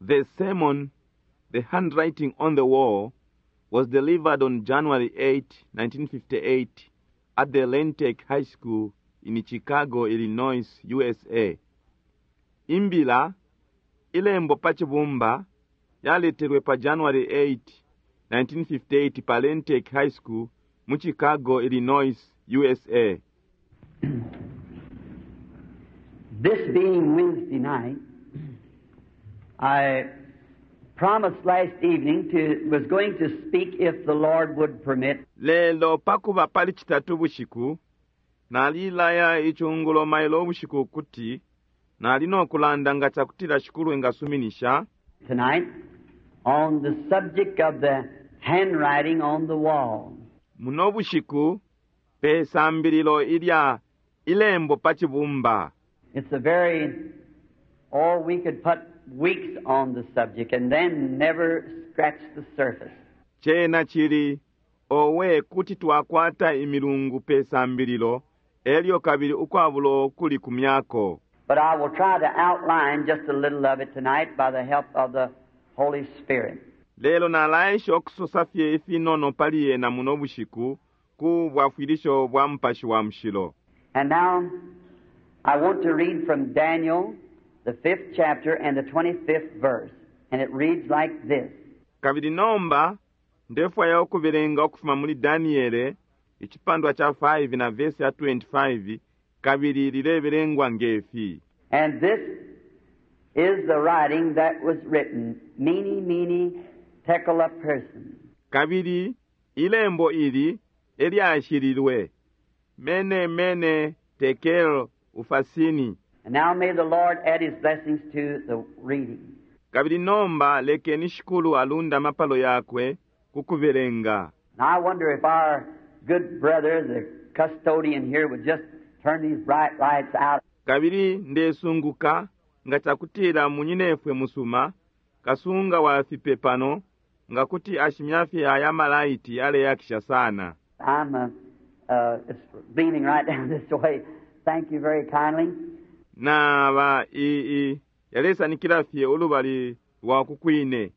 The sermon, The Handwriting on the Wall, was delivered on January 8, 1958, at the Lentec High School in Chicago, Illinois, USA. Imbila, ilembo pa cibumba, yaletelwe pa January 8, 1958 pa Lentec High School mu Chicago, Illinois, USA. This being Wednesday night, I promised last evening to was going to speak if the Lord would permit. Lelo pakuba pali citatu bushiku, nalilaya icungulo mailo ubushiku ukuti nali no kulanda nga cakutila Shikulu engasuminisha. Tonight on the subject of the handwriting on the wall. Muno bushiku pe sambililo ilya ilembo pa cibumba. It's a very or we could put weeks on the subject and then never scratch the surface. Cena cili, owe, kuti twakwata imilungu pe sambililo, elyo kabili ukwabulo kulikumyako. But I will try to outline just a little of it tonight by the help of the Holy Spirit. Lelo nalaesha ukusosa fye ifinono pali yena muno bushiku ku bwafwilisho bwa Mupashi wa Mushilo. And now I want to read from Daniel, the fifth chapter and the 25th verse. And it reads like this. Kabili nomba ndefwaya ukubelenga ukufuma muli Daniele icipandwa ca 5 na vesi ya 25 kabili lilebelengwa ngefi. And this is the writing that was written, Mene, Mene, Tekel Upharsin. Kabili ilembo ili elyashililwe, Mene, Mene, Tekel Upharsini. And now may the Lord add his blessings to the reading. Kabili nomba lekeni Shikulu alunde amapalo yakwe ku kubelenga. And I wonder if our good brother, the custodian here, would just turn these bright lights out. Kabili ndesunguka nga cakutila munyinefwe musuma, kasunga wa fipe pano, nga kuti ashimya fye aya malaiti yaleyakisha sana. I'm uh, uh, it's leaning right down this way. Thank you very kindly. Naba i, i, yalesanikila fye ulubali lwa ku kwine.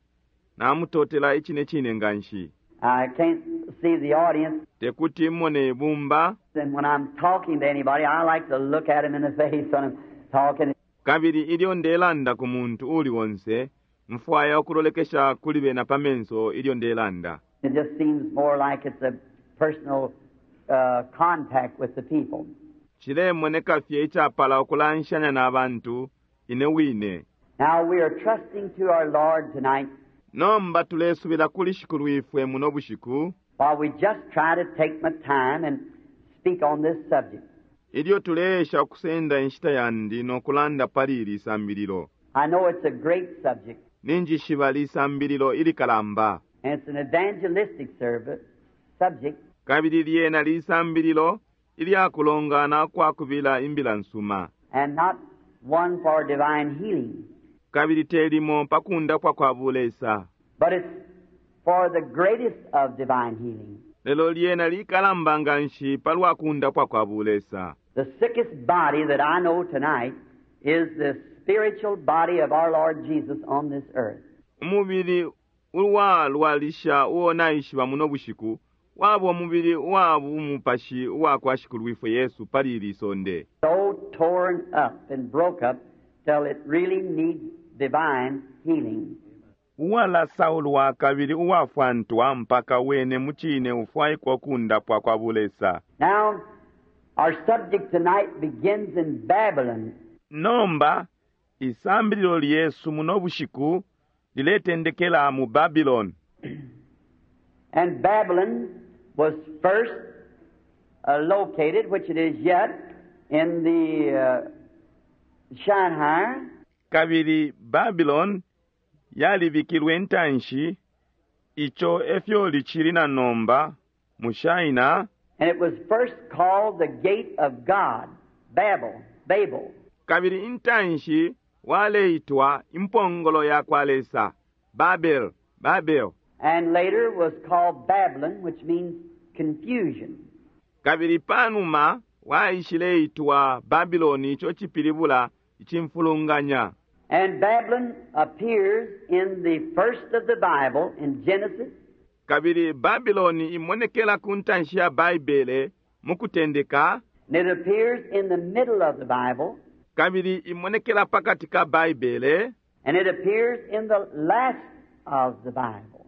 Namutotela icine cine nganshi. I can't see the audience. Tekuti mone ibumba. And when I'm talking to anybody, I like to look at him in the face when I'm talking. Kabili ilyo ndelanda ku muntu uuli onse, mfwaya ukulolekesha kuli bena pa menso ilyo ndelanda. It just seems more like it's a personal uh, contact with the people. Cilemoneka fye icapala ukulanshanya na bantu ine wine. Now we are trusting to our Lord tonight. Nomba tulesubila kuli Shikulwifwe muno bushiku. While we just try to take my time and speak on this subject. Ilyo tuleesha ukusenda inshita yandi no kulanda pali ili sambililo. I know it's a great subject. Ninjishiba lisambililo ilikalamba. And it's an evangelistic service, subject. Kabili lyena lisambililo ilya kulongana kwa kubila imbila nsuma. And not one for divine healing. Kabili te limo pa kundapwa kwa bulesa. But it's for the greatest of divine healing. Lelo lyena likalamba nganshi palwa kundapwa kwa bulesa. The sickest body that I know tonight is the spiritual body of our Lord Jesus on this earth. Umubili uwalwalisha uo naishiba muno bushiku waba umubili uwa bumupashi uwa kwa Shikulwifwe Yesu pali ili sonde. So torn up and broke up till it really needs divine healing. Uwalasaulwa kabili uwafwantwa mpaka wene mucine ufwaikwa ukundapwa kwa bulesa. Now, our subject tonight begins in Babylon. Nomba, isambililo lyesu muno bushiku liletendekela mu Babylon. And Babylon was first uh, located, which it is yet, in the uh, Shinar. Kabili Babylon yalibikilwe intanshi, ico efyo licili na nomba, mu Shinar. And it was first called the gate of God, Babel, Babel. Kabili intanshi waleitwa impongolo ya kwa Lesa, Babel, Babel. And later was called Babylon, which means confusion. Kabili panuma waishileitwa Babiloni, ico cipilibula icimfulunganya. And Babylon appears in the first of the Bible, in Genesis, Kabili Babiloni imonekela ku ntanshi ya Baibele mu Kutendeka, and it appears in the middle of the Bible, kabili imonekela pa kati ka Baibele, and it appears in the last of the Bible,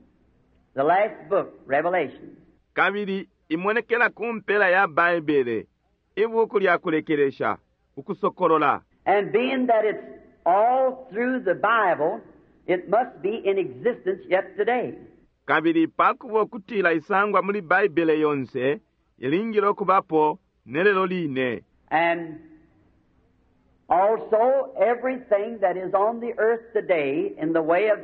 the last book, Revelation. Kabili imonekela ku mpela ya Baibele, ibuku lya kulekelesha, Ukusokolola. And being that it's all through the Bible, it must be in existence yet today. Kabili pakuba ukutila isangwa muli Baibele yonse, ilingile ukubapo ne lelo line. And also everything that is on the earth today in the way of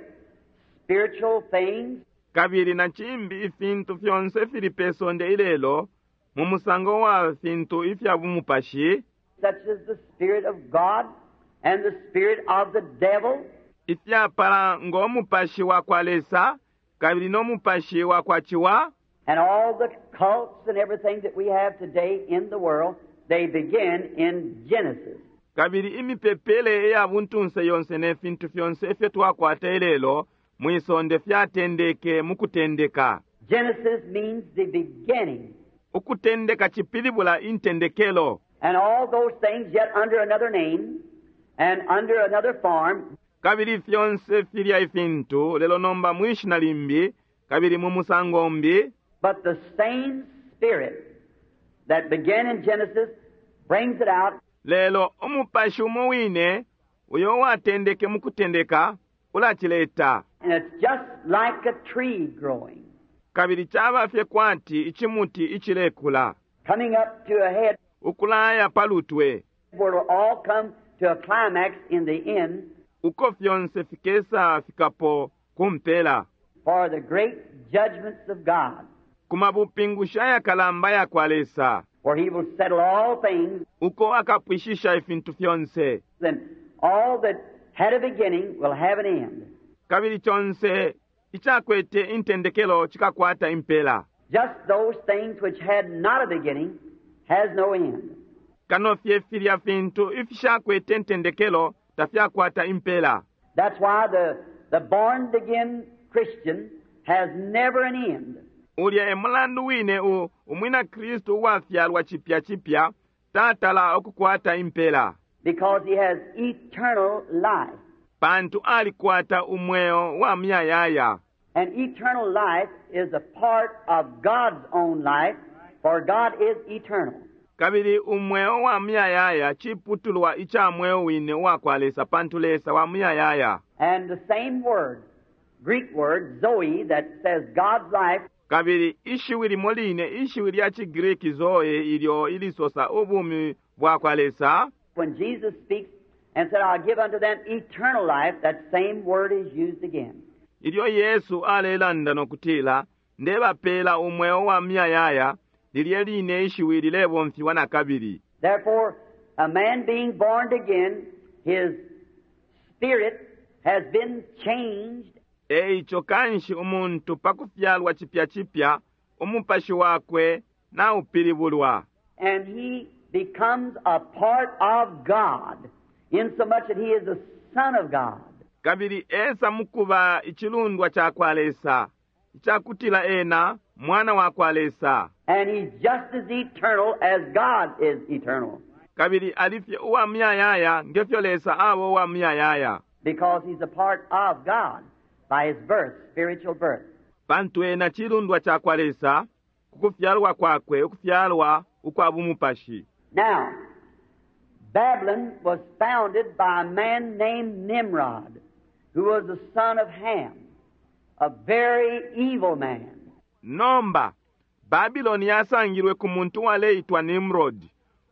spiritual things, Kabili na cimbi ifintu fyonse ifili pe sonde ilelo mu musango wa fintu ifya bumupashi, such as the Spirit of God and the spirit of the devil, ifyapala ngo mupashi wa kwa Lesa kabili no mupashi wa kwa Ciwa, and all the cults and everything that we have today in the world, they begin in Genesis. Kabili imipepele iya buntunse yonse ne fintu fyonse ifyo twakwata ilelo mwi sonde fyatendeke mu Kutendeka. Genesis means the beginning. Ukutendeka cipilibula intendekelo. And all those things yet under another name and under another form. Kabili fyonse filya ifintu, lelo nomba mwi shina limbi, kabili mu musango umbi. But the same spirit that began in Genesis brings it out. Lelo umupashi umo wine uyo uwatendeke mu Kutendeka ulacileta. And it's just like a tree growing. Kabili caba fye kwati icimuti icilekula. Coming up to a head. Ukulaya pa lutwe. Where it'll all come to a climax in the end. Uko fyonse fikesa fikapo ku mpela. For the great judgments of God. Ku mabupingushi ayakalamba ya kwa Lesa. Where he will settle all things. Uko akapwishisha ifintu fyonse. Then all that had a beginning will have an end. Kabili conse icakwete intendekelo cikakwata impela. Just those things which had not a beginning has no end. Kano fye filya fintu ifishakwete intendekelo tafyakwata impela. That's why the born again Christian has never an end. Ulya e mulandu wine u umwina Kristu uwafyalwa cipya cipya tatala ukukwata impela. Because he has eternal life. Pantu alikwata umweo wa muyayaya. And eternal life is a part of God's own life, for God is eternal. Kabili umweo wa muyayaya ciputulwa ica mweo wine uwa kwa Lesa, pantu Lesa wa muyayaya. And the same word, Greek word, zoe, that says God's life. Kabili ishiwi limo line, ishiwi lya ciGreek zoe, ilyo ilisosa ubumi bwa kwa Lesa. When Jesus speaks and said, I'll give unto them eternal life, that same word is used again. Ilyo Yesu alelanda no kutila, Ndebapela umweo wa muyayaya, lilye line ishiwi lilebomfiwa na kabili. Therefore, a man being born again, his spirit has been changed. E ico kanshi umuntu pa kufyalwa cipya cipya, umupashi wakwe naupilibulwa. And he becomes a part of God, insomuch that he is a son of God. Kabili esa mukuba icilundwa ca kwa Lesa, icakutila ena mwana wa kwa Lesa. And he's just as eternal as God is eternal. Kabili alifye uwa muyayaya ngefyo Lesa aba uwa muyayaya. Because he's a part of God by his birth, spiritual birth. Pantu ena cilundwa ca kwa Lesa ku kufyalwa kwakwe, ukufyalwa ukwa bumupashi. Now, Babylon was founded by a man named Nimrod, who was the son of Ham, a very evil man. Nomba, Babylon yasangilwe ku muntu uwaleitwa Nimrod,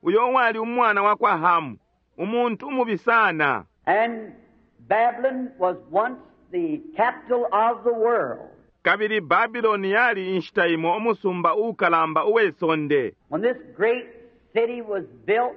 uyo uwali umwana wa kwa Hamu, umuntu umubi sana. And Babylon was once the capital of the world. Kabili Babylon yali inshita imo umusumba uukalamba uwe sonde. When this great city was built,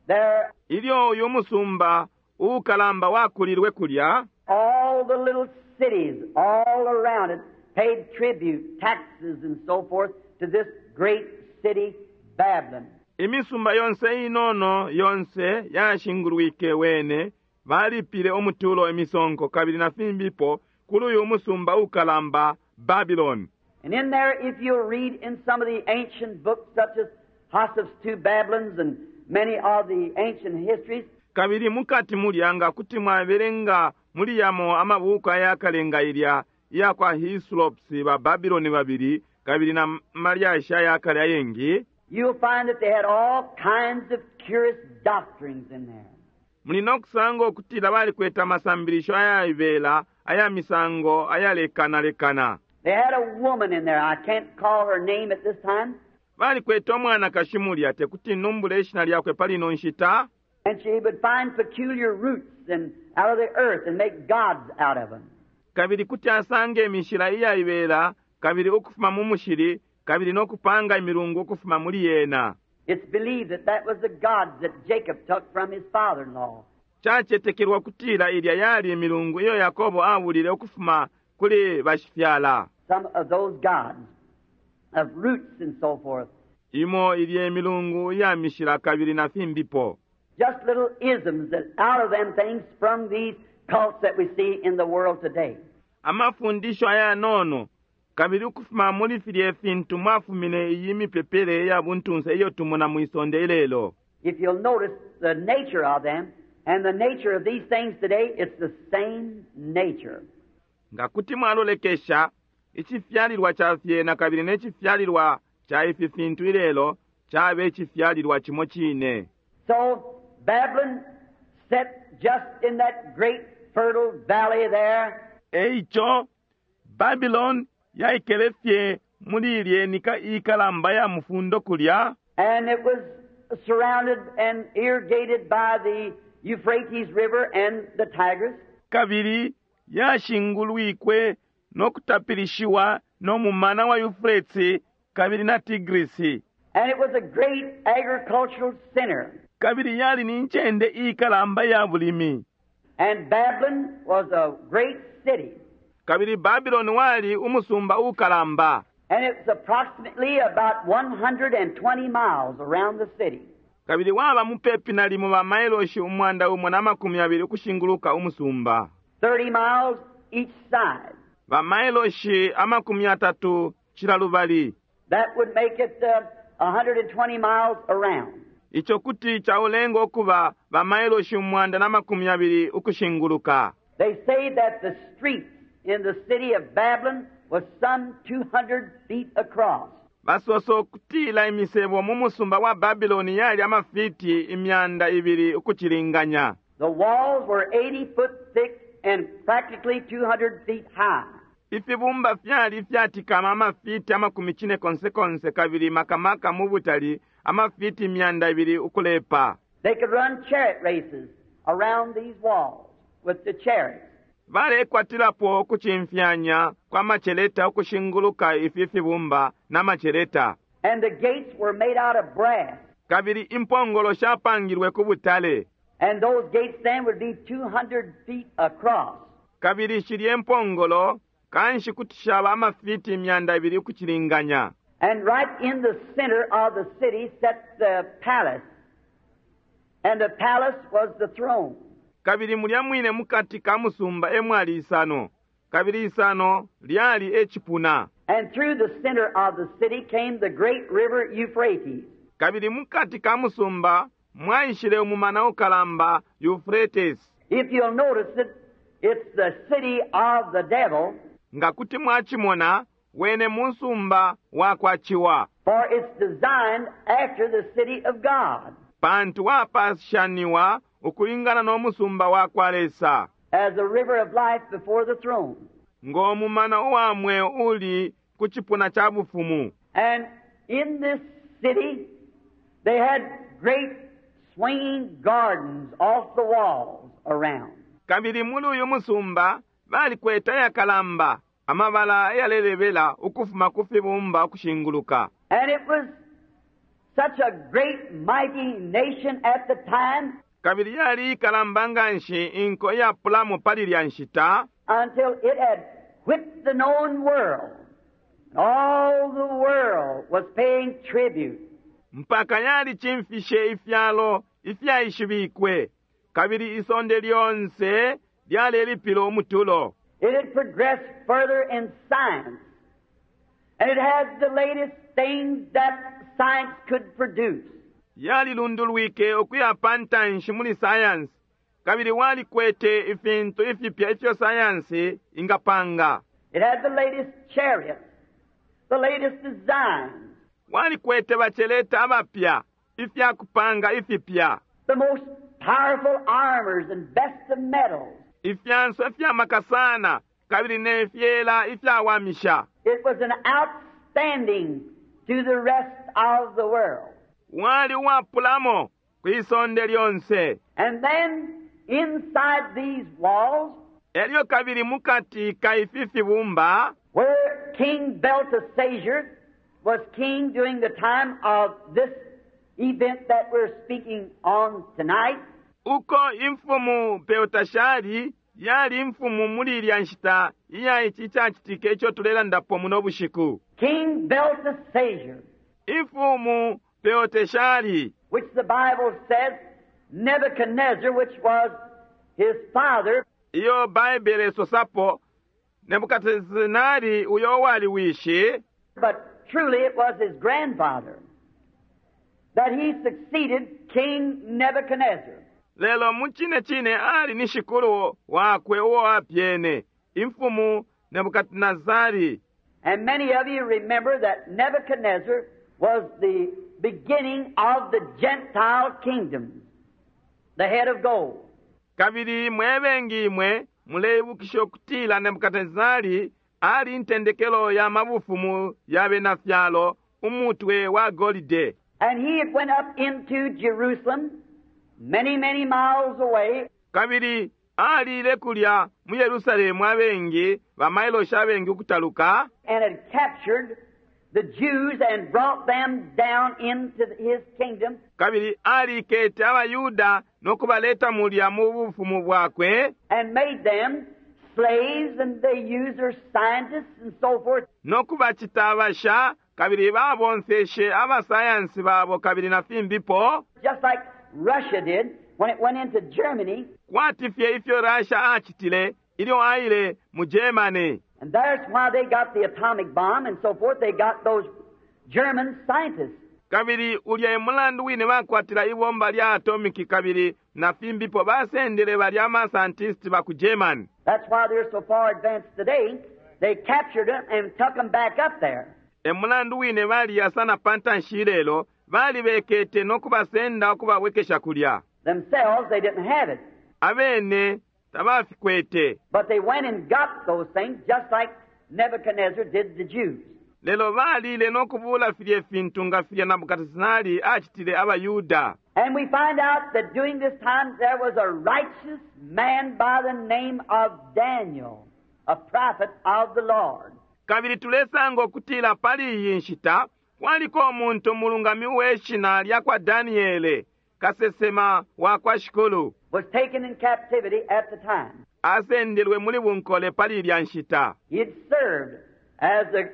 there Ilyo uyu musumba uukalamba wakulilwe kulya, all the little cities all around it paid tribute, taxes and so forth to this great city, Babylon. Imisumba yonse inono yonse yashingulwike wene. Balipile umutulo, imisonko, kabili na fimbipo kuli uyu musumba ukalamba Babylon. And in there, if you'll read in some of the ancient books, such as Joseph's Two Babylons and many of the ancient histories, Kabili mukati mulya, nga kuti mwabelenga muli yamo amabuku ayakale nga ilya iya kwa Hislops ba Babylon babili kabili na malyashi ayakale ayengi, you'll find that they had all kinds of curious doctrines in there. Muli no kusanga ukutila balikwete amasambilisho ayaibela aya misango ayalekanalekana. They had a woman in there. I can't call her name at this time. Balikwete umwanakashi mulya, tekuti numbule ishina lyakwe pali ino nshita. And she would find peculiar roots and out of the earth and make gods out of them. Kabili kuti asanga imishila iyaibela kabili ukufuma mu mushili kabili no kupanga imilungu ukufuma muli yena. It's believed that that was the gods that Jacob took from his father-in-law. Cacetekelwa kutila ilya yali imilungu iyo Yakobo abulile ukufuma kuli bashifyala. Some of those gods of roots and so forth. Imo ilye imilungu iya mishila kabili na fimbipo. Just little isms that out of them things sprung these cults that we see in the world today. Amafundisho ayanono, kabili ukufuma muli filye fintu mwafumine iyi mipepele ya buntunse iyo tumona mwisonde ilelo. If you'll notice the nature of them and the nature of these things today, it's the same nature. Nga kuti mwalolekesha icifyalilwa ca fyena kabili ne cifyalilwa ca ifi fintu ilelo, cabe icifyalilwa cimo cine. So Babylon set just in that great fertile valley there. Eico Babylon yaikele fye muli ilye nika ikalamba ya mufundo kulya. And it was surrounded and irrigated by the Euphrates River and the Tigris. Kabili yashingulwikwe no kutapilishiwa no mumana wa Euphrates kabili na Tigris. And it was a great agricultural center. Kabili yali ni ncende ikalamba ya bulimi. And Babylon was a great city. Kabili Babylon wali umusumba ukalamba. And it was approximately about 120 miles around the city. Kabili waba mupepi nalimo ba mailoshi 120 ukushinguluka umusumba. 30 miles each side. Ba mailoshi 30 cila lubali. That would make it 120 miles around. Ico kuti chaulenga okuba ba mailoshi 120 ukushinguluka. They say that the streets in the city of Babylon was some 200 feet across. Basoso kutila imisebo mu musumba wa Babylon yali amafiti 200 ukuchilinganya. The walls were 80 foot thick and practically 200 feet high. Ifibumba fyali fyatikama amafiti 40 kabili makamaka mu butali amafiti 200 ukulepa. They could run chariot races around these walls with the chariots. Balekwatilapo ukucimfyanya kwa maceleta ukushinguluka ifi fibumba na maceleta. And the gates were made out of brass. Kabili impongolo shapangilwe ku butale. And those gates then would be 200 feet across. Kabili shilye impongolo kanshi kuti shaba amafiti 200 ukuchilinganya. And right in the center of the city sat the palace. And the palace was the throne. Kabili mulya mwine mukati ka musumba emwali isano. Kabili isano lyali echipuna. And through the center of the city came the great river Euphrates. Kabili mukati ka musumba mwaishile umumana ukalamba Euphrates. If you'll notice it, it's the city of the devil. Nga kuti mwachimona wene musumba wakwachiwa. For it's designed after the city of God. Pantu wapashaniwa ukulingana no musumba wakwa Lesa. As a river of life before the throne. Ngo mumana uwamwe uli kuchipuna cha bufumu. And in this city they had great swinging gardens off the walls around. Kabili muli uyu musumba balikwete ayakalamba amabala ayalelebela ukufuma ku fibumba ukushinguluka. And it was such a great mighty nation at the time. Kabili yali ikalamba nganshi inko iyapulamo pali lya nshita. Until it had whipped the known world. All the world was paying tribute. Mpaka yali chimfishe ifyalo ifyaishibikwe. Kabili isonde lyonse lyalelipila umutulo. It had progressed further in science. And it had the latest things that science could produce. Yalilundulwike ukuya pa ntanshi muli sayansi, kabili walikwete ifintu ifipya ifyo sayansi ingapanga. It had the latest chariots, the latest designs, Walikwete baceleta abapya, ifya kupanga ifipya, the most powerful armors and best of metals. Ifyanso ifya maka sana kabili ne fyela ifyawamisha. It was an outstanding to the rest of the world. Wali uwapulamo kwi sonde lyonse. And then inside these walls, Elyo kabili mukati ka ifi fibumba, where King Belteshazzar was king during the time of this event that we're speaking on tonight, uko imfumu Belteshari yali imfumu muli ilya nshita iya ici cacitike ico tulelandapo muno bushiku. King Belteshazzar, Imfumu Belteshari, which the Bible says Nebuchadnezzar, which was his father, iyo Baibele isosapo Nebukadnesari uyo wali wishi, but truly it was his grandfather, that he succeeded King Nebuchadnezzar. Lelo mu cine cine ali ni shikulu wakwe uo apyene, imfumu Nebukadnesari. And many of you remember that Nebuchadnezzar was the beginning of the Gentile kingdom, the head of gold. Kabili mwe bengi imwe muleibukisha ukutila Nebukadnesari ali intendekelo ya mabufumu ya bena fyalo, umutwe wa golide. And he had went up into Jerusalem, many, many miles away. Kabili alile kulya mu Yerusalemu abengi, bamailoshi abengi ukutaluka. And had captured the Jews and brought them down into his kingdom. Kabili alikete abayuda no kubaleta mulya mu bufumu bwakwe. And made them slaves, and they used their scientists and so forth. No kubacita abasha, kabili babomfeshe abasayansi babo kabili na fimbipo. Just like Russia did when it went into Germany. Kwati fye ifyo Russia acitile ilyo aile mu Germany. And that's why they got the atomic bomb and so forth. They got those German scientists. Kabili ulya e mulandu wine bakwatila ibomba lya atomiki kabili na fimbipo basendele balya ama scientists ba ku Germany. That's why they're so far advanced today. They captured them and took them back up there. E mulandu wine baliya sana pa ntanshi ilelo, balibekete no kubasenda ukubabwekesha kulya. Themselves, they didn't have it. Abene tabafikwete. But they went and got those things just like Nebuchadnezzar did the Jews. Lelo balile no kubula filye fintu nga filya Nebukadnesari acitile abayuda. And we find out that during this time there was a righteous man by the name of Daniel, a prophet of the Lord. Kabili tulesanga ukutila pali iyi nshita kwaliko umuntu umulungami uwe shina lya kwa Daniele, kasesema wa kwa Shikulu. Was taken in captivity at the time. Asendelwe muli bunkole pali ilya nshita. He had served as a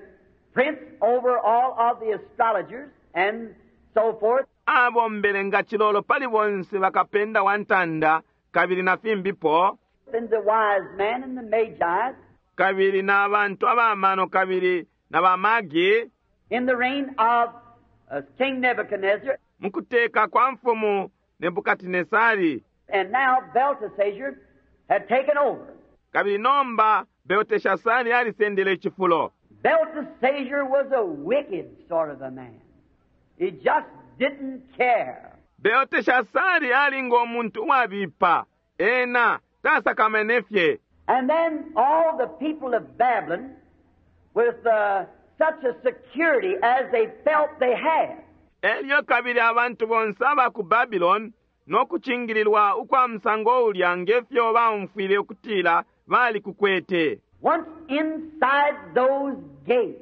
prince over all of the astrologers and so forth. Abombele nga cilolo pali bonse bakapenda wa ntanda kabili na fimbipo. And the wise men and the magi. Kabili na bantu abamano kabili na bamagi. In the reign of King Nebuchadnezzar. Mukuteka kwa mfumu Nebukadnesari. And now Belteshazzar had taken over. Kabili nomba Belteshazzar alisendele icifulo. Belteshazzar was a wicked sort of a man. He just didn't care. Belteshazzar ali ngo muntu uwabipa. Ena tasakamene fye. And then all the people of Babylon, with such a security as they felt they had. Elyo kabili abantu bonse aba ku Babylon no kucingililwa ukwa musango ulya ngefyo baumfwile ukutila bali kukwete. Once inside those gates,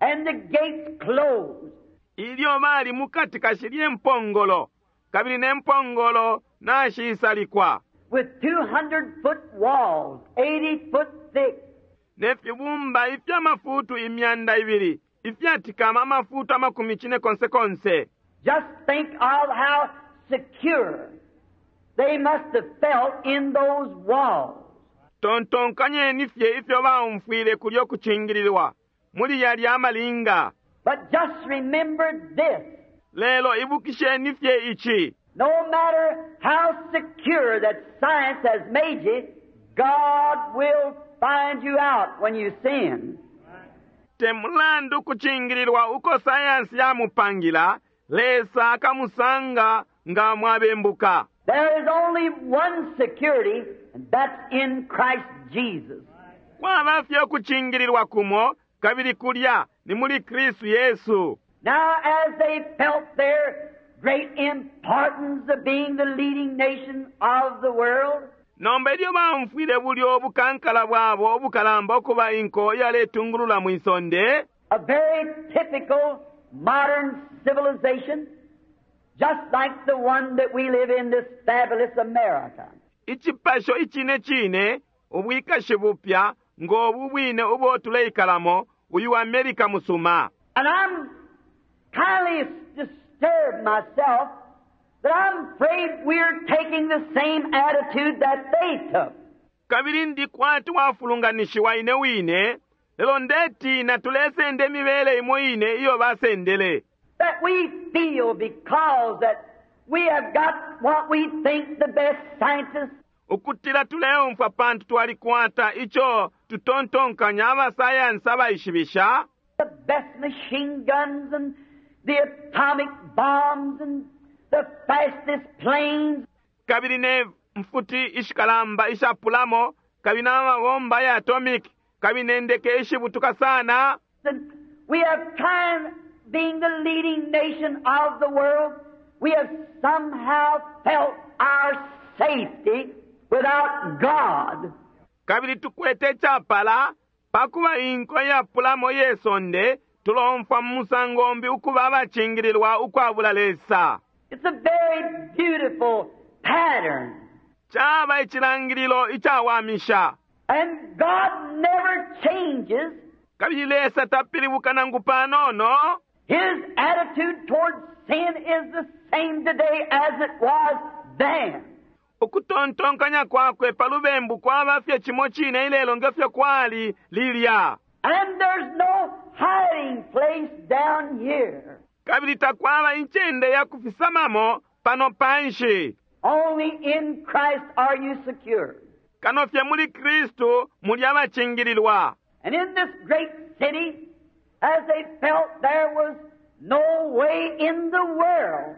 and the gates closed. Ilyo bali mukati kashilye mpongolo, kabili ne mpongolo nashisalikwa. With 200-foot walls, 80-foot thick. Ne fibumba ifya mafutu imyanda ibili, ifyatikama amafutu amakumi cine konse konse. Just think of how secure they must have felt in those walls. Tontonkanyeni fye ifyo baumfwile kulyo kucingililwa muli yalya amalinga. But just remember this. Lelo ibukisheni fye ici. No matter how secure that science has made you, God will find you out when you sin. Te mulandu kucingililwa uko sayansi yamupangila, Lesa akamusanga nga mwabembuka. There is only one security, and that's in Christ Jesus. Kwaba fye ukucingililwa kumo, kabili kulya ni muli Kristu Yesu. Now, as they felt their great importance of being the leading nation of the world, Nomba ilyo baumfwile bulyo ubukankala bwabo ubukalamba ukuba inko iyaletungulula mwi sonde, a very typical modern civilization, just like the one that we live in, this fabulous America. Icipasho icine cine, ubwikashi bupya, ngo bu bwine ubo tuleikalamo, uyu America musuma. And I'm kindly disturbed myself that I'm afraid we're taking the same attitude that they took. Kabili ndi kwati wafulunganishiwa ine wine, lelo ndetina tulesenda imibele imo ine iyo basendele. That we feel because that we have got what we think the best scientists, Ukutila tuleumfwa pantu twalikwata ico tutontonkanya abasayansi abaishibisha, the best machine guns and the atomic bombs and the fastest planes, kabili ne mfuti ishikalamba ishapulamo, kabili n'amabomba ya atomic, kabili ne ndeke ishibutuka sana, and we have tried being the leading nation of the world, we have somehow felt our safety without God. Kabili tukwete icapala pakuba inko iyapulamo iye sonde, tulomfwa mu musango umbi ukuba abacingililwa ukwabula Lesa. It's a very beautiful pattern. Caba icilangililo icawamisha. And God never changes. Kabili Lesa tapilibuka nangu panono. His attitude towards sin is the same today as it was then. Ukutontonkanya kwakwe pa lubembu kwaba fye cimo cine ilelo nge fyo kwali lilya. And there's no hiding place down here. Kabili takwaba incende ya kufisamamo pano panshi. Only in Christ are you secure. Kano fye muli Kristu muli abacingililwa. And in this great city, as they felt there was no way in the world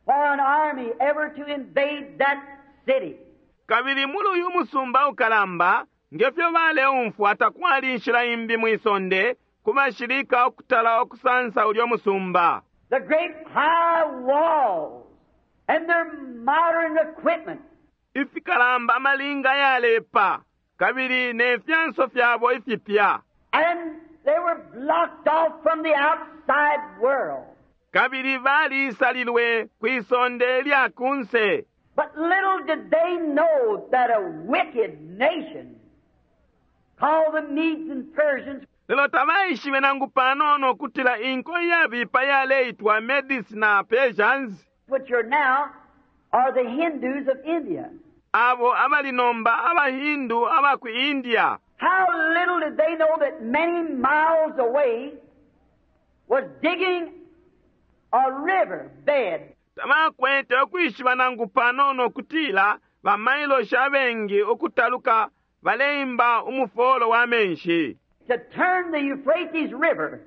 for an army ever to invade that city. Kabili muli uyu musumba ukalamba, nge fyo baleumfwa takwali inshila imbi mwi sonde ku bashilika ukutala ukusansa ulyo musumba. The great high walls and their modern equipment. Ifikalamba amalinga ayalepa kabili ne fyanso fyabo ifipya. And they were blocked off from the outside world. Kabili baliisalilwe kwi sonde lya kunse. But little did they know that a wicked nation called the Medes and Persians, Lelo tabaishibe nangu panono ukutila inko iyabipa yaleitwa Medes na Persians, which are now are the Hindus of India. Abo abali nomba abaHindu aba ku India. How little did they know that many miles away was digging a river bed. Tabakwete ukwishiba nangu panono ukutila bamailoshi abengi ukutaluka baleimba umufolo wa menshi, to turn the Euphrates River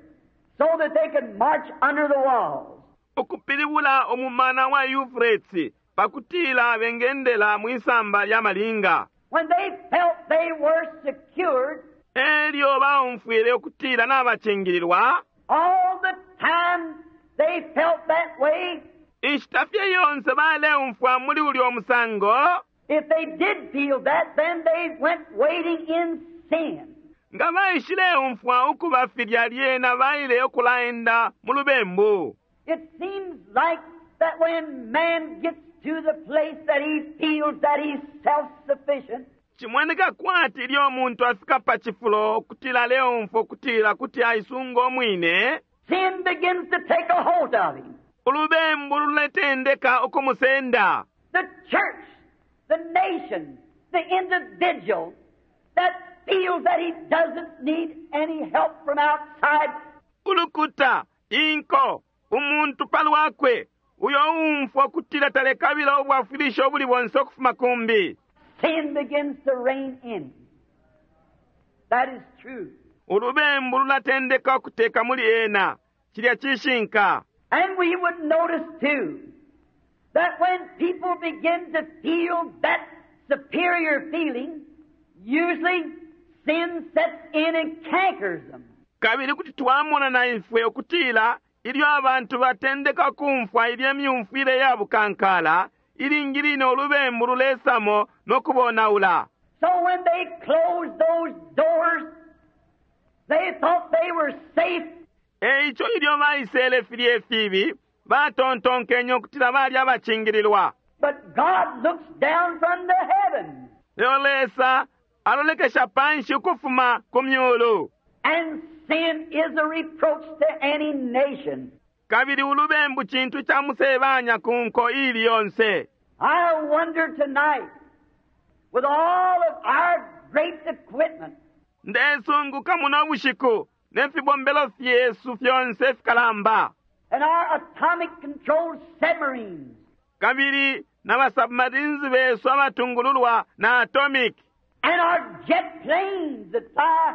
so that they could march under the walls. Ukupilibula umumana wa Euphrates pakutila bengendela mwisamba lya malinga. When they felt they were secured, Elyo baumfwile ukutila nabacingililwa, all the time they felt that way, inshita fye yonse baleumfwa muli ulyo musango, if they did feel that, then they went wading in sin. Nga baishileumfwa ukuba filya lyena baile ukulaenda mu lubembu. It seems like that when man gets to the place that he feels that he's self-sufficient, Cimoneka kwati ilyo umuntu afika pa cifulo ukutila aleumfwa ukutila kuti aisunga umwine, sin begins to take a hold of him. Ulubembu luletendeka ukumusenda. The church the nation, the individual that feels that he doesn't need any help from outside. Ulukuta, inko, umuntu palwakwe uyo uumfwa ukutila talekabila ubwafwilisho ubuli bonse ukufuma kumbi. Sin begins to reign in him. That is true. Ulubembu lulatendeka ukuteka muli ena. Cilya cishinka. And we would notice too that when people begin to feel that superior feeling, usually sin sets in and cankers them. Kabili kuti twamona na ifwe ukutila ilyo abantu batendeka kumfwa ilye myumfwile ya bukankala, ilingi line ulubembu lulesamo no kubonaula. So when they closed those doors, they thought they were safe. E ico ilyo baisele filye fibi, batontonkenye ukutila bali abacingililwa. But God looks down from the heavens. Lelo Lesa alolekesha panshi ukufuma ku myulu. And sin is a reproach to any nation. Kabili ulubembu cintu ca musebanya ku nko ili yonse. I wonder tonight, with all of our great equipment, Ndesunguka muno bushiku ne fibombelo fyesu fyonse fikalamba, and our atomic controlled submarines, kabili na basubmarines besu abatungululwa na atomic, and our jet planes that fly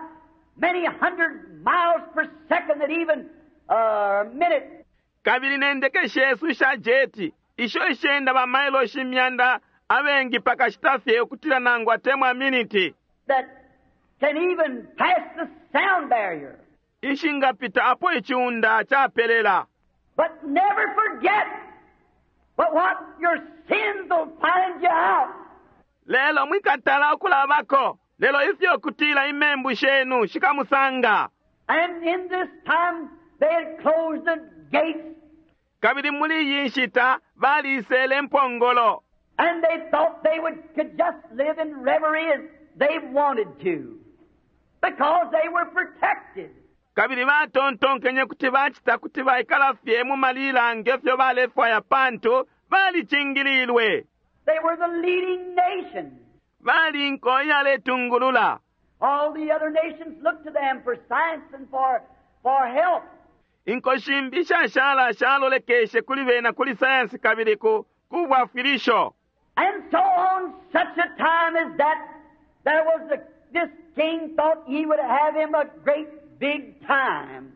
many hundred miles per second at even a minute, kabili ne ndeke shesu isha jeti isho ishenda bamailoshi imyanda abengi pakashita fye ukutila nangu atemwa miniti, that can even pass the sound barrier. Ishingapita apo iciunda capelela. But never forget but what your sins will find you out. Lelo mwikatala ukulabako, lelo ifyo kutila imembu shenu shikamusanga. And in this time they had closed the gates. Kabili muli iyi nshita balisele impongolo. And they thought they could just live in reverie as they wanted to, because they were protected. Kabili batontonkenye kuti bacita kuti baikala fye mu malila nge fyo balefwaya pantu balicingililwe. They were the leading nation. Bali inko iyaletungulula. All the other nations looked to them for science and for help. Inko shimbi shashala shalolekeshe kuli bena kuli sayansi kabili ku bwafwilisho. And so on such a time as that, there was this king thought he would have him a great big time.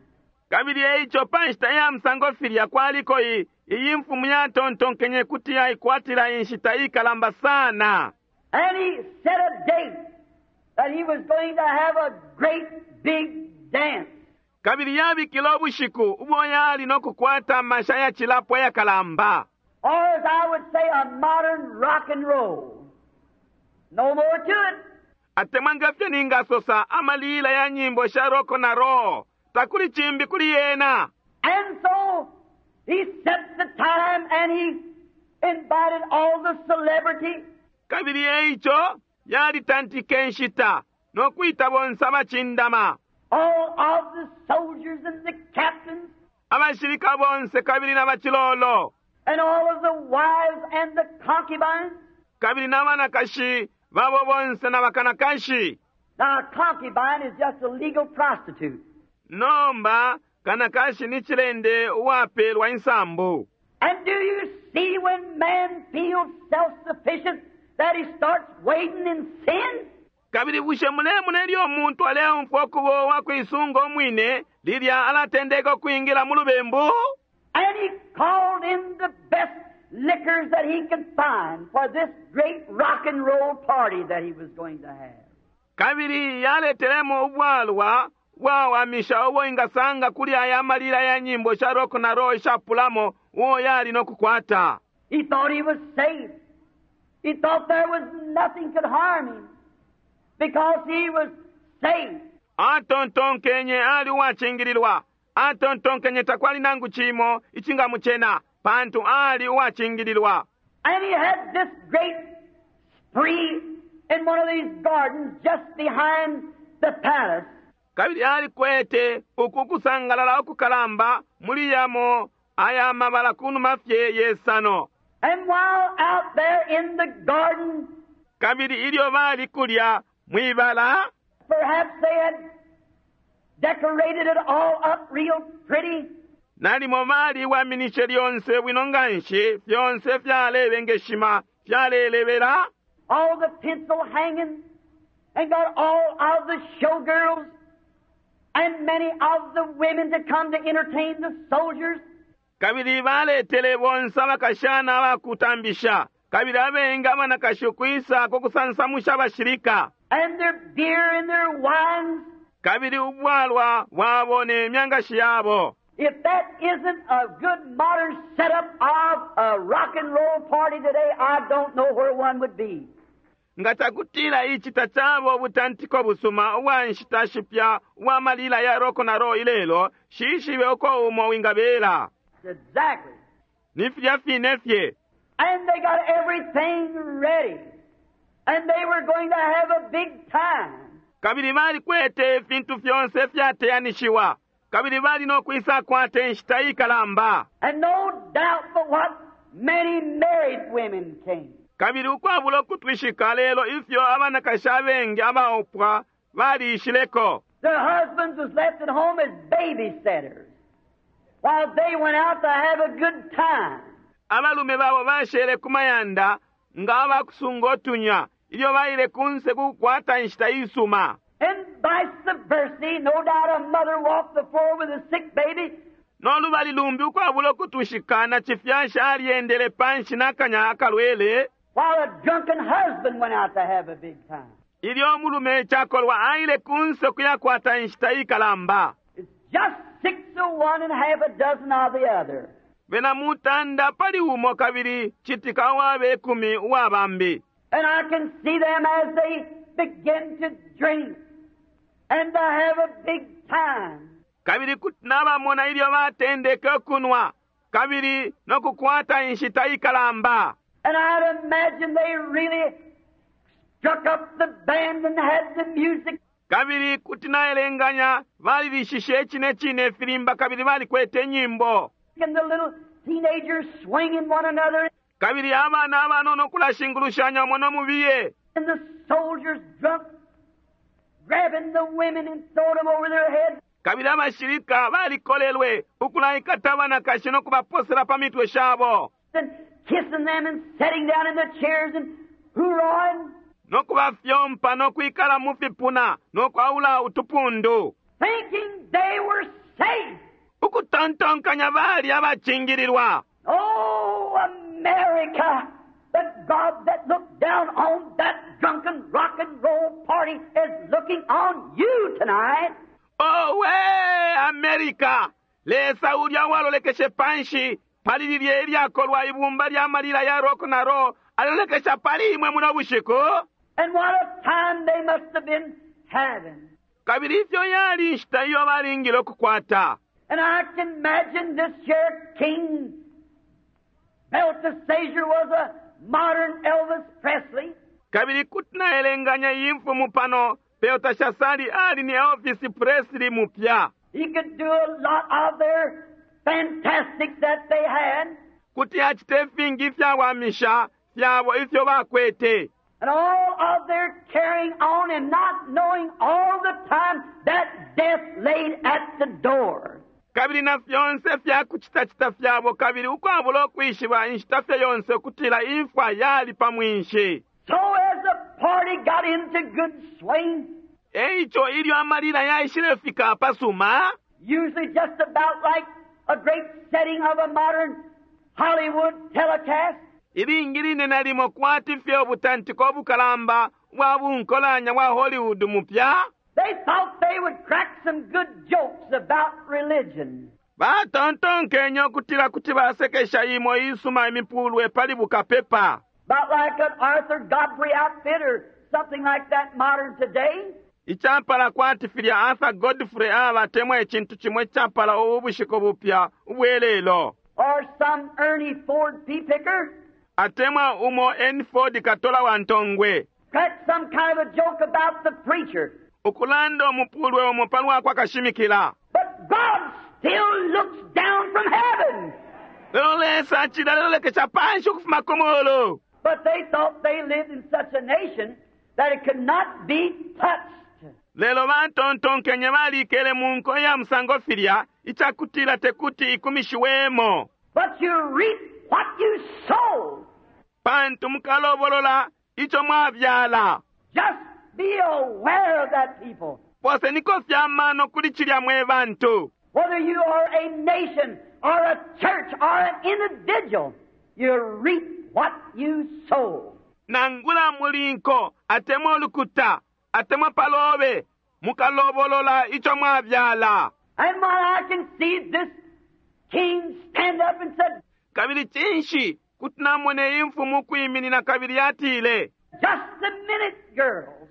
Kabili eico pa nshita ya musango filya kwaliko iyi mfumu yatontonkenye kuti yaikwatila inshita ikalamba sana. And he set a date that he was going to have a great big dance. Kabili yabikile ubushiku ubo yali no kukwata amasha ya cilapo yakalamba. Or as I would say, a modern rock and roll. No more to it. Atemwa ngefyo ningasosa amalila ya nyimbo sha rock na roll. Takuli chimbi kuli yena. And so he set the time and he invited all the celebrity. Kabili eico yalitantike nshita no kwita bonse abacindama. All of the soldiers and the captains. Abashilika bonse kabili na bachilolo. And all of the wives and the concubines. Kabili na banakashi babo bonse na bakanakashi. Now a concubine is just a legal prostitute. Nomba kanakashi ni chilende uwapelwa insambu. And do you see when man feels self-sufficient that he starts wading in sin? Kabili bushe mulemona ilyo umuntu aleumfwa ukuba uwakwisunga umwine lilya alatendeka ukwingila mu lubembu? And he called in the best liquors that he could find for this great rock and roll party that he was going to have. Kabili yaletelemo ubwalwa bwawamisha ubo ingasanga kuli aya malila ya nyimbo sha rock na roll ishapulamo uo yali no kukwata. He thought he was safe. He thought there was nothing could harm him because he was safe. Atontonkenye ali uwacingililwa. Atontonkenye takwali nangu chimo ichingamuchena pantu ali uwacingililwa. And he had this great spree in one of these gardens just behind the palace. Kabili alikwete uku kusangalala ukukalamba muli yamo aya mabala kunuma fye yesano. And while out there in the garden, Kabili ilyo bali kulya mwibala, perhaps they had decorated it all up real pretty. nalimo baliwaminishe lyonse bwino nga nshi, fyonse fyalebengeshima, fyalelebela, all the tinsel hanging, and got all of the showgirls and many of the women to come to entertain the soldiers. Kabili baletele bonse abakashana abakutambisha, kabili abengi abanakashi ukwisa ku kusansamusha abashilika. And their beer and their wines. Kabili ubwalwa bwabo ne myangashi yabo. If that isn't a good modern setup of a rock and roll party today, I don't know where one would be. Nga cakutila ici tacaba ubutantiko busuma ubwa nshita shipya ubwa malila ya rock na roll ilelo, nshishibe uko umo wingabela. Exactly. Ni filya fine fye. And they got everything ready. And they were going to have a big time. Kabili balikwete ifintu fyonse ifyateyanishiwa. Kabili bali no kwisakwata inshita ikalamba. And no doubt but what many married women came. Kabili ukwabula ukutwishika lelo ifyo abanakashi abengi abaupwa baliishileko. Their husbands was left at home as babysitters while they went out to have a good time. Abalume babo bashele ku mayanda nga abakusunga utunya ilyo baile kunse ku kukwata inshita isuma. And vice versa, no doubt a mother walked the floor with a sick baby. No lubali lumbi ukwabula ukutwishika na cifyashi alyendele panshi n'akanya akalwele. While a drunken husband went out to have a big time. Ilyo umulume cakolwa aile kunse kuyakwata inshita ikalamba. It's just 6 of one and half a dozen of the other. Bena mutanda pali umo kabili citika uwabe 10 uwa bambi. And I can see them as they begin to drink and to have a big time. Kabili kuti nabamona ilyo batendeke ukunwa kabili no kukwata inshita ikalamba. And I'd imagine they really struck up the band and had the music. Kabili kuti naelenganya balilishishe icine cine ifilimba kabili balikwete inyimbo. And the little teenagers swinging one another. Kabili abana abanono kulashingulushanya umo no mubiye. And the soldiers drunk, grabbing the women and throwing them over their heads. Kabili abashilika balikolelwe ukulaikata abanakashi no kubaposela pa mitwe shabo. And kissing them and sitting down in the chairs and hoorahing. No kubafyompa no kwikala mu fipuna no kwaula utupundu. Thinking they were safe. Ukutontonkanya bali abacingililwa. Oh, America, the God that looked down on that drunken rock and roll party is looking on you tonight. Owe, America, Lesa ulya walolekeshe panshi pali lilye ilyakolwa ibumba lya malila ya rock na roll alolekesha pali imwe muno bushiku. And what a time they must have been having. Kabili ifyo yali inshita iyo balingile ukukwata. And I can imagine this here King Belteshazzar was a modern Elvis Presley. Kabili kuti naelenganya iyi mfumu pano Belteshasari ali ni Elvis Presley mupya. He could do a lot of their fantastic that they had. Kuti acite ifingi ifyawamisha fyabo ifyo bakwete. And all of their carrying on and not knowing all the time that death laid at the door. Kabili na fyonse fya kucitacita fyabo kabili ukwabula ukwishiba inshita fye yonse ukutila imfwa yali pa mwinshi. So as the party got into good swing, Eico ilyo amalila yaishilefika apasuma, usually just about like a great setting of a modern Hollywood telecast, ilingi line nalimo kwati fye ubutantiko ubukalamba bwa bunkolanya bwa Hollywood mupya, they thought they would crack some good jokes about religion. Batontonkenye ukutila kuti basekesha imo isuma imipulwe pali bukapepa. About like an Arthur Godfrey outfit or something like that modern today. Icapala kwati filya Arthur Godfrey abatemwa icintu cimo icapala ubu bushiku bupya ubwelelo. Or some Ernie Ford pea picker. Atemwa umo Ernie Ford katola wa ntongwe. Crack some kind of a joke about the preacher. Ukulanda umupulwe umo palwa kwa kashimikila. But God still looks down from heaven. Lelo Lesa acili alelolekesha panshi ukufuma ku mulu. But they thought they lived in such a nation that it could not be touched. Lelo batontonkenye balikele mu nko ya musango filya icakutila tekuti ikumishiwemo. But you reap what you sow. Pantu mukalobolola ico mwabyala. Just be aware of that, people. Poseniko fye amano kuli cilya mwe bantu. Whether you are a nation or a church or an individual, you reap what you sow. Nangula muli nko atemwa ulukuta atemwa palobe, mukalobolola ico mwabyala. And when I can see this king stand up and said, Kabili cinshi kuti namona iyi mfumu ukwiminina kabili yatile, Just a minute, girls.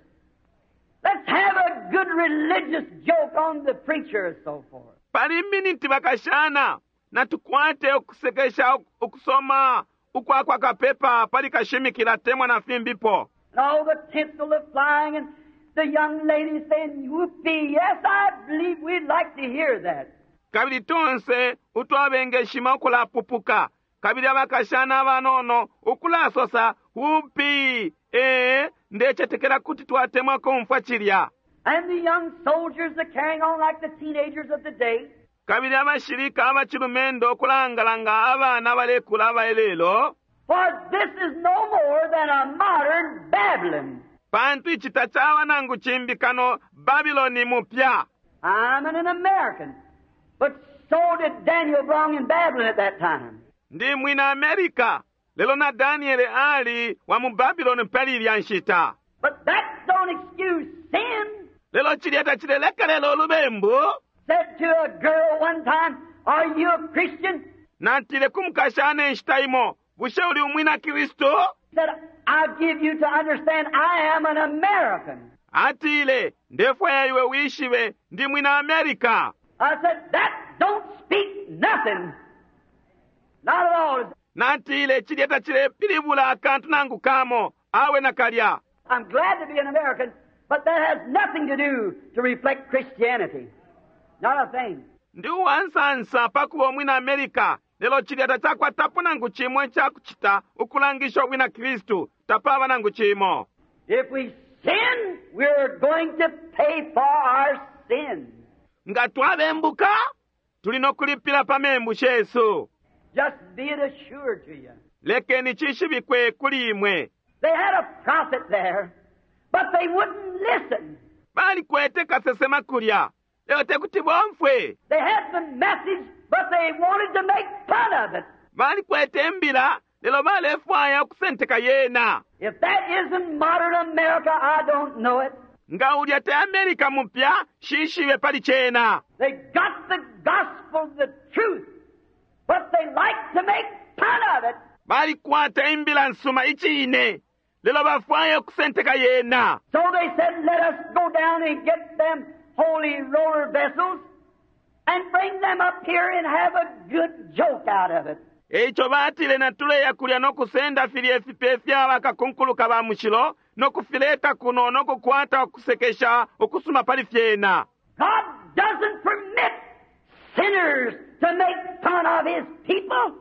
Let's have a good religious joke on the preacher and so forth. Pali miniti bakashana, natukwate ukusekesha ukusoma ukwa kwa kapepa pali kashimikila atemwa na fimbipo. And all the tinsel of flying and the young ladies saying, Whoopee, yes, I believe we'd like to hear that. Kabili tonse utwabengeshima ukulapupuka, kabili abakashana abanono ukulasosa, Whoopee, ee, ndecetekela kuti twatemwa kumfwa cilya. And the young soldiers are carrying on like the teenagers of the day. Kabili abashilika abacilumendo ukulangalanga abana abalekula abaelelo. For this is no more than a modern Babylon. Pantu ici tacaba nangu cimbi kano Babiloni mupya. I'm an American, but so did Daniel belong in Babylon at that time. Ndi mwina America, lelo na Daniele ali wa mu Babiloni pali ilya nshita. But that don't excuse sin. Lelo cilya tacilelekelela ulubembu. Said to a girl one time, Are you a Christian? Natile ku mukashana inshita imo, Bushe uli umwina Kristu? Said, I give you to understand I am an American. Atile, Ndefwaya iwe wishibe ndi mwina America. I said, That don't speak nothing. Not at all. Natile, cilya tacilepilibula akantu nangu kamo, awe nakalya. I'm glad to be an American, but that has nothing to do to reflect Christianity. Not a thing. Ndi uwansansa pa kuba umwina America, lelo cilya tacakwatapo nangu cimo icakucita ukulangisha ubwina Kristu, tapaba nangu cimo. If we sin, we're going to pay for our sin. Nga twabembuka, tuli no kulipila pa membu shesu. Just be it assured to you. Lekeni cishibikwe kuli imwe. They had a prophet there, but they wouldn't listen. Balikwete kasesema kulya, lelo tekuti bomfwe. They had the message, but they wanted to make fun of it. Balikwete imbila, lelo balefwaya ukusenteka yena. If that isn't modern America, I don't know it. Nga ulya te America mupya, shishibe pali cena. They got the gospel, the truth, but they like to make fun of it. Balikwata imbila nsuma icine, lelo bafwaya ukusenteka yena. So they said, let us go down and get them holy roller vessels and bring them up here and have a good joke out of it. Eico batile natuleya kulya no kusenda filye fipe fya bakakunkuluka ba mushilo no kufileta kuno no kukwata ukusekesha ukusuma pali fyena. God doesn't permit sinners to make fun of His people.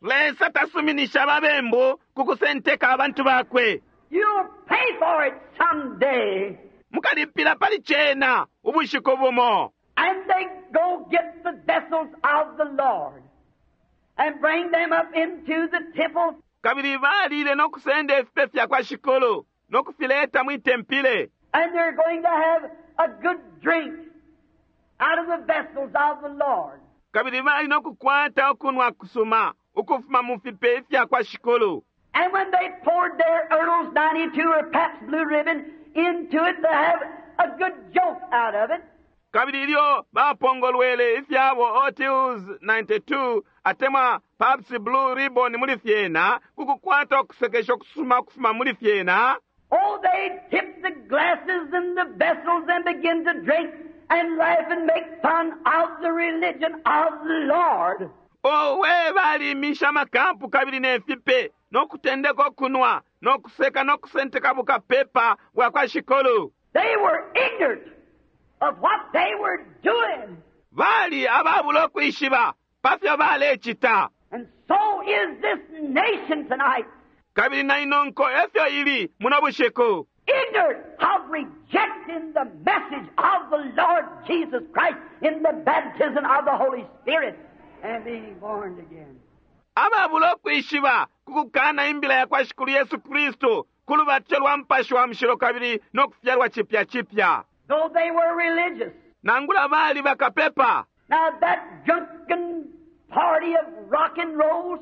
Lesa tasuminisha ababembu ku kusenteka abantu bakwe. You'll pay for it someday. Mukalipila pali cena ubushiku bumo. And they go get the vessels of the Lord and bring them up into the temple. Kabili balile no kusenda ifipe fya kwa Shikulu no kufileta mwi tempile. And they're going to have a good drink out of the vessels of the Lord. Kabili bali no kukwata ukunwa kusuma ukufuma mu fipe ifya kwa Shikulu. And when they poured their Earl's 92 or Pabst Blue Ribbon into it to have a good joke out of it, Kabili ilyo bapongolwele ifyabo Otius 92 atemwa Pabst Blue Ribbon muli fyena, ku kukwata ukusekesha ukusuma ukufuma muli fyena, oh, they tipped the glasses and the vessels and begin to drink and laugh and make fun of the religion of the Lord. Owe, balimisha amakampu kabili ne fipe, no kutendeka ukunwa, no kuseka no kusenteka bukapepa bwa kwa Shikulu. They were ignorant of what they were doing. Bali ababula ukwishiba pa fyo balecita. And so is this nation tonight. Kabili na ino nko efyo ili muno bushiku. Ignorant of rejecting the message of the Lord Jesus Christ in the baptism of the Holy Spirit and being born again. Ababula ukwishiba ku kukana imbila ya kwa Shikulu Yesu Kristu ku lubatisho lwa Mupashi wa Mushilo kabili no kufyalwa cipya cipya. Though they were religious. Nangula bali bakapepa. Now that drunken party of rock and rolls,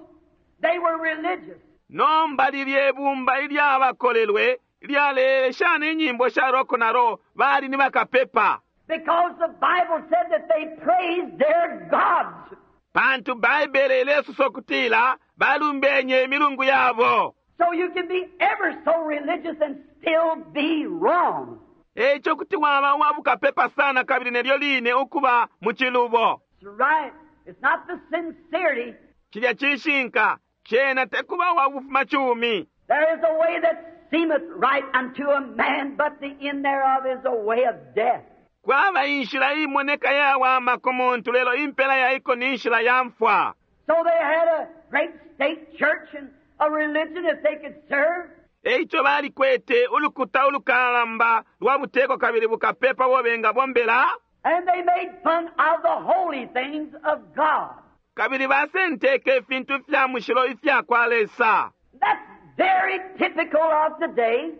they were religious. Nomba lilye bumba ilyabakolelwe ilyalelesha inyimbo sha rock na roll bali ni bakapepa. Because the Bible said that they praised their gods. Pantu Baibele ilesosa ukutila balumbenye imilungu yabo. So you can be ever so religious and still be wrong. Eico kuti waba uwa bukapepa sana kabili nelyo line ukuba mu cilubo. That's right. It's not the sincerity. Cilya cishinka, cena tekuba uwa bufumacumi. There is a way that seemeth right unto a man, but the end thereof is a way of death. Kwaba inshila iimoneka yawama ku muntu, lelo impela ya iko ni nshila ya mfwa. So they had a great state church and a religion that they could serve. Eico balikwete ulukuta ulukalamba lwa buteko kabili bukapepa ubo bengabombela. And they made fun of the holy things of God. Kabili basenteke ifintu fya mushilo ifya kwa Lesa. That's very typical of today,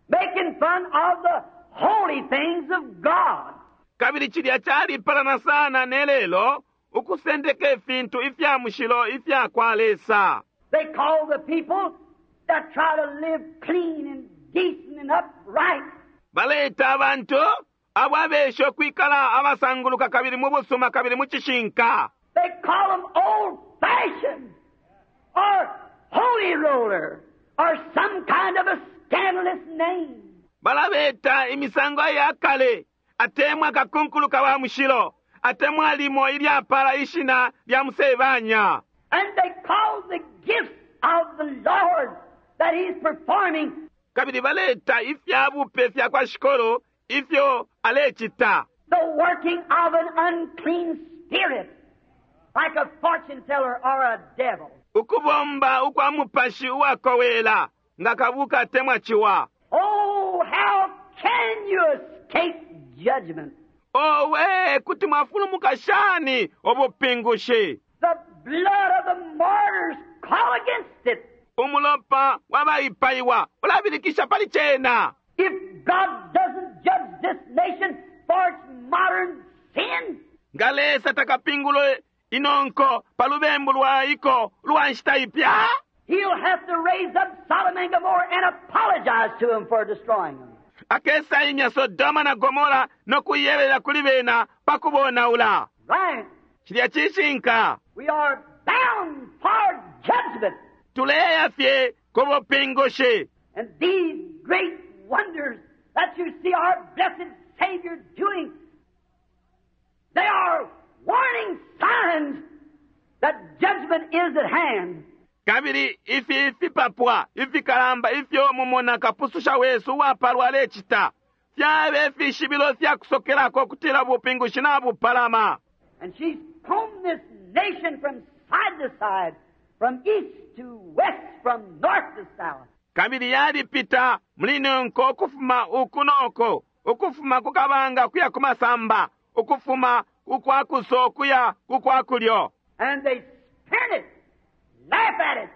making fun of the holy things of God. Kabili cilya calipalana sana ne lelo, ukusendeka ifintu ifya mushilo ifya kwa Lesa. They call the people that try to live clean and decent and upright. Baleita abantu abo abesha ukwikala abasanguluka kabili mu busuma kabili mu cishinka. They call them old-fashioned or holy roller or some kind of a scandalous name. Balabeta imisango ya kale, atemwa kakunkuluka wa mushilo, atemwa limo ilyapala ishina lya musebanya. And they call the gifts of the Lord that He's performing. Kabili baleta ifya bupe fya kwa Shikolo ifyo alecita. The working of an unclean spirit, like a fortune teller or a devil. Ukubomba ukwa mupashi uwakowela nga kabuka atemwa ciwa. Oh, how can you escape judgment? Owe, kuti mwafulumuka shani ubupingushi? The blood of the martyrs call against it. Umulopa wabaipaiwa ulabilikisha pali cena. If God doesn't judge this nation for its modern sin, nga Lesa takapingule inonko pa lubembu lwa iko lwa nshita ipya, He'll have to raise up Sodom and Gomorrah and apologize to them for destroying them. Akesa imya Sodoma na Gomora no kuyebelela kuli bena pa kubonaula. Right. Cilya cishinka. We are bound for judgment. Tuleya fye ku bupingushi. And these great wonders that you see our blessed Savior doing, they are warning signs that judgment is at hand. Kabili ifi ifipapwa ifikalamba ifyo mumona kapususha wesu uwapalwa alecita fyabe ifishibilo fya kusokelako kutila ubupingushi nabupalama. And she's combed this nation from side to side, from east to west, from north to south. Kabili yalipita muli nonko ukufuma uku noko, ukufuma ku kabanga kuya ku masamba, ukufuma ukwa kuso kuya ku kwa kulyo. And they spurn it, laugh at it,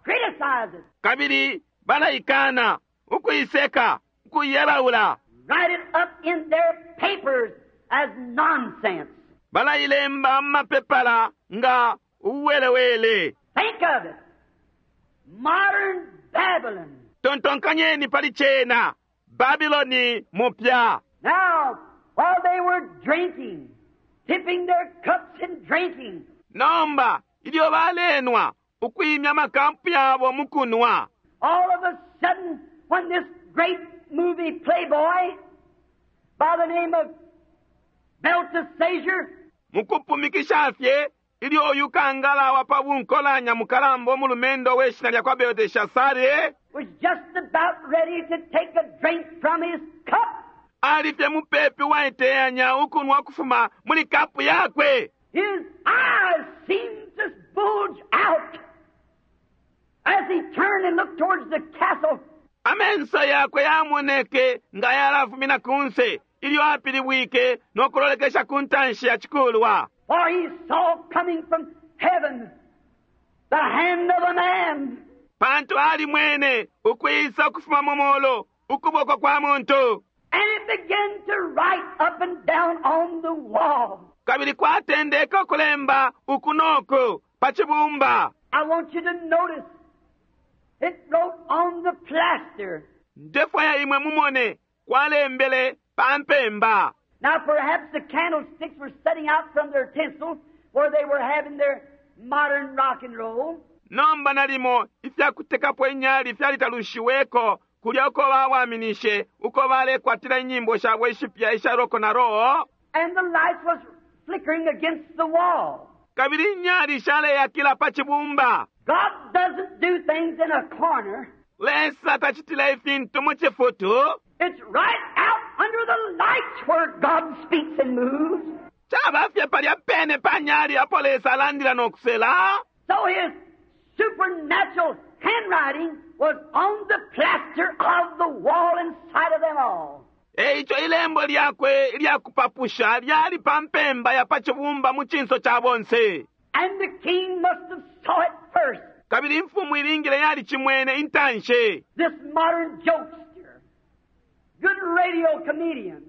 criticize it. Kabili balaikana, ukuiseka, ukuyebaula. Write it up in their papers as nonsense. Balailemba mu mapepala nga uwelewele. Think of it. Modern Babylon. Tontonkanyeni pali cena. Babyloni mupya. Now, while they were drinking, tipping their cups and drinking. Nomba, ilyo balenwa, ukuimya makampu yabo mukunwa. All of a sudden, when this great movie playboy by the name of Belteshazzar Mukupumikisha fye, ilyo uyu kangala wa pa bunkolanya mukalamba umulumendo we shina lya kwa Belteshazzar was just about ready to take a drink from his cup. Ali fye mupepi waiteyanya ukunwa kufuma muli kapu yakwe. His eyes seemed to bulged out as he turned and looked towards the castle. Amenso yakwe yamoneke nga yalafumina kunse ilyo apilibwike nokulolekesha ku ntanshi ya chikulwa. For he saw coming from heaven the hand of a man. Pantu alimwene ukwisa ukufuma mu mulu ukuboko kwa muntu. And it began to write up and down on the wall. Kabili kwatendeke ukulemba uku noku pa cibumba. I want you to notice it wrote on the plaster. Ndefwaya imwe mumone kwalembele pa mpemba. Now perhaps the candlesticks were setting out from their tinsel where they were having their modern rock and roll. Nomba nalimo ifyakutekapo inyali fyalitalushiweko kulya uko bawaminishe uko balekwatila inyimbo shabo ishipya isha rock na roll. And the light was flickering against the wall. Kabili inyali shaleyakila pa cibumba. God doesn't do things in a corner. Lesa tacitila ifintu mu cifutu. It's right out under the lights where God speaks and moves. Caba fye palya pene pa nyali apo Lesa alandila nokusela. So his supernatural handwriting was on the plaster of the wall inside of them all. Eico ilembo lyakwe ilyakupapusha lyali pa mpemba ya pa cibumba mu cinso ca bonse. And the king must have saw it first. Kabili imfumu ilingile yalicimwene intanshi. This modern jokester, good radio comedian,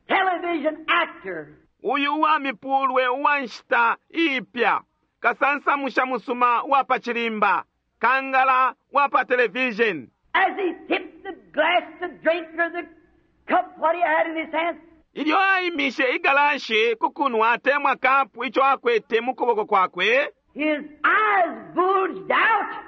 television actor, Uyu uwa mipulwe uwa nshita iipya, kasansamusha musuma uwa pa cilimba, kangala uwa pa television. as he tipped the glass to drink or the cup what he had in his hands, Ilyo aimishe igalashi ku kunwa atemwa kapu ico akwete mu kuboko kwakwe, his eyes bulged out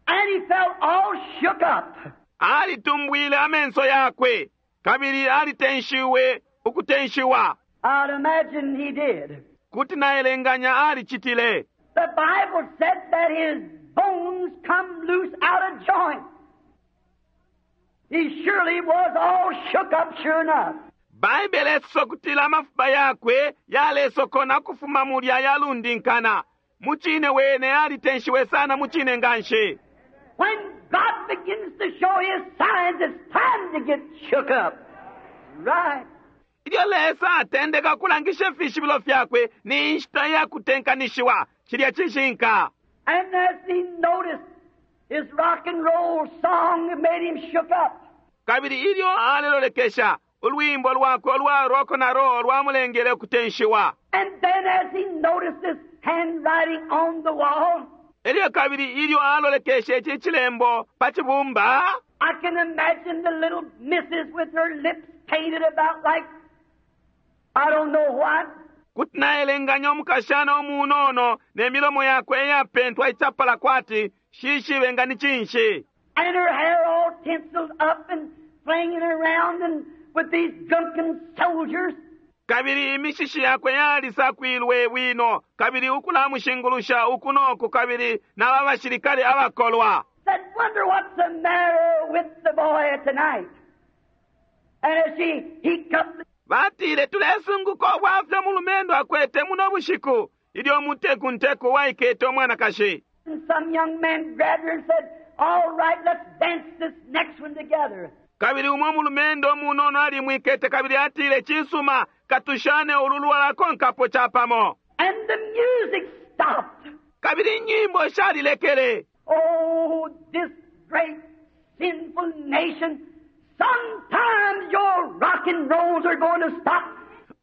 and he felt all shook up. alitumbwile amenso yakwe, kabili alitenshiwe ukutenshiwa. I'd imagine he did. Kuti naelenganya alicitile. The Bible said that his bones come loose out of joint. He surely was all shook up, sure enough. Baibele isosa ukutila amafupa yakwe yalesokona ukufuma mulya yalundinkana. Mucine wene alitenshiwe sana mucine nganshi. When God begins to show His signs, it's time to get shook up. Right. Ilyo Lesa atendeka ukulangisha ifishibilo fyakwe, ni inshita ya kutenkanishiwa. Cilya cishinka. And as he noticed, his rock and roll song made him shook up. Kabili ilyo alelolekesha, ulwimbo lwakwe ulwa rock na roll lwamulengele ukutenshiwa. And then as he noticed this handwriting on the wall, Elyo kabili ilyo alolekeshe ici cilembo pa cibumba, I can imagine the little missus with her lips painted about like I don't know what. kuti naelenganya umukashana umunono ne milomo yakwe iyapentwa icapala kwati shishibe nga ni cinshi. And her hair all tinseled up and flinging around and with these drunken soldiers. Kabili imishishi yakwe yalisakwilwe bwino, kabili ukulamushingulusha uku noku, kabili naba bashilikale abakolwa. Said, wonder what's the matter with the boy tonight. And as she he come Batile, tulesunguka ubwafya umulumendo akwete muno bushiku, ilyo umutekunteku waikete umwanakashi. and some young man grabbed her and said, All right, let's dance this next one together. Kabili umwe umulumendo umunono alimwikete kabili atile, cisuma, katushane ulu lwalakonkapo capamo. And the music stopped. Kabili inyimbo shalilekele. Oh, this great sinful nation, sometimes your rock and rolls are going to stop.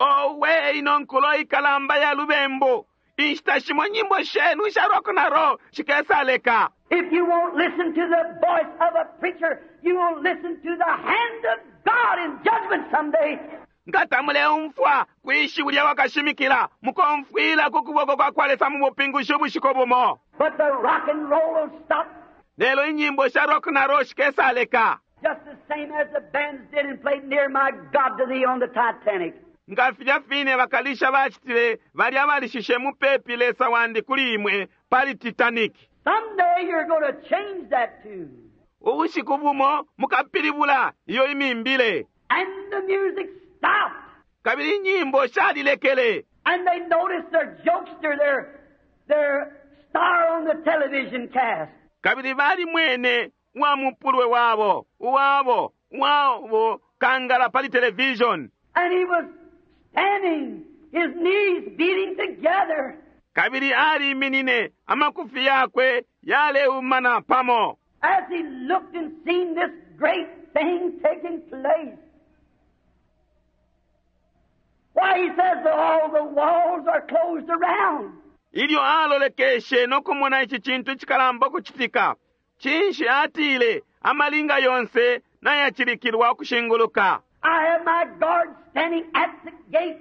Owe, ino nkulo ikalamba ya lubembu. Inshita shimo nyimbo shenu isha rock na roll shikesaleka. If you won't listen to the voice of a preacher, you will listen to the hand of God in judgment someday. Nga tamuleumfwa kwi shiwi lya wakashimikila, mukomfwila ku kuboko kwa kwa Lesa mu bupingushi ubushiku bumo. But the rock and roll will stop Lelo inyimbo sha rock na roll shikesaleka. just the same as the bands did and played Near My God to Thee on the Titanic. Nga filya fine bakalisha bacitile balya balishishe mupepi Lesa wandi kuli imwe pali Titanic. Someday you're going to change that tune. Ubushiku bumo mukapilibula iyo imimbile. And the music stopped. Kabili inyimbo shalilekele. And they noticed their jokester, their star on the television cast. Kabili balimwene wa mupulwe wabo, uwabo, wabo kangala pali television. And he was standing, his knees beating together. Kabili aliminine amakufi yakwe yaleumana pamo. As he looked and seen this great thing taking place. Why, he says that all the walls are closed around. Ilyo alolekeshe no kumona ici cintu icikalamba ukucitika, cinshi atile amalinga yonse nayacilikilwa ukushinguluka. I have my guard standing at the gate,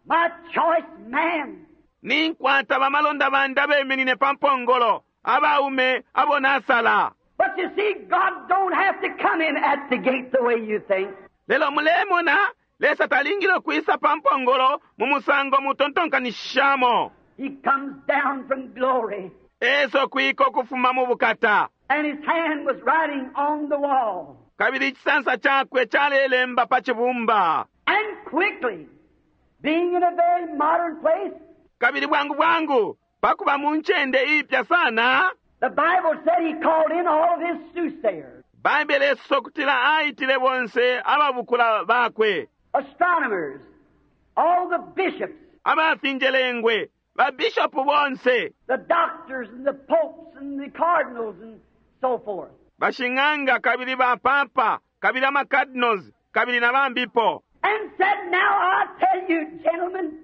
my choice man. Ninkwata bamalonda bandi abeminine pa mpongolo, abaume abo nasala. But you see, God don't have to come in at the gate the way you think. Lelo mulemona, Lesa talingile ukwisa pa mpongolo mu musango mutontonkanishishamo. He comes down from glory. Eso kwiko kufuma mu bukata. And his hand was writing on the wall. Kabili icisansa chakwe chalelemba pa cibumba. And quickly, being in a very modern place, Kabili bwangu bwangu, pakuba mu ncende ipya sana, the Bible said he called in all of his soothsayers, Baibele esosa ukutila aitile bonse ababukula bakwe, astronomers, all the bishops, abafinjelengwe, babishopu bonse, the doctors and the popes and the cardinals and so forth. bashing'anga kabili bapapa, kabili amacardinals, kabili na bambipo. And said, now I tell you, gentlemen,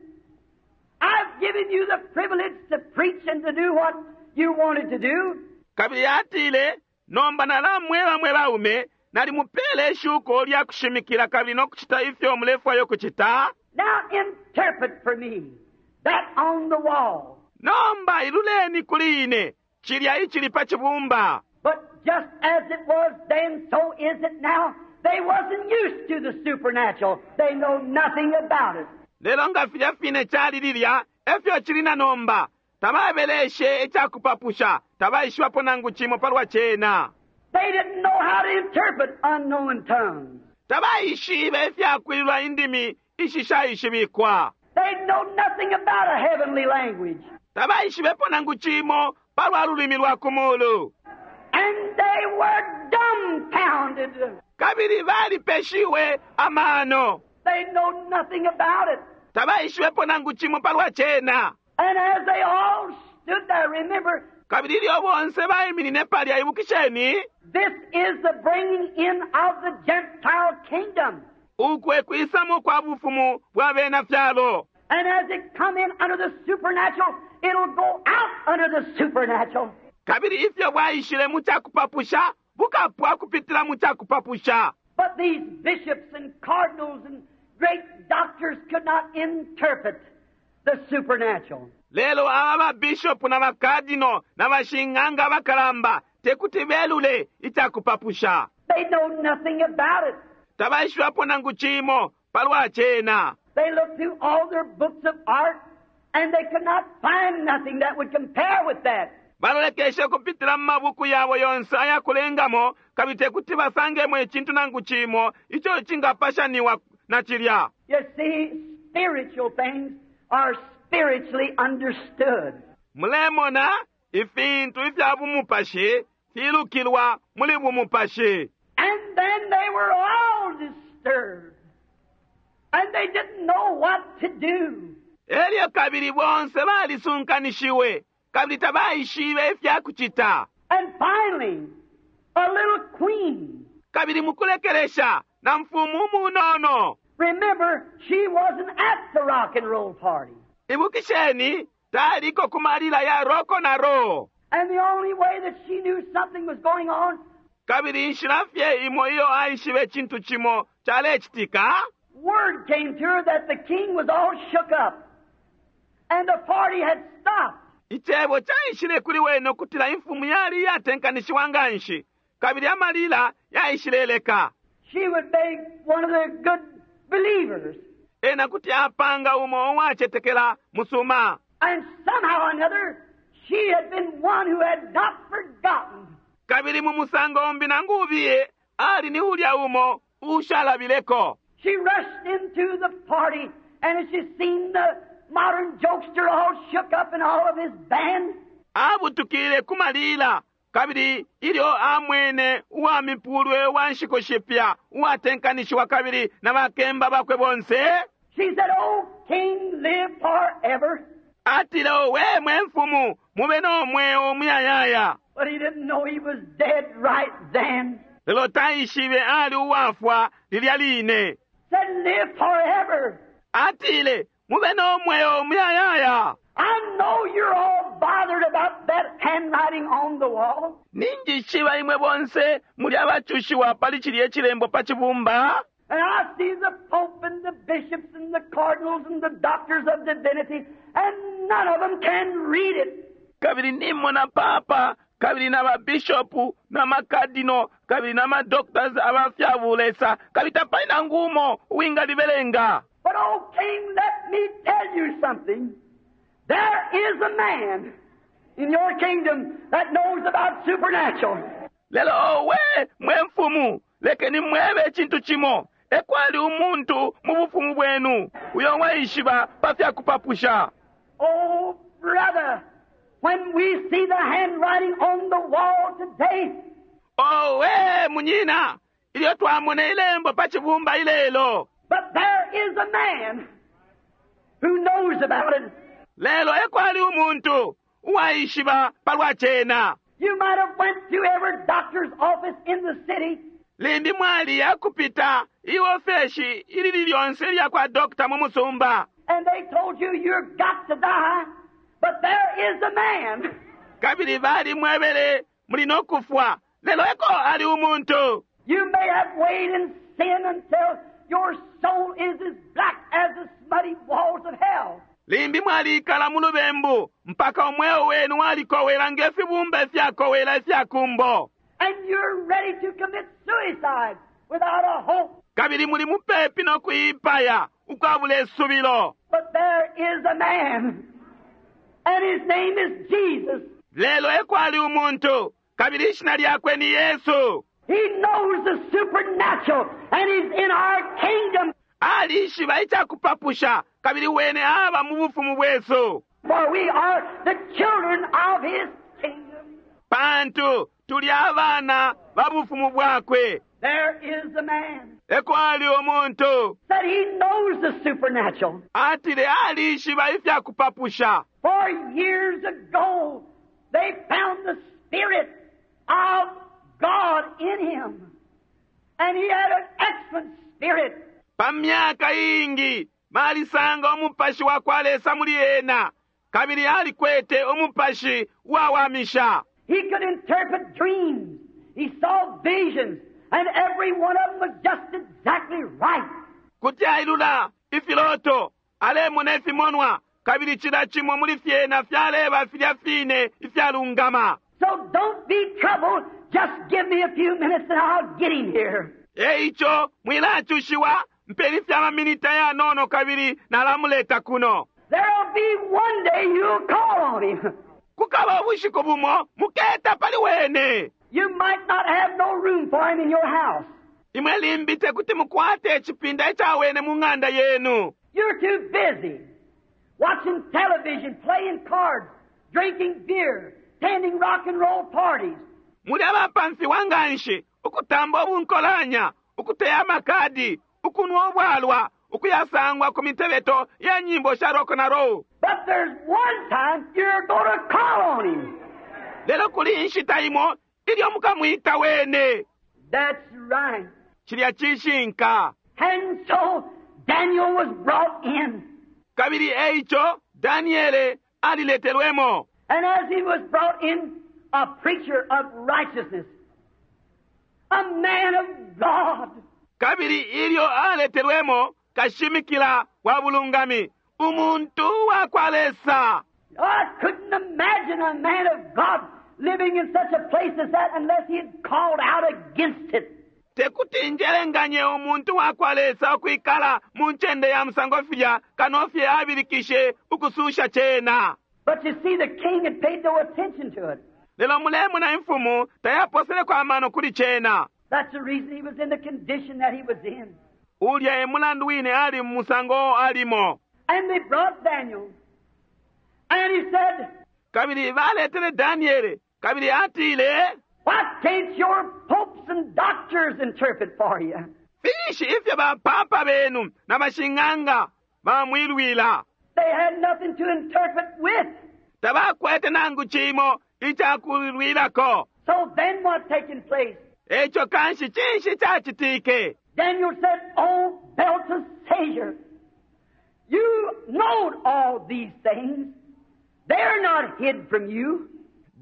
I've given you the privilege to preach and to do what you wanted to do. Kabili atile, nomba nalamweba mwe baume, nalimupele ishuko lya kushimikila kabili no kucita ifyo mulefwayo kucita. Now interpret for me that on the wall. Nomba iluleni kuli ine, cilya icili pa cibumba. But just as it was then, so is it now. They wasn't used to the supernatural. They know nothing about it. Lelo nga filya fine cali lilya, efyo cili na nomba. Tababeleshe icakupapusha, tabaishibapo nangu cimo palwa cena. They didn't know how to interpret unknown tongues. Tabaishibe ifyakwilula indimi ishishaishibikwa. They know nothing about a heavenly language. Tabaishibepo nangu cimo palwa lulimi lwa kumulu. And they were dumbfounded. Kabili balipeshiwe amano. They know nothing about it. Tabaishibepo nangu cimo palwa cena. And as they all stood there, remember, Kabili ilyo bonse baiminine palya ibukisheni, this is the bringing in of the Gentile kingdom. uku e kwisamo kwa bufumu bwa bena fyalo. And as it come in under the supernatural, it'll go out under the supernatural. Kabili ifyo bwaishile mu cakupapusha, bukapwa kupitila mu cakupapusha. But these bishops and cardinals and great doctors could not interpret the supernatural. Lelo aba babishopu na bakadino na bashing'anga abakalamba tekuti belule icakupapusha. They know nothing about it. Tabaishibapo nangu cimo palwa cena. They looked through all their books of art and they could not find nothing that would compare with that. Balolekeshe kupitila mu mabuku yabo yonse ayakulengamo kabili tekuti basangemo icintu nangu cimo ico cingapashaniwa na cilya. You see, spiritual things are spiritually understood. Mulemona ifintu ifya bumupashi filukilwa muli bumupashi. And then they were all disturbed. And they didn't know what to do. Elyo kabili bonse balisunkanishiwe kabili tabaishibe ifya kucita. And finally, a little queen. Kabili mukulekelesha na mfumu munono. Remember, she wasn't at the rock and roll party. Ibukisheni taliko kumalila ya roko na roll. And the only way that she knew something was going on, Kabili inshila fye imo iyo aishibe cintu cimo chalecitika, word came to her that the king was all shook up. And the party had stopped. Icebo caishile kuli wene ukutila imfumu yali iyatenkanishiwa nganshi, kabili amalila yaishileleka. She would be one of the good believers. Ena kuti apanga umo uwacetekela musuma. And somehow or another, she had been one who had not forgotten. Kabili mu musango umbi nangu ubiye, ali ni ulya umo ushalabileko. She rushed into the party, and as she seen the modern jokester all shook up and all of his band, Abutukile ku malila kabili ilyo amwene uwa mipulwe wa nshiku shipya uwatenkanishiwa kabili na bakemba bakwe bonse, she said, "O king, live forever." atile, "Owe mwe mfumu, mube no mweo muyayaya." But he didn't know he was dead right then. Lelo taishibe ali uwafwa lilya line. Said, "Live forever." Atile, "Mube no mweo muyayaya." I know you're all bothered about that handwriting on the wall. Ninjishiba imwe bonse muli abacushiwa pali cilya cilembo pa cibumba. And I see the Pope and the bishops and the cardinals and the doctors of divinity, and none of them can read it. Kabili nimona papa kabili na babishopu na makadino kabili na madoctors abafyabulesa kabili tapali nangu umo uwingalibelenga. But, oh, King, let me tell you something. There is a man in your kingdom that knows about supernatural. Lelo owe mwe mfumu, lekeni mwebe icintu cimo. Ekwali umuntu mu bufumu bwenu uyo waishiba pa fyakupapusha. Oh, brother, when we see the handwriting on the wall today, Owe munyina, ilyo twamona ilembo pa cibumba ilelo. but there is a man who knows about it. Lelo ekwali umuntu uwaishiba palwa cena. You might have went to every doctor's office in the city, Limbi mwali yakupita iofeshi ilili lyonse ilya kwa dokta mu musumba, and they told you you've got to die, but there is a man. kabili bali mwebele muli no kufwa. Lelo eko ali umuntu. You may have weighed in sin until your soul is as black as the smutty walls of hell. Limbi mwalikala mu lubembu mpaka umweo wenu walikowela ngefibumba ifyakowela ifyakumbo, And you're ready to commit suicide without a hope. kabili muli mupepi no kuipaya ukwabula isubilo. But there is a man, and his name is Jesus. Lelo ekwali umuntu kabili ishina lyakwe ni Yesu. He knows the supernatural, and he's in our kingdom. Alishiba icakupapusha kabili wene aba mu bufumu bwesu, For we are the children of his kingdom. pantu tuli abana ba bufumu bwakwe. There is a man Ekwali umuntu that he knows the supernatural. atile alishiba ifyakupapusha. For years ago, they found the Spirit of God in him. And he had an excellent spirit. Pa myaka iingi balisanga umupashi wa kwa Lesa muli ena, kabili alikwete umupashi uwawamisha. He could interpret dreams. He saw visions. And every one of them was just exactly right. Kuti ailula ifiloto, alemona ifimonwa, kabili cila cimo muli fyena fyaleba filya fine ifyalungama. So don't be troubled. Just give me a few minutes and I'll get him here. Eico mwilacushiwa, mpeni fya maminita yanono kabili nalamuleta kuno. There'll be one day you'll call on him. Kukaba ubushiku bumo muketa pali wene. You might not have no room for him in your house. Imwe limbi tekuti mukwate icipinda ica wene mu ng'anda yenu. You're too busy watching television, playing cards, drinking beer, attending rock and roll parties. Muli abapamfiwa nganshi ukutamba ubunkolanya, ukuteya amakadi, ukunwa ubwalwa, ukuyasangwa ku mitebeto ya nyimbo sha rock na roll. But there's one time you're going to call on him. Lelo kuli inshita imo ilyo mukamwita wene. That's right. Cilya cishinka. And so Daniel was brought in. Kabili eico Daniele aliletelwemo. And as he was brought in, a preacher of righteousness, a man of God, Kabili ilyo aletelwemo kashimikila wa bulungami, umuntu wa kwa Lesa. I couldn't imagine a man of God living in such a place as that unless he had called out against it. Tekuti njelenganye umuntu wa kwa Lesa ukwikala mu ncende ya musango filya kano fye abilikishe ukususha cena. But you see, the king had paid no attention to it. Lelo mulemona imfumu tayaposeleko amano kuli cena. That's the reason he was in the condition that he was in. Ulya e mulandu wine ali mu musango alimo. And they brought Daniel. And he said, Kabili baletele Daniele, kabili atile, Why can't your popes and doctors interpret for you? Finshi ifyo bapapa benu na bashing'anga bamwilwila? They had nothing to interpret with. Tabakwete nangu cimo icakulwilako. So then what taken place? Eco kanshi cinshi cacitike? Daniel said, Oh, Belteshazzar, you know all these things. They're not hid from you.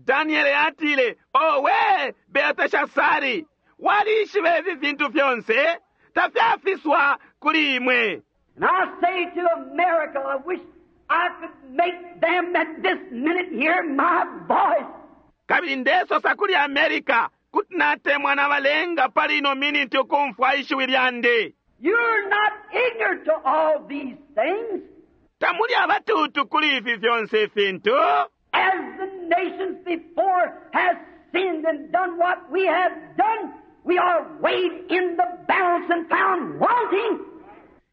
Daniele atile, owe Belteshasari, walishiba ifi fintu fyonse, tafyafiswa kuli imwe. And I say to America, I wish I could make them at this minute hear my voice. Kabili ndesosa kuli America, kuti natemwa nabalenga pali ino miniti ukumfwa ishiwi lyandi. You're not ignorant to all these things. Tamuli abatuutu kuli ifi fyonse ifintu. As the nations before has sinned and done what we have done, we are weighed in the balance and found wanting.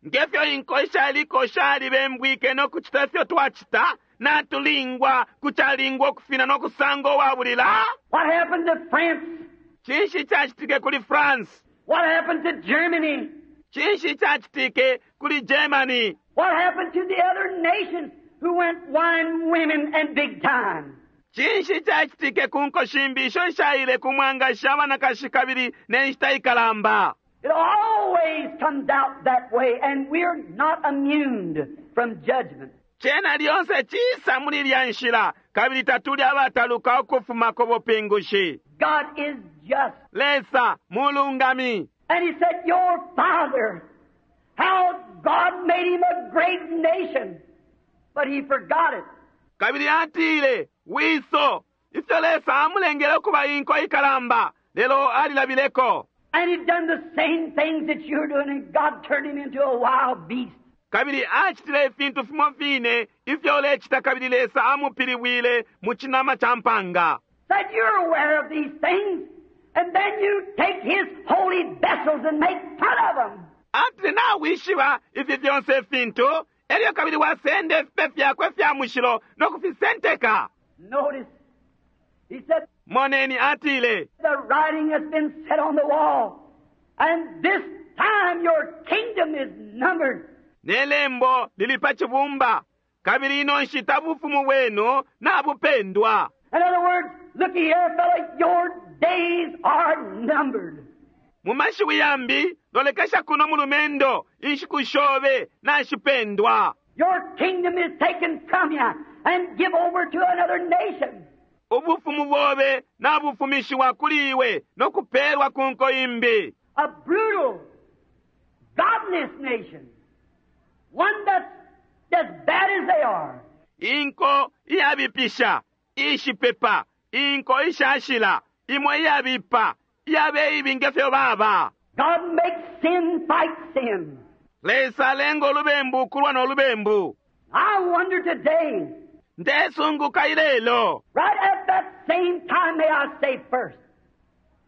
Ngefyo inko ishaliko shalibembwike no kucita ifyo twacita, natulingwa kucalingwa ukufina no kusanga uwabulila. What happened to France? Cinshi cacitike kuli France? What happened to Germany? Cinshi cacitike kuli Germany? What happened to the other nations who went wine, women, and big time? Cinshi cacitike ku nko shimbi isho ishaile ku mwangashi abanakashi kabili ne nshita ikalamba? It always comes out that way, and we're not immune from judgment. Cena lyonse cisa muli ilya nshila, kabili tatuli abataluka ukufuma ku bupingushi. God is just. Lesa mulungami. And he said, Your father, how God made him a great nation, but he forgot it. Kabili atile, wiso, ifyo Lesa amulengele ukuba inko ikalamba, lelo alilabileko. And he'd done the same things that you're doing, and God turned him into a wild beast. Kabili acitile ifintu fimo fine ifyo ulecita, kabili Lesa amupilibwile mu cinama ca mpanga. Said, You're aware of these things, and then you take his holy vessels and make fun of them. Atile, nawishiba ifi fyonse ifintu, elyo kabili wasenda ifipe fyakwe fya mushilo no kufisenteka. Notice, he said, Moneni atile, The writing has been set on the wall, and this time your kingdom is numbered. Ne lembo lili pa cibumba, kabili ino nshita bufumu bwenu nabupendwa. In other words, looky here, fella, your days are numbered. Mu mashiwi yambi, lolekesha kuno mulumendo, inshiku shobe nashipendwa. Your kingdom is taken from you and give over to another nation. Ubufumu bobe nabufumishiwa kuli iwe no kupeelwa ku nko imbi. A brutal, godless nation. One that's as bad as they are. Inko iyabipisha, ishipepa, inko ishashila, imwe iyabipa, iyabe ibi ngefyo baba. God makes sin fight sin. Lesa alenga ulubembu kulwa no lubembu. I wonder today, Ndesunguka ilelo. right at that same time, may I say first,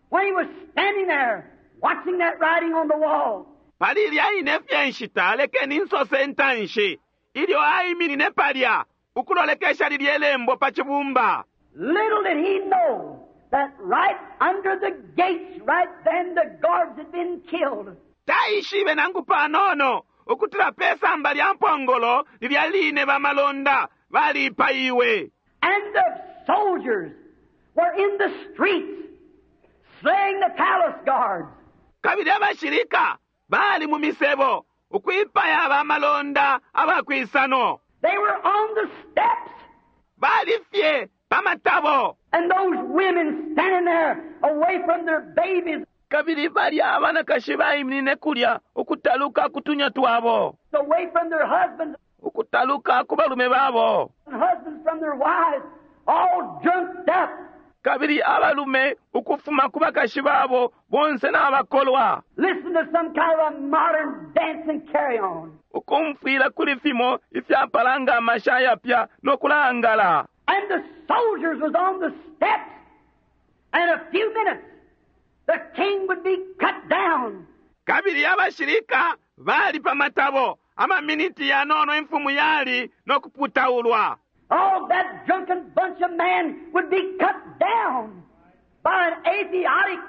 when he was standing there watching that writing on the wall, Pali ilya ine fye nshita lekeni nsose intanshi, ilyo aiminine palya ukulolekesha lilye lembo pa cibumba. Little did he know that right under the gates, right then, the guards had been killed. Taishibe nangu panono ukutila pe samba lya mpongolo lilya line bamalonda balipaiwe. And the soldiers were in the streets slaying the palace guards. Kabili abashilika bali mu misebo ukwipaya abamalonda abakwisano. They were on the steps. Bali fye pa matabo. And those women standing there away from their babies, Kabili balya abanakashi baiminine kulya ukutaluka ku tunya twabo, away from their husbands, ukutaluka ku balume babo. and husbands from their wives, all drunked up. Kabili abalume ukufuma ku bakashi babo bonse n'abakolwa, Listen to some kind of a modern dance and carry on. ukumfwila kuli fimo ifyapala nga amasha ayapya n'okulangala. And the soldiers was on the steps. And a few minutes, the king would be cut down. Kabili abashilika bali pa matabo, Amaminiti yanono imfumu yali no kuputaulwa. All that drunken bunch of men would be cut down by an atheistic,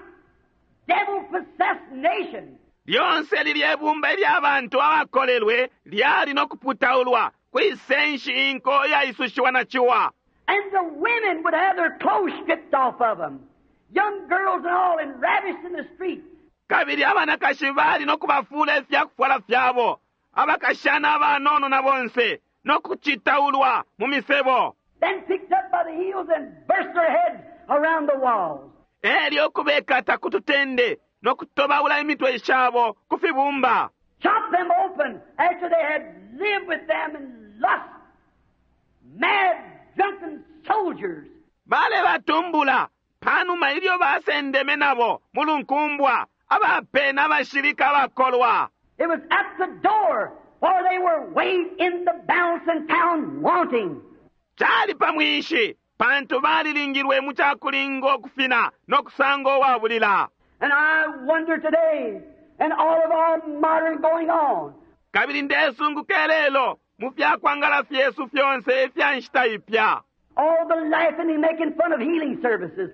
devil-possessed nation. Lyonse lilye bumba ilya bantu abakolelwe lyali no kuputaulwa kwisenshi inko iyaisushiwa na ciwa. And the women would have their clothes stripped off of them. Young girls and all, and ravished in the street. Kabili abanakashi bali no kubafuula ifyakufwala fyabo, abakashana abanono na bonse, no kucitaulwa mu misebo. Then picked up by the heels and burst their heads around the walls. Elyo kubekata ku tutende no kutobaula imitwe shabo ku fibumba. Chop them open after they had lived with them in lust. Mad, drunken soldiers. Bale batumbula panuma ilyo basendeme nabo mu lunkumbwa, abapena abashilika abakolwa. It was at the door, for they were weighed in the balance and found wanting. Cali pa mwinshi, pantu balilingilwe mu cakulinga ukufina no kusanga uwabulila. And I wonder today, and all of our modern going on, Kabili ndesunguka lelo mu fyakwangala fyesu fyonse ifya nshita ipya, all the laughing and making fun of healing services,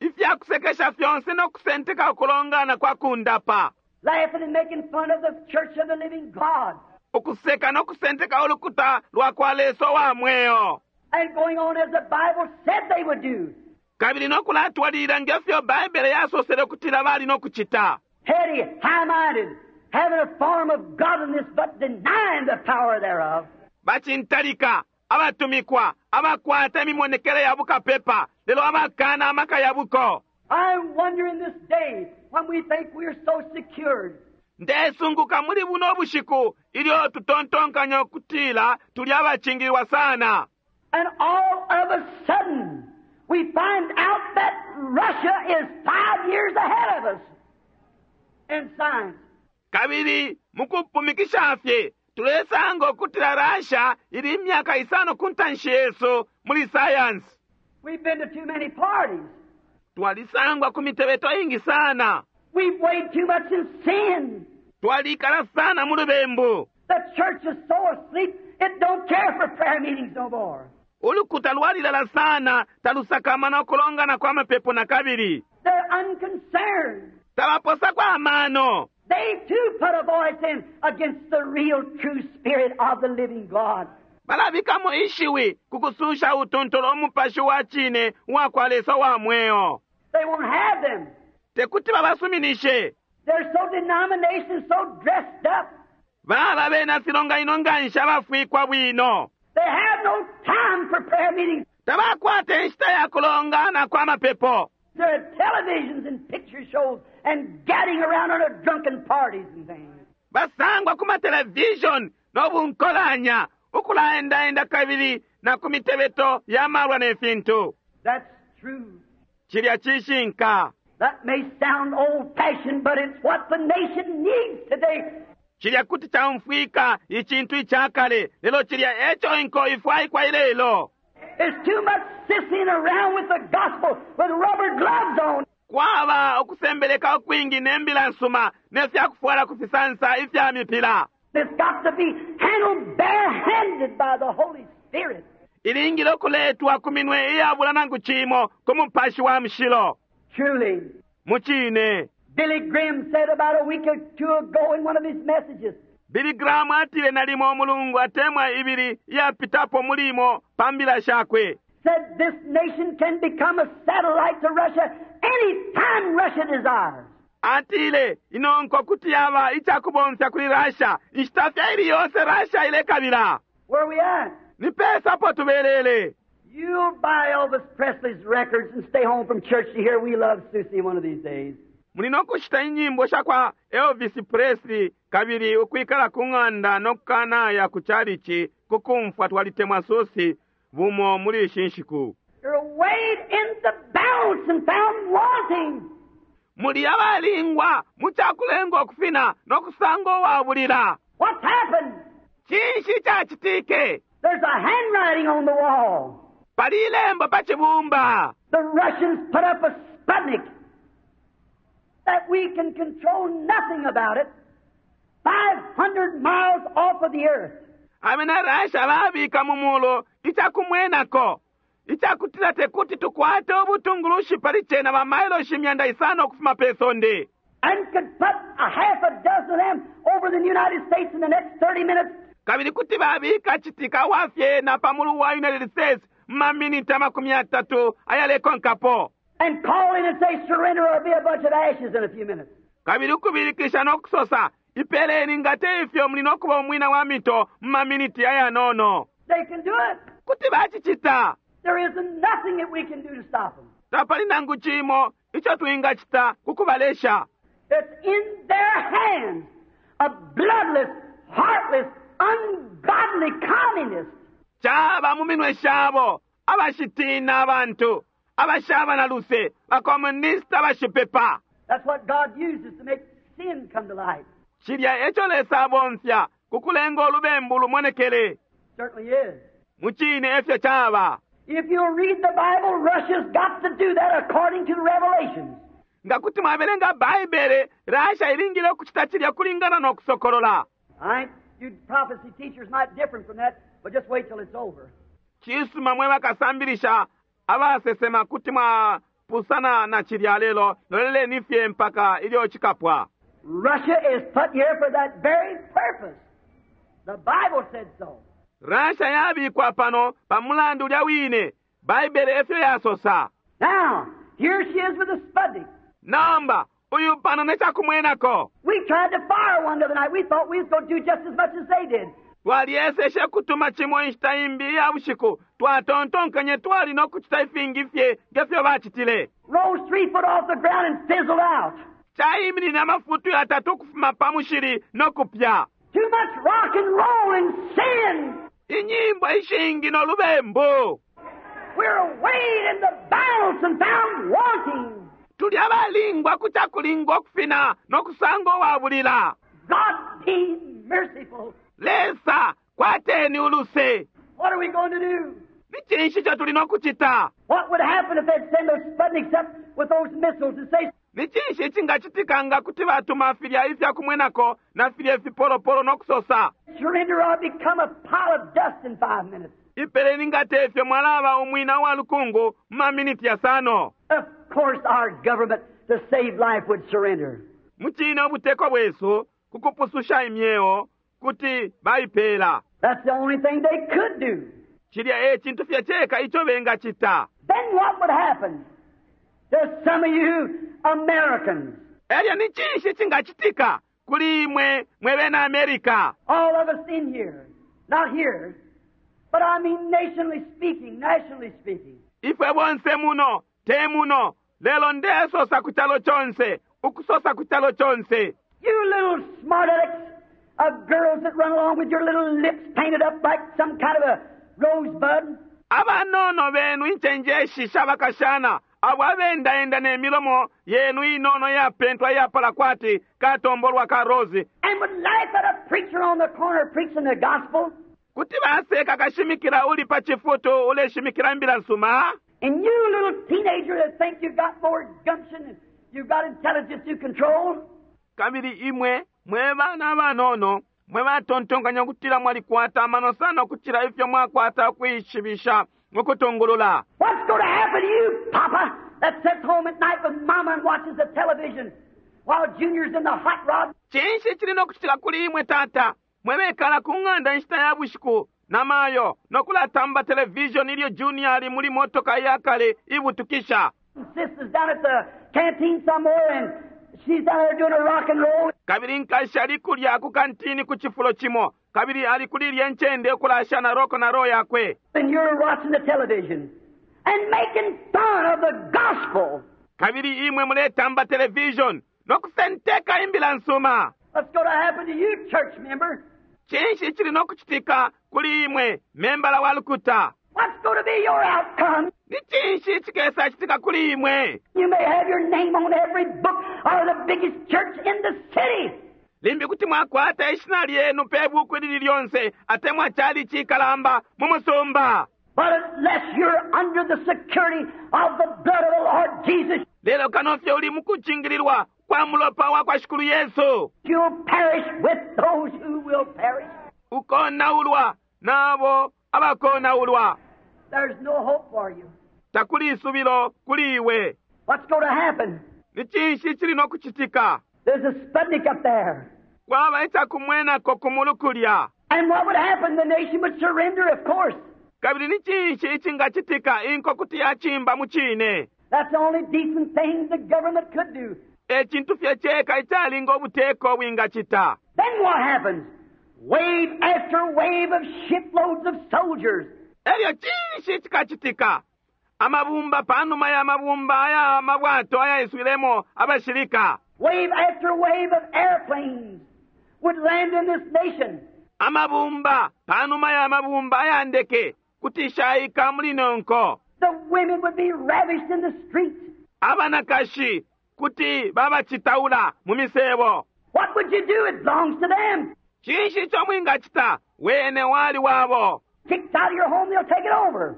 ifyakusekesha fyonse no kusenteka ukulongana kwa kundapa, laughing and making fun of the church of the living God, ukuseka no kusenteka ulukuta lwa kwa Lesa wa mweo, and going on as the Bible said they would do. kabili no kulatwalilila ngefyo Baibele yasosele ukutila bali no kucita. Heady, high-minded, having a form of godliness, but denying the power thereof. Bacintalika, abatumikwa, abakwata imimonekele ya bukapepa, lelo abakana amaka ya buko. I wonder in this day, when we think we're so secured, Ndesunguka muli buno bushiku ilyo tutontonkanya ukutila tuli abacingililwa sana. and all of a sudden, we find out that Russia is 5 years ahead of us in science. Kabili mukupumikisha fye tulesanga ukutila Russia ili imyaka isano ku ntanshi yesu muli science. We've been to too many parties. Twalisangwa ku mitebeto ingi sana. We've weighed too much in sin. Twalikala sana mu lubembu. The church is so asleep, it don't care for prayer meetings no more. Ulukuta lwalilala sana, talusakamana ukulongana kwa mapepo na kabili. They're unconcerned. Tabaposako amano. They too put a voice in against the real true spirit of the living God. Balabikamo ishiwi ku kususha utuntulu umupashi wa cine uwa kwa Lesa wa mweo. They won't have them. Tekuti babasuminishe. They're so denomination, so dressed up. Baba bena filonganino nganshi abafwikwa bwino. They have no time for prayer meetings. Tabakwata inshita ya kulongana kwa mapepo. There are televisions and picture shows and gadding around on their drunken parties and things. Basangwa ku matelevision no bunkolanya, ukulaendaenda kabili na ku mitebeto ya malwa ne fintu. That's true. Cilya cishinka. That may sound old-fashioned, but it's what the nation needs today. Cilya kuti caumfwika icintu icakale, lelo cilya eco inko ifwaikwa ilelo. There's too much sissing around with the gospel with rubber gloves on. Kwaba ukusembeleka ukwingi ne mbila nsuma ne fyakufwala ku fisansa ifya mipila. It's got to be handled barehanded by the Holy Spirit. Ilingile ukuletwa ku minwe iyabula nangu cimo ku mupashi wa mushilo. Truly, Mucine, Billy Graham said about a week or two ago in one of his messages, Billy Graham atile nalimo umulungu atemwa ibili iyapitapo mulimo pa mbila shakwe. said this nation can become a satellite to Russia any time Russia desires. Atile inonko kuti yaba icakubomfya kuli Russia inshita fye ili yonse Russia ilekabila. Where we at? Ni pesa po tubelele. You'll buy Elvis Presley's records and stay home from church to hear We Love Susie one of these days. Muli no kushita inyimbo sha kwa Elvis Presley kabili ukwikala ku ng'anda no kukanaya ku chalichi kukumfwa twalitemwa Susie bumo muli ishi nshiku. You're weighed in the balance and found wanting. Muli abalingwa mu cakulenga ukufina no kusanga uwabulila. What's happened? Cinshi cacitike? There's a handwriting on the wall. Pali ilembo pa cibumba. The Russians put up a Sputnik that we can control nothing about it. 5 500 miles off of the earth. Abena Russia babika mu mulu icakumwenako icakutila tekuti tukwate ubutungulushi pali cena ba mailoshi 500 ukufuma pe sonde. And could put a half a dozen of them over the United States in the next 30 minutes. Kabili kuti babika citika wa fyena pa mulu wa United States mu maminiti 30 ayalekonkapo. And call in and say, surrender or be a bunch of ashes in a few minutes. Kabili ukubilikisha no kusosa, ipeleni nga te ifyo muli no kuba umwina wa mito mu maminiti ayanono. They can do it. Kuti bacicita. There isn't nothing that we can do to stop them. Tapali nangu cimo ico twingacita ku kubalesha. It's in their hands. A bloodless, heartless, ungodly communist. Caba mu minwe shabo, abashitina abantu, abashaba na luse, bakomunista abashipepa. That's what God uses to make sin come to light. Cilya eco Lesa abomfya ku kulenga ulubembu lumonekele. Certainly is. Mucine efyo caba. If you'll read the Bible, Russia's got to do that according to the Revelations. Nga kuti mwabelenga Baibele, Russia ilingile ukucita cilya kulingana no kusokolola. All right? You prophecy teachers might differ from that, but just wait till it's over. Cisuma mwe bakasambilisha abasesema kuti mwapusana na cilya lelo loleleni fye mpaka ilyo cikapwa. Russia is put here for that very purpose. The Bible said so. Russia yabikwa pano pa mulandu ulya wine. Baibele efyo yasosa. Now, here she is with a Sputnik. Nomba, uyu pano ne cakumwenako. We tried to fire one the other night. We thought we was going to do just as much as they did. Twalyeseshe kutuma cimo inshita imbi iya bushiku. Twatontonkenye twali no kucita ifingi fye nge fyo bacitile. Rose 3 foot off the ground and fizzled out. Caiminine amafutu yatatu ukufuma pa mushili no kupya. Too much rock and roll and sin. Inyimbo ishingi no lubembu. We're weighed in the balance and found wanting. Tuli abalingwa ku cakulingwa ukufina no kusanga uwabulila. God be merciful. Lesa, kwateni uluse. What are we going to do? Ni cinshi ico tuli no kucita? What would happen if they'd send those Sputniks up with those missiles and say, Ni cinshi icingacitika nga kuti batuma filya ifya kumwenako na filya ifipolopolo no kusosa, Surrender or become a pile of dust in 5 minutes? Ipeleni nga te ifyo mwalaba umwina wa lukungu mu maminiti yasano. Of course our government to save life would surrender. Mucine ubuteko bwesu ku kupususha imyeo kuti baipela. That's the only thing they could do. Cilya e cintu fye ceka ico bengacita. Then what would happen to some of you Americans? Elyo ni cinshi cingacitika kuli imwe mwe bena America? All of us in here, not here, but I mean nationally speaking, nationally speaking. Ifwe bonse muno, te muno, lelo ndesosa ku calo conse, ukusosa ku calo conse. You little smart alecks of girls that run along with your little lips painted up like some kind of a rosebud. Abanono benu incenjeshi shabakashana, abo abendaenda ne milomo yenu inono yapentwa yapala kwati katombolwa ka rose. And would laugh at a preacher on the corner preaching the gospel. Kuti baseka kashimikila uli pa chifutu uleshimikila imbila nsuma. And you little teenager that think you've got more gumption and you've got intelligence to control. Kabili imwe mwe bana abanono mwe batontonkanya ukutila mwalikwata amano sana ukucila ifyo mwakwata ukuishibisha mukutungulula. What's going to happen to you, Papa, that sits home at night with Mama and watches the television while Junior's in the hot rod? Cinshi cili no kucitika kuli imwe, tata, mwe bekala ku ng'anda inshita ya bushiku na mayo no kulatamba television ilyo Junior ali muli motoka iya kale ibutukisha? And sister's down at the canteen somewhere and she's down there doing a rock and roll. Kabili nkashi ali kulya ku kantini ku cifulo cimo, kabili ali kuli ilya ncende ukulasha na roko na ro yakwe. And you're watching the television and making fun of the gospel. Kabili imwe muletamba television no kusenteka imbila nsuma. What's going to happen to you, church member? Cinshi cili no kucitika kuli imwe, membala wa lukuta? What's going to be your outcome? Ni cinshi cikesa citika kuli imwe? You may have your name on every book or the biggest church in the city. Limbi kuti mwakwata ishina lyenu pe buku ilili lyonse atemwa chali cikalamba mu musumba. But unless you're under the security of the blood of the Lord Jesus, Lelo kano fye uli mukucingililwa ukwa mulopa wa kwa Shikulu Yesu. You'll perish with those who will perish. Ukonaulwa nabo abakonaulwa. There's no hope for you. Takuli isubilo kuli iwe. What's going to happen? Ni cinshi cili no kucitika? There's a Sputnik up there. Kwaba icakumwenako ku mulu kulya. And what would happen? The nation would surrender, of course. Kabili ni cinshi icingacitika? Inko kuti yacimba mu cine. That's the only decent thing the government could do. E cintu fye ceka icalinga ubuteko bwingacita. Then what happens? Wave after wave of shiploads of soldiers. Elyo cinshi cikacitika? Amabumba pa numa ya mabumba aya mabwato ayaiswilemo abashilika. Wave after wave of airplanes would land in this nation. Amabumba pa numa ya mabumba aya ndeke kuti shaika muli ino nko. The women would be ravished in the streets. Abanakashi kuti babacitaula mu misebo. What would you do? It belongs to them. Cinshi ico mwingacita? Wene wali wabo. Kicked out of your home, they'll take it over.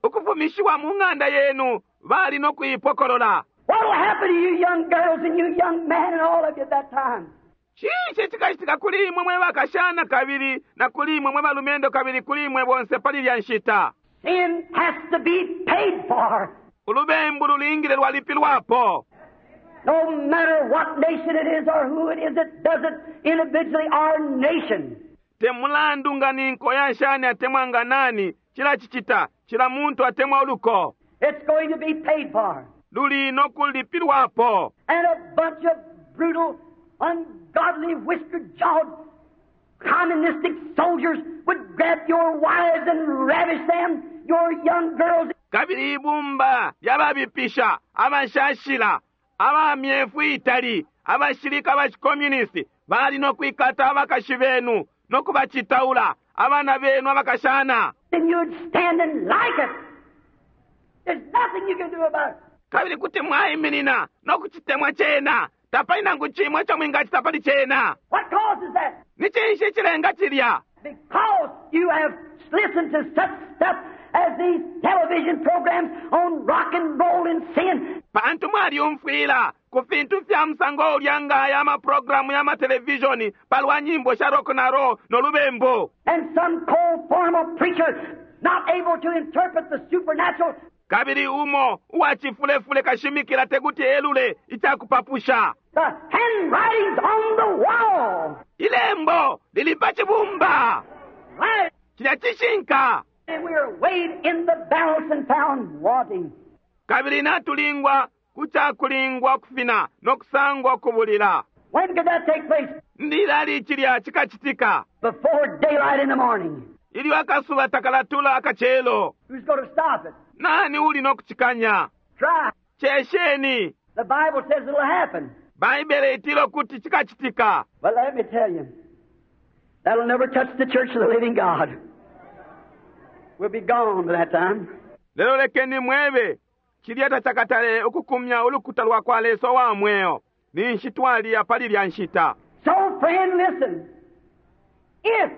Ukufumishiwa mu ng'anda yenu, bali no kuipokolola. What will happen to you young girls and you young men and all of you at that time? Cinshi cikacitika kuli imwe mwe bakashana kabili na kuli imwe mwe balumendo kabili kuli imwe bonse pali ilya nshita? Sin has to be paid for. Ulubembu lulingile lwalipilwapo. No matter what nation it is or who it is that does it individually or nation. Te mulandu nga ni nko ya shani atemwa nga nani, cilacicita, cila muntu atemwa uluko. It's going to be paid for. Luli no kulipilwapo. And a bunch of brutal, ungodly, whisker-jawed, communistic soldiers would grab your wives and ravish them, your young girls. Kabili ibumba lya babipisha, abashashila, aba myefu itali, abashilika ba chicommunist, bali no kwikata abakashi benu, no kubacitaula, abana benu abakashana. And you'd stand and like it. There's nothing you can do about it. Kabili kuti mwaiminina no kucitemwa cena. Tapali nangu cimo ico mwingacita pali cena. What causes that? Ni cinshi cilenga cilya? Because you have listened to such stuff as these television programs on rock and roll and sin. Pantu mwalyumfwila ku fintu fya musango ulya nga aya maprogramu ya matelevishoni pa lwa nyimbo sha rock na roll no lubembu. And some cold formal preacher not able to interpret the supernatural. Kabili umo uwa cifulefule kashimikila tekuti elule ica kupapusha. The handwriting's on the wall. Ilembo lili pa cibumba. Right. Cilya cishinka. And we are weighed in the balance and found wanting. Kabili natulingwa ku ca kulingwa kufina no kusangwa ukubulila. When could that take place? Ni lilali cilya cikacitika? Before daylight in the morning. Ilyo akasuba takalatula akacelo. Who's going to stop it? Nani uli no kucikanya? Try. Cesheni. The Bible says it'll happen. Baibele itila ukuti cikacitika. But let me tell you, that'll never touch the church of the living God. We'll be gone by that time. Lelo lekeni mwebe, cilya tacakatale ukukumya ulukuta lwa kwa Lesa uwa mweo. Ninshi twaliya pali ilya nshita. So, friend, listen. If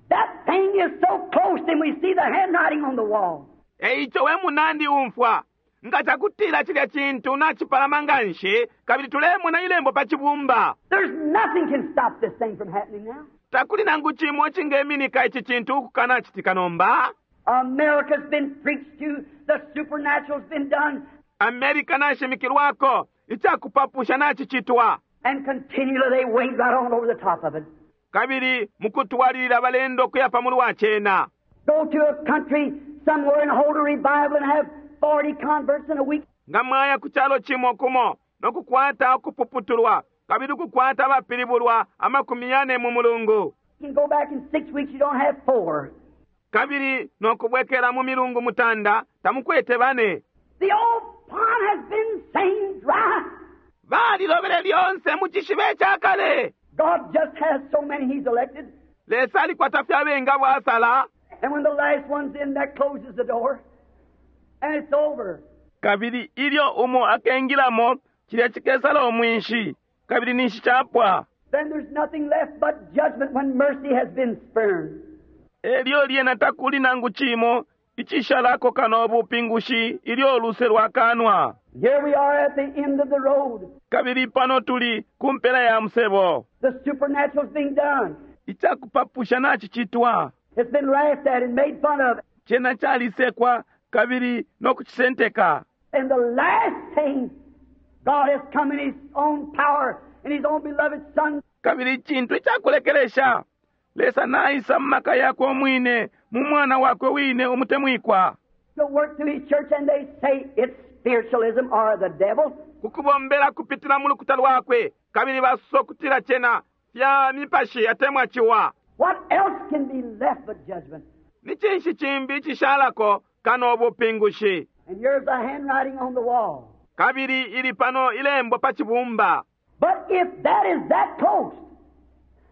that thing is so close, then we see the handwriting on the wall. E ico we munandi umfwa, nga cakutila cilya cintu nacipalama nganshi, kabili tulemona ilembo pa cibumba. There's nothing can stop this thing from happening now. Takuli nangu cimo cingeminika ici cintu ukukanacitika nomba. America's been preached to, the supernatural's been done. America nashimikilwako, icakupapusha nacicitwa. And continually they wade right on over the top of it. Kabili mukutwalilila balenda ukuya pa mulu wa cena. Go to a country somewhere and hold a revival and have 40 converts in a week. Nga mwaya ku calo cimo kumo no kukwata ukupuputulwa, kabili ukukwata abapilibulwa amakumi yane mu mulungu. You can go back in 6 weeks, you don't have 4. Kabili no kubwekela mu milungu mutanda, tamukwete bane. The old pond has been same dry. Balilobele lyonse mu cishiba ica kale. God just has so many He's elected. Lesa alikwata fye abengi abo asala. And when the last one's in, that closes the door. And it's over. Kabili ilyo umo akengilamo, cilya cikesala umwinshi, kabili ninshi capwa. Then there's nothing left but judgment when mercy has been spurned. Elyo lyena takuli nangu cimo Icishalako kano ubupingushi ilyo uluse lwakanwa. Here we are at the end of the road. Kabili pano tuli ku mpela ya musebo. The supernatural's being done. Icakupapusha nacicitwa. It's been laughed at and made fun of. Cena calisekwa kabili no kucisenteka. And the last thing, God has come in His own power, in His own beloved Son, Kabili icintu icakulekelesha, Lesa naisa mu maka yakwe umwine, mu Mwana wakwe wine umutemwikwa, to work through His church, and they say it's spiritualism or the devil. ku kubombela kupitila mu lukuta lwakwe, kabili basosa ukutila cena fya mipashi atemwa ciwa. What else can be left but judgment? Ni cinshi cimbi icishalako kano ubupingushi? And here's the handwriting on the wall. Kabili ili pano ilembo pa cibumba. But if that is that close,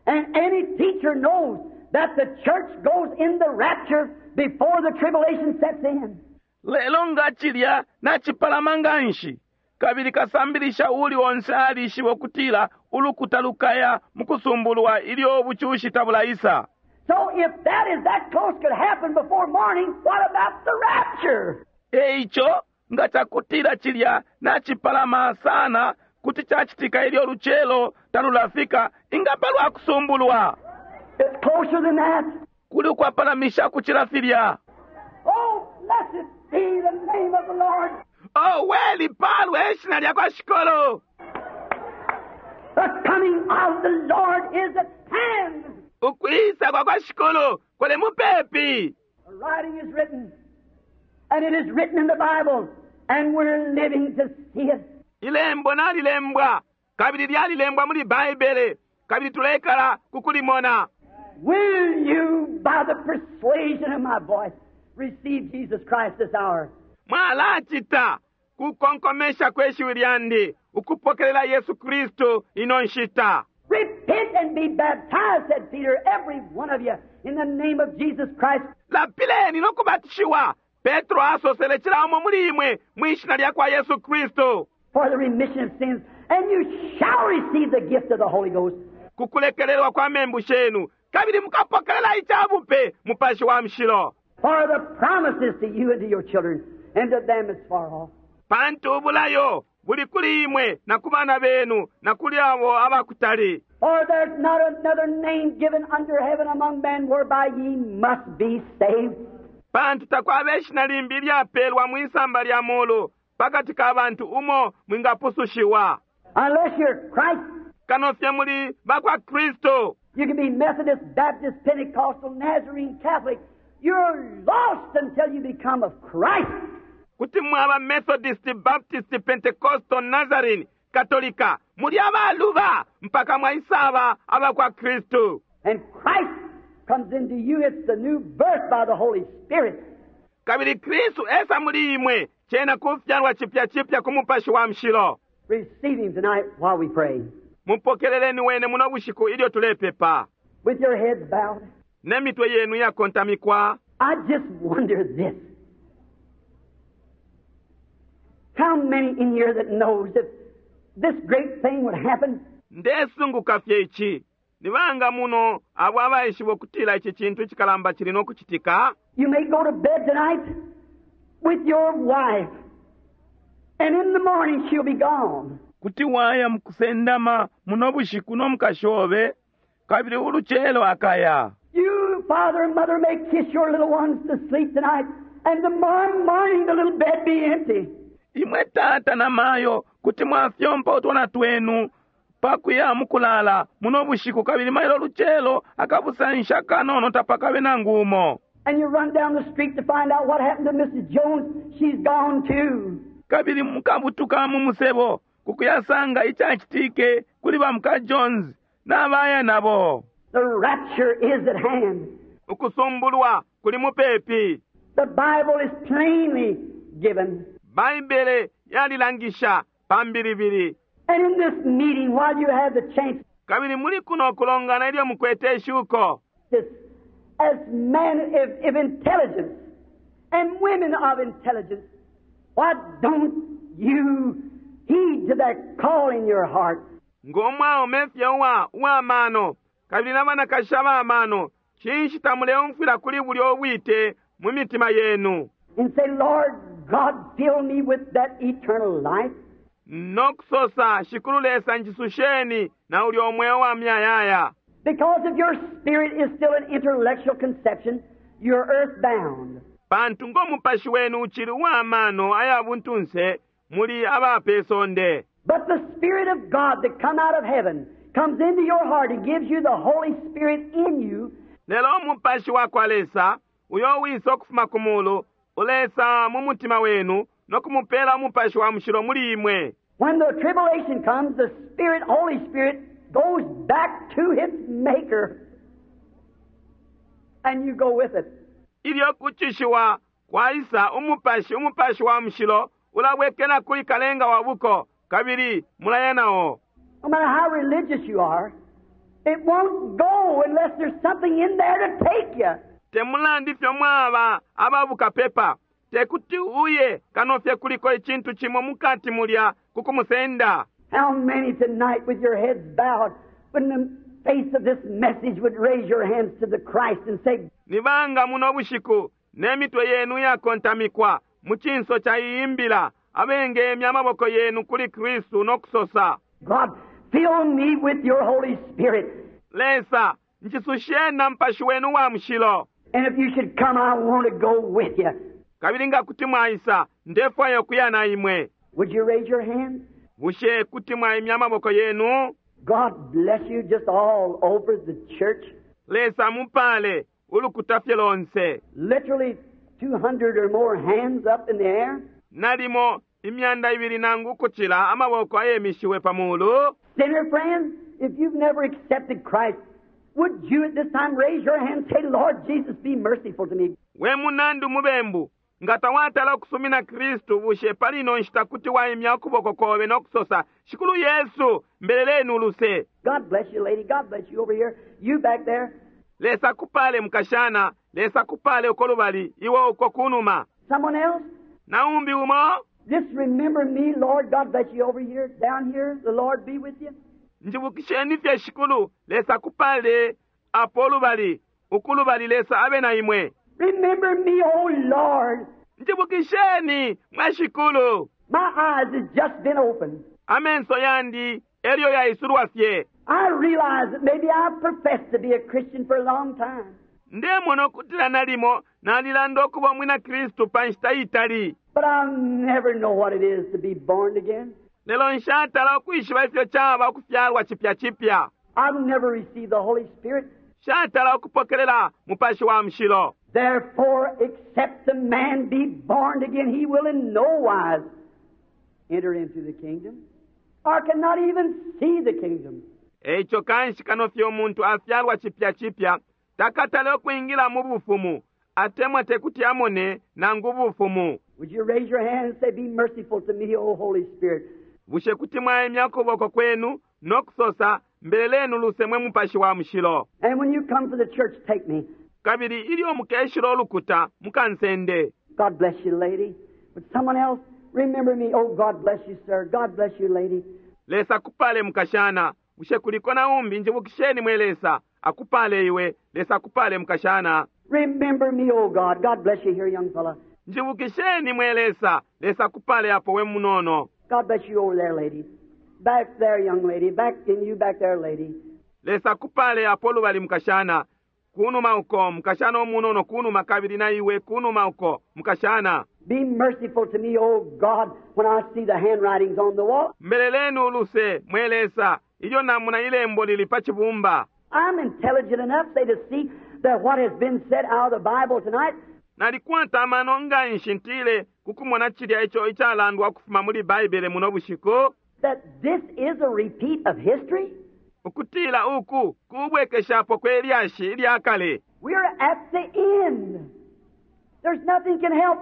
and any teacher knows that the church goes in the rapture before the tribulation sets in, Lelo nga cilya nacipalama nganshi, kabili kasambilisha uuli onse alishiba ukutila ulukuta lukaya mu kusumbulwa ilyo ubucushi tabulaisa. So if that is that close could happen before morning, what about the rapture? E ico, nga cakutila cilya nacipalama sana kuti cacitika ilyo lucelo talulafika, inga palwa kusumbulwa? It's closer than that. Kuli ukwapalamisha kucila filya. Oh, blessed be the name of the Lord. Oh, we lipalwe ishina lya kwa Shikulu. The coming of the Lord is at hand. Ukwisa kwa kwa Shikulu kuli mupepi. The writing is written, and it is written in the Bible, and we're living to see it. Ilembo nalilembwa, kabili lyalilembwa muli Baibele, kabili tulekala kukulimona. Will you, by the persuasion of my voice, receive Jesus Christ this hour? Mwalacita kukonkomesha kwe shiwi lyandi ukupokelela Yesu Kristu ino nshita. Repent and be baptized, said Peter, every one of you, in the name of Jesus Christ, Lapileni no kubatishiwa, Petro asosele cila umo muli imwe mwi shina lya kwa Yesu Kristu, for the remission of sins, and you shall receive the gift of the Holy Ghost. kukulekelelwa kwa membu shenu, kabili mukapokelela icabupe Mupashi wa Mushilo. For the promises to you and to your children, and to them as far off. Pantu ubulayo buli kuli imwe na ku bana benu na kuli abo abakutali. For there's not another name given under heaven among men whereby ye must be saved. Pantu takwaba ishina limbi ilyapelwa mwisamba lya mulu pakati ka bantu umo mwingapusushiwa. Unless you're Christ, Kano fye muli bakwa Kristu. you can be Methodist, Baptist, Pentecostal, Nazarene, Catholic. You're lost until you become of Christ. Kuti mwaba Methodist, Baptist, Pentecostal, Nazarene, Katolika, muli abaluba mpaka mwaisaba abakwa Kristu. And Christ comes into you. It's the new birth by the Holy Spirit. Kabili Kristu esa muli imwe, cena kufyalwa chipya chipya ku Mupashi wa Mushilo. Receive Him tonight while we pray. Mupokeleleni wene muno bushiku ilyo tulepepa. With your heads bowed, Ne mitwe yenu yakontamikwa. I just wonder this. How many in here that knows if this great thing would happen, Ndesunguka fye ici. Ni banga muno abo abaishiba ukutila ici cintu icikalamba cili no kucitika? you may go to bed tonight with your wife, and in the morning she'll be gone. Kuti waya mukusendama muno bushiku no mukashi obe, kabili ulucelo akaya. You, father and mother, may kiss your little ones to sleep tonight, and tomorrow morning the little bed be empty. Imwe tata na mayo kuti mwafyompa utwana twenu pakuya mukulala muno bushiku, kabili mailo lucelo akabusansha kanono tapakabe nangu umo. And you run down the street to find out what happened to Mrs. Jones. She's gone too. Kabili mukabutuka mu musebo kukuyasanga icacitike kuli ba muka Jones n'abaya nabo. The rapture is at hand. Ukusumbulwa kuli mupepi. The Bible is plainly given. Baibele yalilangisha pambilibili. And in this meeting, while you have the chance, Kabili muli kuno kulongana ilyo mukwete ishuko. this, as men of intelligence and women of intelligence, why don't you heed to that call in your heart? Ng'omwaume fye uwa uwamano kabili na banakashi abamano, cinshi tamuleumfwila kuli bulya ubwite mu mitima yenu. And say, Lord God, fill me with that eternal life. No kusosa, Shikulu Lesa njisusheni na ulyo mweo wa muyayaya. Because if your spirit is still an intellectual conception, you're earthbound. Pantu ngo mupashi wenu uchili uwa mano aya buntunse muli aba pe sonde. But the Spirit of God that come out of heaven comes into your heart and gives you the Holy Spirit in you. Lelo umupashi wa kwa Lesa uyo wisa ukufuma ku mulu ulesa mu mutima wenu no kumupela umupashi wa mushilo muli imwe. When the tribulation comes, the Spirit, Holy Spirit, goes back to its maker. And you go with it. Ilyo kucushiwa kwaisa, umupashi, umupashi wa mushilo ulabwekela kuli kalenga wa buko, kabili mulaya nao. No matter how religious you are, it won't go unless there's something in there to take you. Te mulandu ifyo mwaba ababukapepa, tekuti uye kano fye kuliko icintu cimo mukati mulya ku kumusenda. How many tonight with your heads bowed, when the face of this message would raise your hands to the Christ and say, Ni banga muno bushiku ne mitwe yenu iyakontamikwa mu cinso ca iyi mbila, abengemya amaboko yenu kuli Kristu no kusosa, God, fill me with your Holy Spirit. Lesa, njisusheni na Mupashi wenu uwa Mushilo. And if you should come, I want to go with you. Kabili nga kuti mwaisa, ndefwaya ukuya na imwe. Would you raise your hand? Bushe kuti mwaimya amaboko yenu? God bless you just all over the church. Lesa amupale ulukuta fye lonse. Literally 200 or more hands up in the air. Nalimo imyanda ibili nangu ukucila amaboko ayemishiwe pa mulu. Sinner friend, if you've never accepted Christ, would you at this time raise your hand and say, Lord Jesus, be merciful to me? We munandi umubembu, nga tawatala ukusumina Kristu, bushe pali ino nshita kuti waimya ukuboko kobe no kusosa, Shikulu Yesu, mbeleleni uluse. God bless you, lady. God bless you over here. You back there. Lesa akupale, mukashana. Lesa akupale uko lubali, iwe uko kunuma. Someone else? Naumbi umo? Just remember me, Lord. God bless you over here, down here. The Lord be with you. Njibukisheni fye, Shikulu. Lesa akupale apo lubali, uku lubali. Lesa abe na imwe. Remember me, O Lord. Njibukisheni, mwe Shikulu. My eyes has just been opened. Amenso yandi elyo yaisulwa fye. I realize that maybe I've professed to be a Christian for a long time. Ndemona ukutila nalimo nalilanda ukuba umwina Kristu pa nshita itali. But I'll never know what it is to be born again. Lelo nshatala ukwishiba ifyo caba ukufyalwa cipya cipya. I've never received the Holy Spirit. Nshatala ukupokelela Mupashi wa Mushilo. Therefore, except the man be born again, he will in no wise enter into the kingdom, or cannot even see the kingdom. Eico kanshi kano fye umuntu afyalwa cipya cipya, takatale ukwingila mu bufumu, atemwa tekuti amone nangu ubufumu. Would you raise your hand and say, Be merciful to me, O Holy Spirit? Bushe kuti mwaimya ukuboko kwenu no kusosa, Mbeleleni uluse mwe Mupashi wa Mushilo. And when you come to the church, take me. Kabili ilyo mukeshila ulukuta, mukansende. God bless you, lady. But someone else, remember me. Oh, God bless you, sir. God bless you, lady. Lesa akupale, mukashana. Bushe kuliko na umbi? Njibukisheni mwe Lesa. Akupale iwe. Lesa akupale, mukashana. Remember me, oh God. God bless you here, young fella. Njibukisheni mwe Lesa. Lesa akupale apo we munono. God bless you over there, lady. Back there, young lady. Back in you back there, lady. Lesa akupale apo lubali mukashana. Kunuma uko, mukashana umunono kunuma kabili na iwe kunuma uko, mukashana. Be merciful to me, O God, when I see the handwritings on the wall. Mbeleleni uluse, mwe Lesa, ilyo namona ilembo lili pa cibumba. I'm intelligent enough, say, to see that what has been said out of the Bible tonight. Nalikwata amano nganshi ntile kukumona cilya ico icalandwa ukufuma muli Baibele muno bushiku. That this is a repeat of history. Ukutila uku kubwekeshapo kwe lyashi ilya kale. We're at the end. There's nothing can help.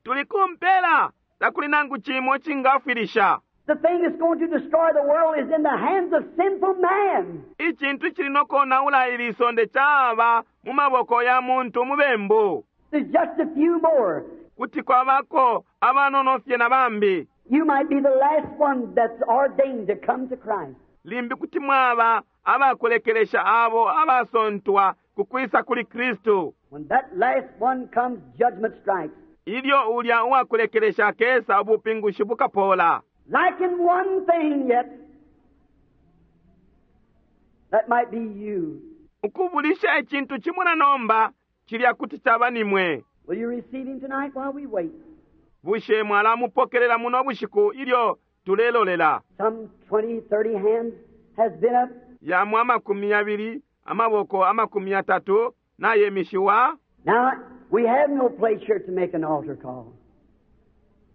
Tuli ku mpela. Takuli nangu cimo icingafwilisha. The thing that's going to destroy the world is in the hands of sinful man. Icintu icili no konaula ili isonde caba mu maboko ya muntu umubembu. There's just a few more. Kuti kwabako abanono fye na bambi. You might be the last one that's ordained to come to Christ. Limbi kuti mwaba abakulekelesha abo abasontwa ku kwisa kuli Kristu. When that last one comes, judgment strikes. Ilyo ulya uwakulekelesha akesa, ubupingushi bukapola. Lacking one thing yet, that might be you. Ukubulisha icintu cimo na nomba, cilya kuti caba nimwe. Will you receive him tonight while we wait? Bushe mwalamupokelela muno bushiku ilyo tulelolela? Some 20, 30 hands has been up. Yamo 20, amaboko 30 nayemishiwa. Now, we have no place here to make an altar call,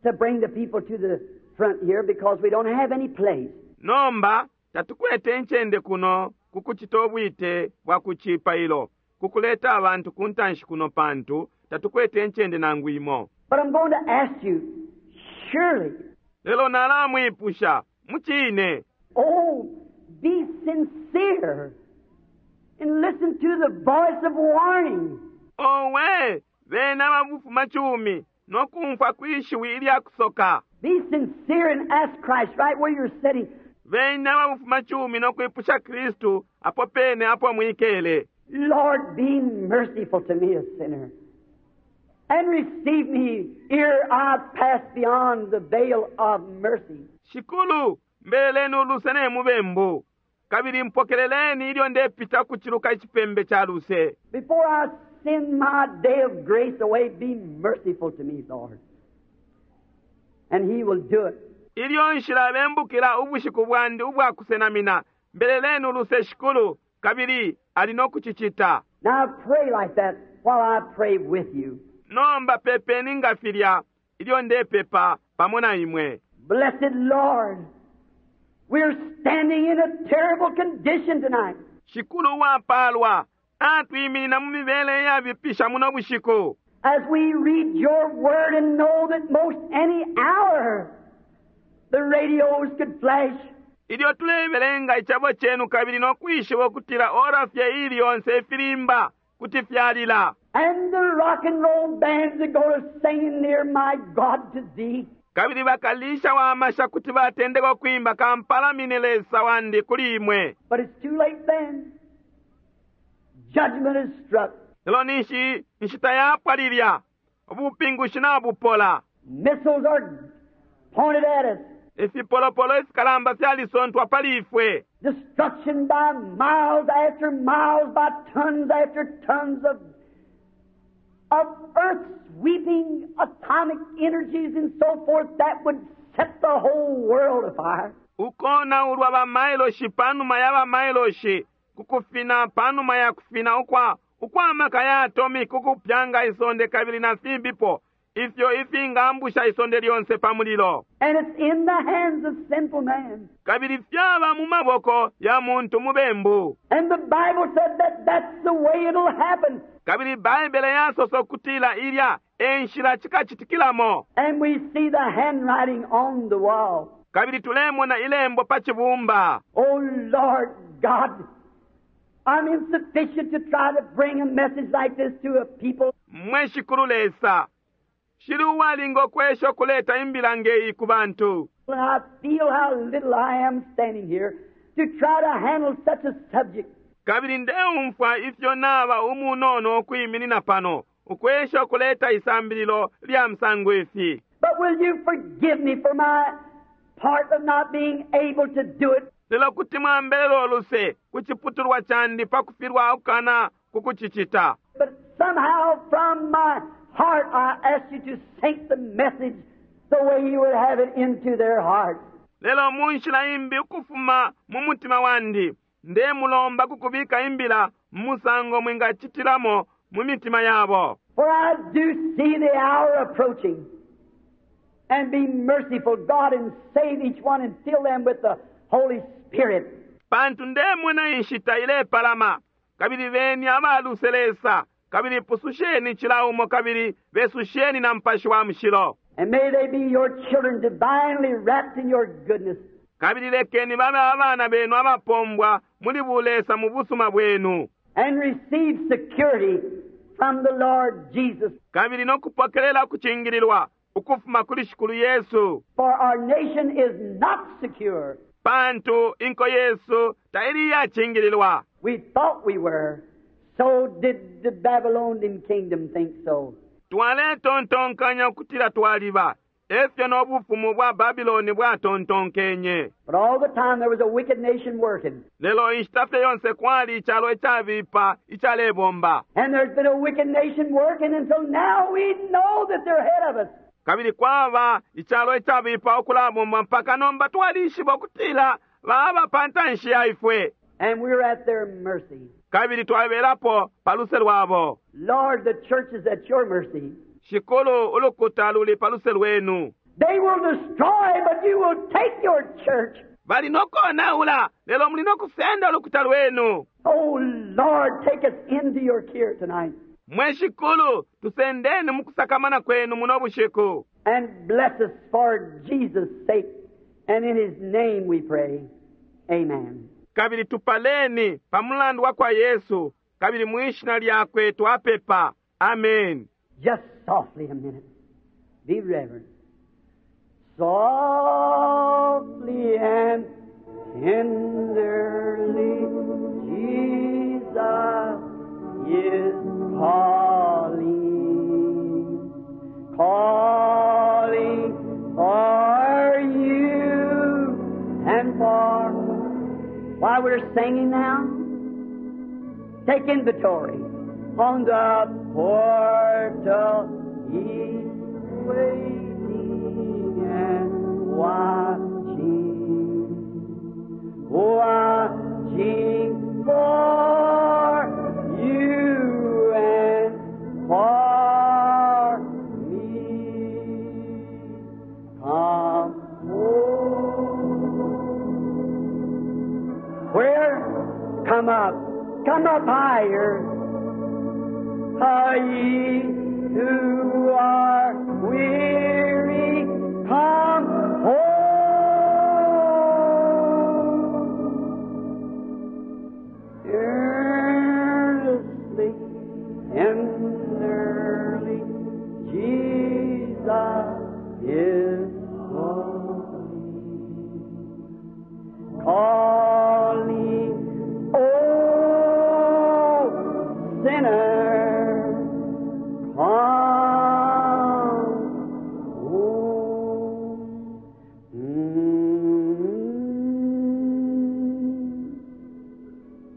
to bring the people to the front here, because we don't have any place. Nomba tatukwete incende kuno ku kucita ubwite bwa ku cipailo, ku kuleta abantu ku ntanshi kuno, pantu tatukwete incende nangu imo. But I'm going to ask you, surely, Lelo nalamwipusha, mucine. Oh, be sincere and listen to the voice of warning. Owe, bena ababufumacumi no kumfwa kwi shiwi ilya kusoka. Be sincere and ask Christ right where you're sitting. Bena ababufumacumi no kwipusha Kristu apo pene apo mwikele. Lord, be merciful to me, a sinner, and receive me ere I pass beyond the veil of mercy. Shikulu, mbeleleni uluse ne mubembu, kabili mpokeleleni ilyo ndepita kuciluka icipembe ca luse. Before I send my day of grace away, be merciful to me, Lord. And He will do it. Ilyo nshilabembukila ubushiku bwandi ubwa kusenamina, mbeleleni uluse Shikulu, kabili ali no kucicita. Now pray like that while I pray with you. Nomba pepeni nga filya ilyo ndepepa pamo na imwe. Blessed Lord, we're standing in a terrible condition tonight. Shikulu uwapaalwa, atwiminina mu mibele iyabipisha muno bushiku. As we read your word and know that most any hour the radios could flash. Ilyo tulebelenga icebo cenu kabili no kwishiba ukutila ora fye ili yonse ifilimba kuti fyalila. And the rock and roll bands that go to singing near my God to thee. Kabili bakalisha wa masha kuti batendeka ukwimba kampalamine Lesa wandi kuli imwe. But it's too late then. Judgment is struck. Lelo ninshi inshita yapwa lilya, ubupingushi nabupola. Missiles are pointed at us. Ifipolopolo ifikalamba fyalisontwa pali ifwe. Destruction by miles after miles, by tons after tons of earth-sweeping atomic energies and so forth that would set the whole world afire. Ukonaulwa ba mailoshi panuma ya ba mailoshi, kukufina panuma ya kufina ukwa maka ya atomic ukupyanga isonde kabili na fimbipo ifyo ifingambusha isonde lyonse pa mulilo. And it's in the hands of sinful man. Kabili fyaba mu maboko ya muntu mubembu. And the Bible said that that's the way it'll happen. Kabili Baibele yasosa ukutila ilya e nshila cikacitikilamo. And we see the handwriting on the wall. Kabili tulemona ilembo pa cibumba. Oh Lord God, I'm insufficient to try to bring a message like this to a people. Mwe Shikulu Lesa, shili uwalinga ukwesha ukuleta imbila ngeyi ku bantu. And I feel how little I am standing here to try to handle such a subject. Kabili ndeumfwa ifyo naba umunono ukwiminina pano ukwesha ukuleta isambililo lya musango ifi. But will you forgive me for my part of not being able to do it? Lelo kuti mwambelela uluse ku ciputulwa candi pa kufilwa ukukana kukucicita. But somehow from my heart I ask you to sink the message the way you would have it into their hearts. Lelo mu nshila imbi ukufuma mu mutima wandi ndemulomba kukubika imbila mu musango mwingacitilamo mu mitima yabo. For I do see the hour approaching. And be merciful, God, and save each one and fill them with the Holy Spirit. Pantu ndemona inshita ilepalama, kabili beni abaluse Lesa, kabili pususheni cila umo kabili besusheni na Mupashi wa Mushilo. And may they be your children divinely wrapped in your goodness. Kabili lekeni babe abana benu abapombwa muli bulesa mu busuma bwenu. And receive security from the Lord Jesus. Kabili no kupokelela kucingililwa ukufuma kuli Shikulu Yesu. For our nation is not secure. Pantu inko Yesu taili yacingililwa. We thought we were. So did the Babylonian kingdom think so. Twaletontonkanya ukutila twaliba efyo no bufumu bwa Babiloni bwatontonkenye. But all the time there was a wicked nation working. Lelo inshita fye yonse kwali icalo icabipa icalebomba. And there's been a wicked nation working until now we know that they're ahead of us. Kabili kwaba icalo icabipa ukulabomba mpaka nomba twalishiba ukutila baba pa ntanshi ya ifwe. And we're at their mercy. Kabili twabelapo pa luse lwabo. Lord, the church is at your mercy. Shikulu, ulukuta luli pa luse lwenu. They will destroy, but you will take your church. Bali no konaula, lelo muli no kusenda ulukuta lwenu. Oh, Lord, take us into your care tonight. Mwe Shikulu, tusendeni mukusakamana kwenu muno bushiku. And bless us for Jesus' sake. And in His name we pray. Amen. Kabili tupaleni pa mulandu wa kwa Yesu, kabili mwishina lyakwe twapepa. Amen. Just softly a minute. Be reverent. Softly and tenderly, Jesus is calling, calling for you and for. While we're singing now, take inventory. On the portal he's waiting and watching, watching for you and for me. Come home. Where? Come up. Come up higher. Ah, ye who are weary, come home. Earnestly, tenderly, Jesus is calling, calling, oh sinner, come home. Mm.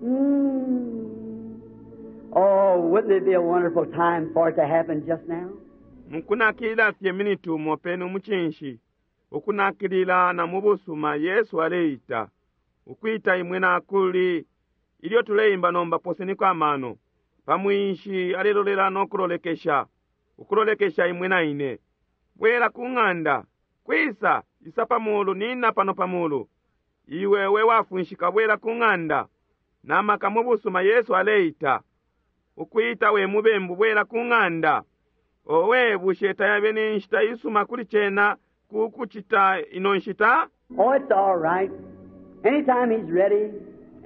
Mm. Oh, wouldn't it be a wonderful time for it to happen just now? Mukunakilila fye miniti umo penu mucinshi, ukunakilila na mu busuma Yesu aleita, ukwita imwe nakuli ilyo tuleimba nomba poseniko amano. Pa mwinshi alelolela no kulolekesha, ukulolekesha imwe na ine. Bwela ku ng'anda, kwisa isa pa mulu nina pano pa mulu. Iwe we wafunshika bwela ku ng'anda. Na maka mu busuma Yesu aleita, ukwita we mubembu bwela ku ng'anda. Owe bushe tayabe ni nshita isuma kuli cena ku kucita ino nshita? Oh, it's all right. Anytime he's ready.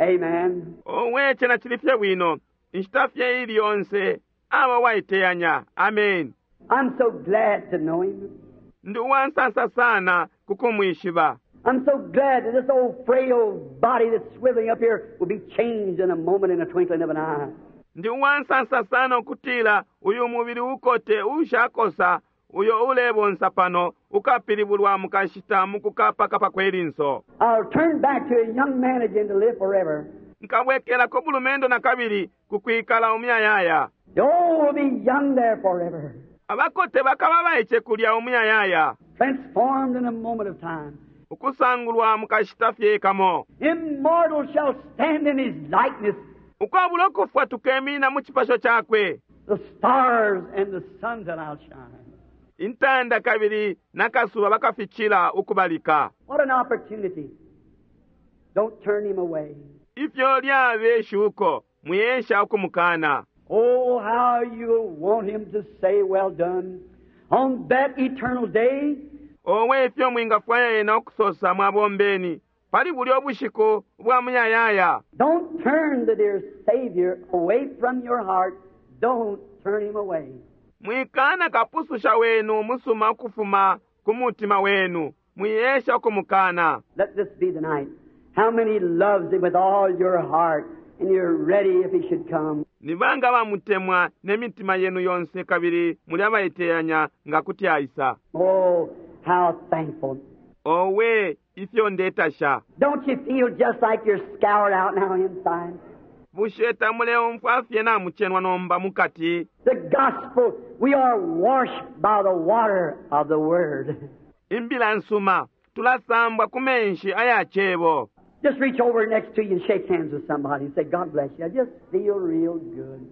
Amen. Owe cena cili fye bwino. Inshita fye ili yonse aba waiteyanya. Amen. I'm so glad to know him. Ndi uwansansa sana kukumwishiba. I'm so glad that this old frail body that's swiveling up here will be changed in a moment, in a twinkling of an eye. Ndi uwansansa sana ukutila uyu mubili ukote ushakosa uyo ulebonsa pano ukapilibulwa mukashita mukukapakapa kwelinso. I'll turn back to a young man again to live forever. Nkabwekelako bulumendo na kabili kukwikala umuyayaya. The old will be young there forever. Abakote bakaba baice kulya umuyayaya. Transformed in a moment of time. Ukusangulwa mukashita fye kamo. Immortal shall stand in his likeness. Ukwabula ukufwa tukemina mu cipasho cakwe. The stars and the sun shall outshine. Intanda kabili nakasuba bakafichila ukubalika. What an opportunity. Don't turn him away. Ifyo lyabe shuko muyesha ukumukana. Oh, how you'll want him to say, well done, on that eternal day. Owe ifyo mwingafwaya ena ukusosa mwabombeni pali bulya ubushiku bwa muyayaya. Don't turn the dear Savior away from your heart. Don't turn him away. Mwikana kapususha wenu musuma ukufuma ku mutima wenu. Mwiyesha ukumukana. Let this be the night. How many loves him with all your heart And you're ready if He should come. Ni banga abamutemwa ne mitima yenu yonse kabili muli abaiteyanya nga kuti aisa? Oh, how thankful. Owe, ifyo ndetasha. Don't you feel just like you're scoured out now inside? Bushe tamuleumfwa fye namucenwa nomba mukati? The gospel, we are washed by the water of the Word. Imbila nsuma, tulasambwa ku menshi aya Cebo. Just reach over next to you and shake hands with somebody and say, God bless you. I just feel real good.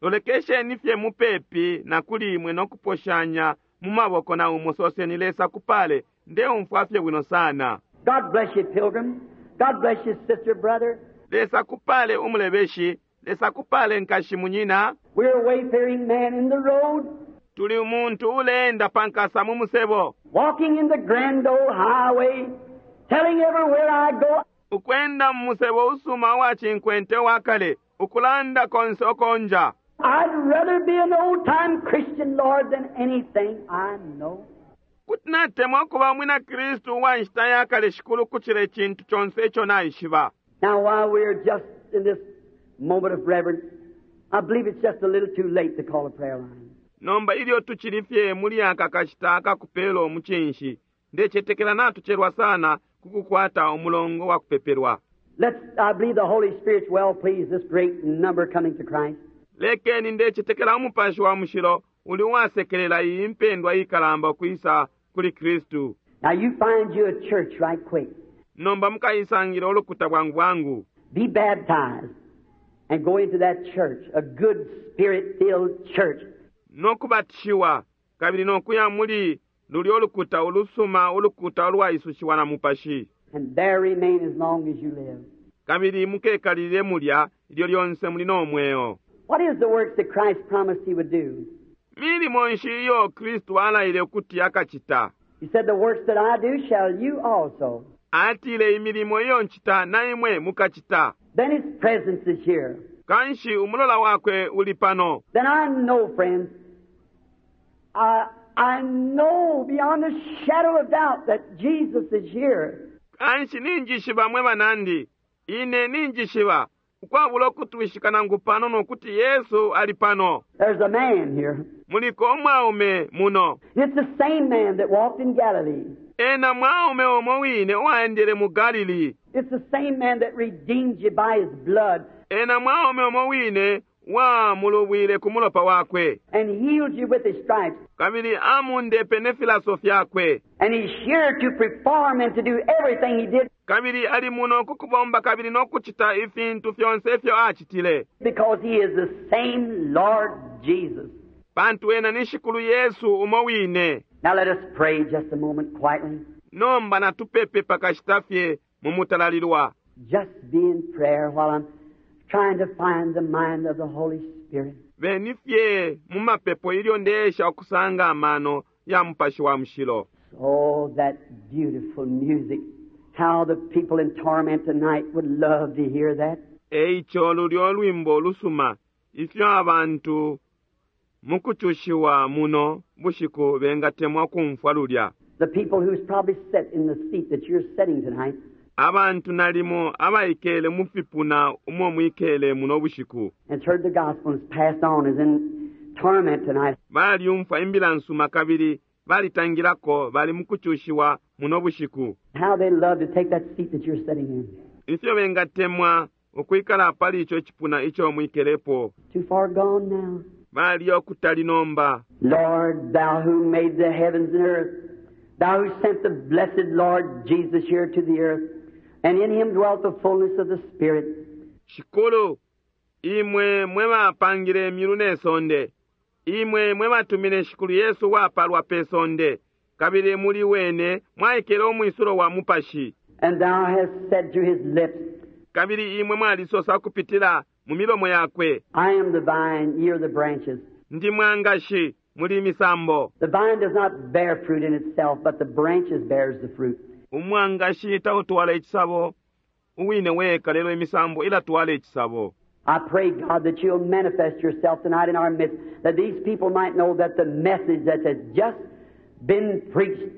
Lolekesheni fye mupepi na kuli imwe no kuposhanya mu maboko na umo, soseni, Lesa akupale. Ndeumfwa fye bwino sana. God bless you, pilgrim. God bless you, sister, brother. Lesa akupale, umulebeshi. Lesa akupale, nkashi, munyina. We're wayfaring men in the road. Tuli umuntu uleenda pa nkasa mu musebo. Walking in the grand old highway, telling everywhere I go. Ukwenda mu musebo usuma uwa cinkwente uwa kale, ukulanda konse uko nja. I'd rather be an old-time Christian, Lord, than anything I know. Kuti natemwa ukuba umwina Kristu uwa nshita ya kale, Shikulu, ukucila icintu conse ico naishiba. Now, while we're just in this moment of reverence, I believe it's just a little too late to call a prayer line. Nomba ilyo tucili fye muli aka kashita akakupela umucinshi, ndecetekela natucelwa sana ku kukwata umulongo wa kupepelwa. Let's, I believe the Holy Spirit's well pleased this great number coming to Christ. Lekeni, ndecetekela Umupashi wa Mushilo uli uwasekelela iyi impendwa ikalamba ukwisa kuli Kristu. Now you find you a church right quick. Nomba mukaisangila ulukuta bwangu bwangu. Be baptized and go into that church, a good spirit-filled church. No kubatishiwa kabili no kuya muli lulyo lukuta ulusuma, ulukuta ulwaisushiwa na Mupashi. And there remain as long as you live. Kabili mukekalilile mulya ilyo lyonse muli no mweo. What is the works that Christ promised he would do? Milimo nshi iyo Kristu alaile ukuti akacita? He said, The works that I do shall you also. Atile, Imilimo iyo ncita na imwe mukacita. Then his presence is here. Kanshi umulola wakwe uli pano. Then I know, friends, I know beyond a shadow of doubt that Jesus is here. Kanshi ninjishiba, mwe banandi, ine ninjishiba ukwabula ukutwishika nangu panono ukuti Yesu ali pano. There's a man here. Muliko umwaume muno. It's the same man that walked in Galilee. Ena mwaume umo wine uwaendele mu Galili. It's the same man that redeemed you by his blood. Ena mwaume umo wine wamulubwile ku mulopa wakwe. And healed you with his stripes. Kabili amundepe ne filaso fyakwe. And he's here to perform and to do everything he did. Kabili ali muno ku kubomba kabili no kucita ifintu fyonse ifyo acitile. Because he is the same Lord Jesus. Pantu ena ni Shikulu Yesu umo wine. Now let us pray just a moment quietly. Nomba natupepe pakashita fye mu mutalalilwa. Just be in prayer while I'm trying to find the mind of the Holy Spirit. Beni fye mu mapepo ilyo ndeesha ukusanga amano ya Mupashi wa Mushilo. Oh, that beautiful music. How the people in torment tonight would love to hear that. Eico lulyo lwimbo ulusuma, ifyo abantu mukucushiwa muno bushiku bengatemwa kumfwa lulya. The people who's probably sat in the seat that you're sitting tonight. Abantu nalimo abaikele mu fipuna umo mwikele muno bushiku. Has heard the gospel and has passed on, is in torment tonight. Balyumfwa imbila nsuma kabili balitangilako, bali mukucushiwa muno bushiku. How they love to take that seat that you're sitting in. Ifyo bengatemwa ukwikala pali ico cipuna ico mwikelepo. Too far gone now. Bali ukutali nomba. Lord, thou who made the heavens and earth, thou who sent the blessed Lord Jesus here to the earth, and in him dwelt the fullness of the Spirit. Shikulu, imwe mwe bapangile imyulu ne sonde, imwe mwe batumine Shikulu Yesu wapalwa pe sonde, kabili muli wene mwaikele umwisulo wa Mupashi. And thou hast said through his lips, Kabili imwe mwalisosa ukupitila mu milomo yakwe, I am the vine, ye are the branches. Ndi mwangashi, muli imisambo. The vine does not bear fruit in itself, but the branches bears the fruit. Umwangashi tautwala icisabo uwine weka, lelo imisambo ilatwala icisabo. I pray, God, that you'll manifest yourself tonight in our midst, that these people might know that the message that has just been preached,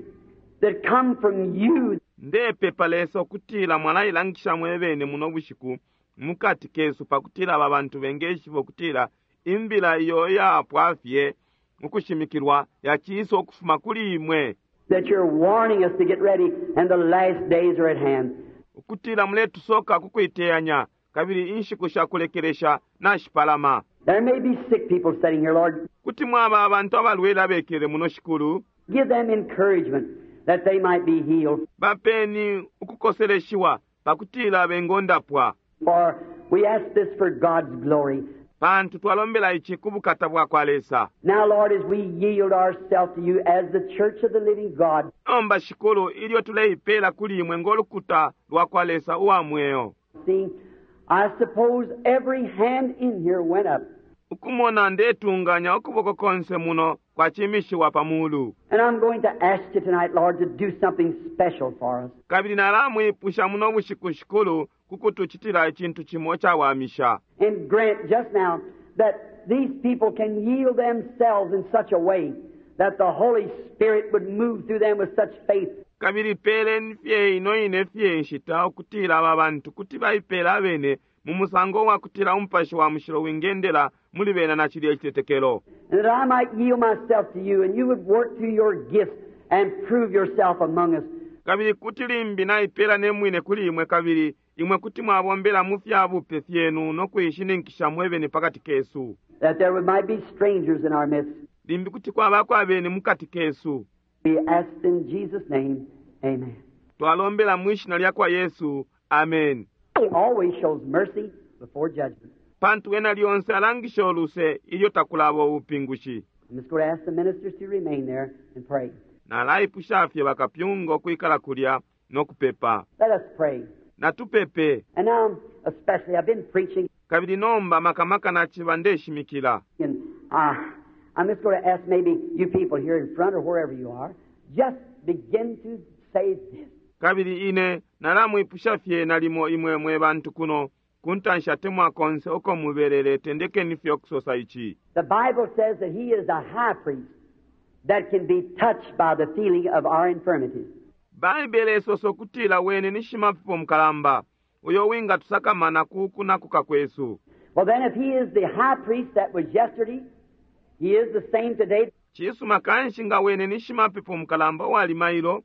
that come from you. Ndepepa, Lesa, ukutila mwalailangisha mwebene muno bushiku. mukati kesu pakutila aba bantu bengeshiba ukutila imbila iyo iyapwa fye ukushimikilwa yaciisa ukufuma kuli imwe. That you're warning us to get ready and the last days are at hand. Ukutila muletusoka ku kuiteyanya kabili inshiku sha kulekelesha nashipalama. There may be sick people sitting here, Lord. Kuti mwaba abantu abalwele abekele muno, Shikulu. Give them encouragement that they might be healed. Bapeni ukukoseleshiwa pakutila bengondapwa. For we ask this for God's glory. Pantu twalombela ici ku bukata bwa kwa Lesa. Now, Lord, as we yield ourselves to you as the church of the living God, Nomba, Shikulu, ilyo tuleipela kuli imwe ngo lukuta lwa kwa Lesa uwa mweo. Seeing, I suppose every hand in here went up. Ukumona ndetunganya ukuboko konse muno kwacimishiwa pa mulu. And I'm going to ask you tonight, Lord, to do something special for us. Kabili nalamwipusha muno bushiku, Shikulu, ku kutucitila icintu cimo icawamisha. And grant just now that these people can yield themselves in such a way that the Holy Spirit would move through them with such faith. Kabili peleni fye ino ine fye nshita ukutila aba bantu kuti baipela abene mu musango wa kutila Umupashi wa Mushilo wingendela muli bena na cilya icitetekelo. And that I might yield myself to you and you would work through your gifts and prove yourself among us. Kabili kuti limbi naipela ne mwine kuli imwe kabili imwe kuti mwabombela mu fya bupe fyenu no kuishininkisha mwebene pakati kesu. That there might be strangers in our midst. Limbi kuti kwabako abeni mukati kesu. We ask in Jesus' name, amen. Twalombela mwi shina lya kwa Yesu, amen. He always shows mercy before judgment. Pantu ena lyonse alangisha uluse ilyo takulaba ubupingushi. I'm just going to ask the ministers to remain there and pray. Nalaipusha fye bakapyunga ukwikala kulya no kupepa. Let us pray. Natupepe. And now, especially, I've been preaching. Kabili nomba maka maka naciba ndeshimikila. And I'm just going to ask maybe you people here in front or wherever you are, just begin to say this. Kabili ine nalamwipusha fye nalimo imwe mwe bantu kuno ku ntanshi atemwa konse uko mubelele tendekeni fye ukusosa ici. The Bible says that he is a high priest that can be touched by the feeling of our infirmities. Baibele isosa ukutila wene ni shimapepo mukalamba uyo wingatusakamana ku kunakuka kwesu. Well, then, if he is the high priest that was yesterday, he is the same today. Cisuma kanshi nga wene ni shimapepo mukalamba uwali mailo,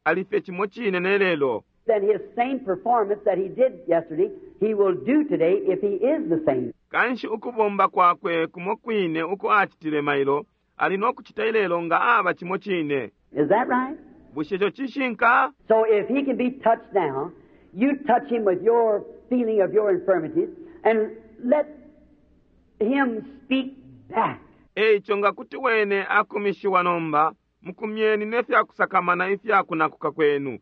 ali fye cimo cine ne lelo. Then his same performance that he did yesterday, he will do today if he is the same. Kanshi ukubomba kwakwe kumo kwine uko acitile mailo, ali no kucita ilelo nga aba cimo cine. Is that right? Bushe ico cishinka? So if he can be touched now, you touch him with your feeling of your infirmities and let him speak back. Eico nga kuti wene akumishiwa nomba, mukumyeni ne fyakusakamana ifyakunakuka kwenu,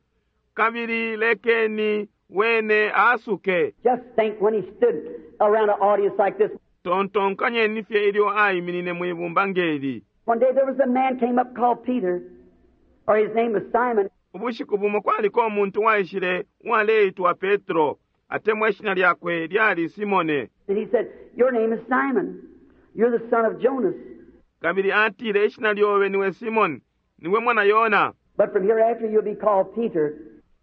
kabili lekeni wene asuke. Just think when he stood around an audience like this. Tontonkanyeni fye ilyo aiminine mwi bumba ngeli. One day there was a man came up called Peter, or his name was Simon. Ubushiku bumo kwaliko umuntu waishile uwaleitwa Petro, atemwa ishina lyakwe lyali Simone. And he said, Your name is Simon. You're the son of Jonas. Kabili atile, ishina lyobe niwe Simon, niwe mwana Yona. But from hereafter you'll be called Peter.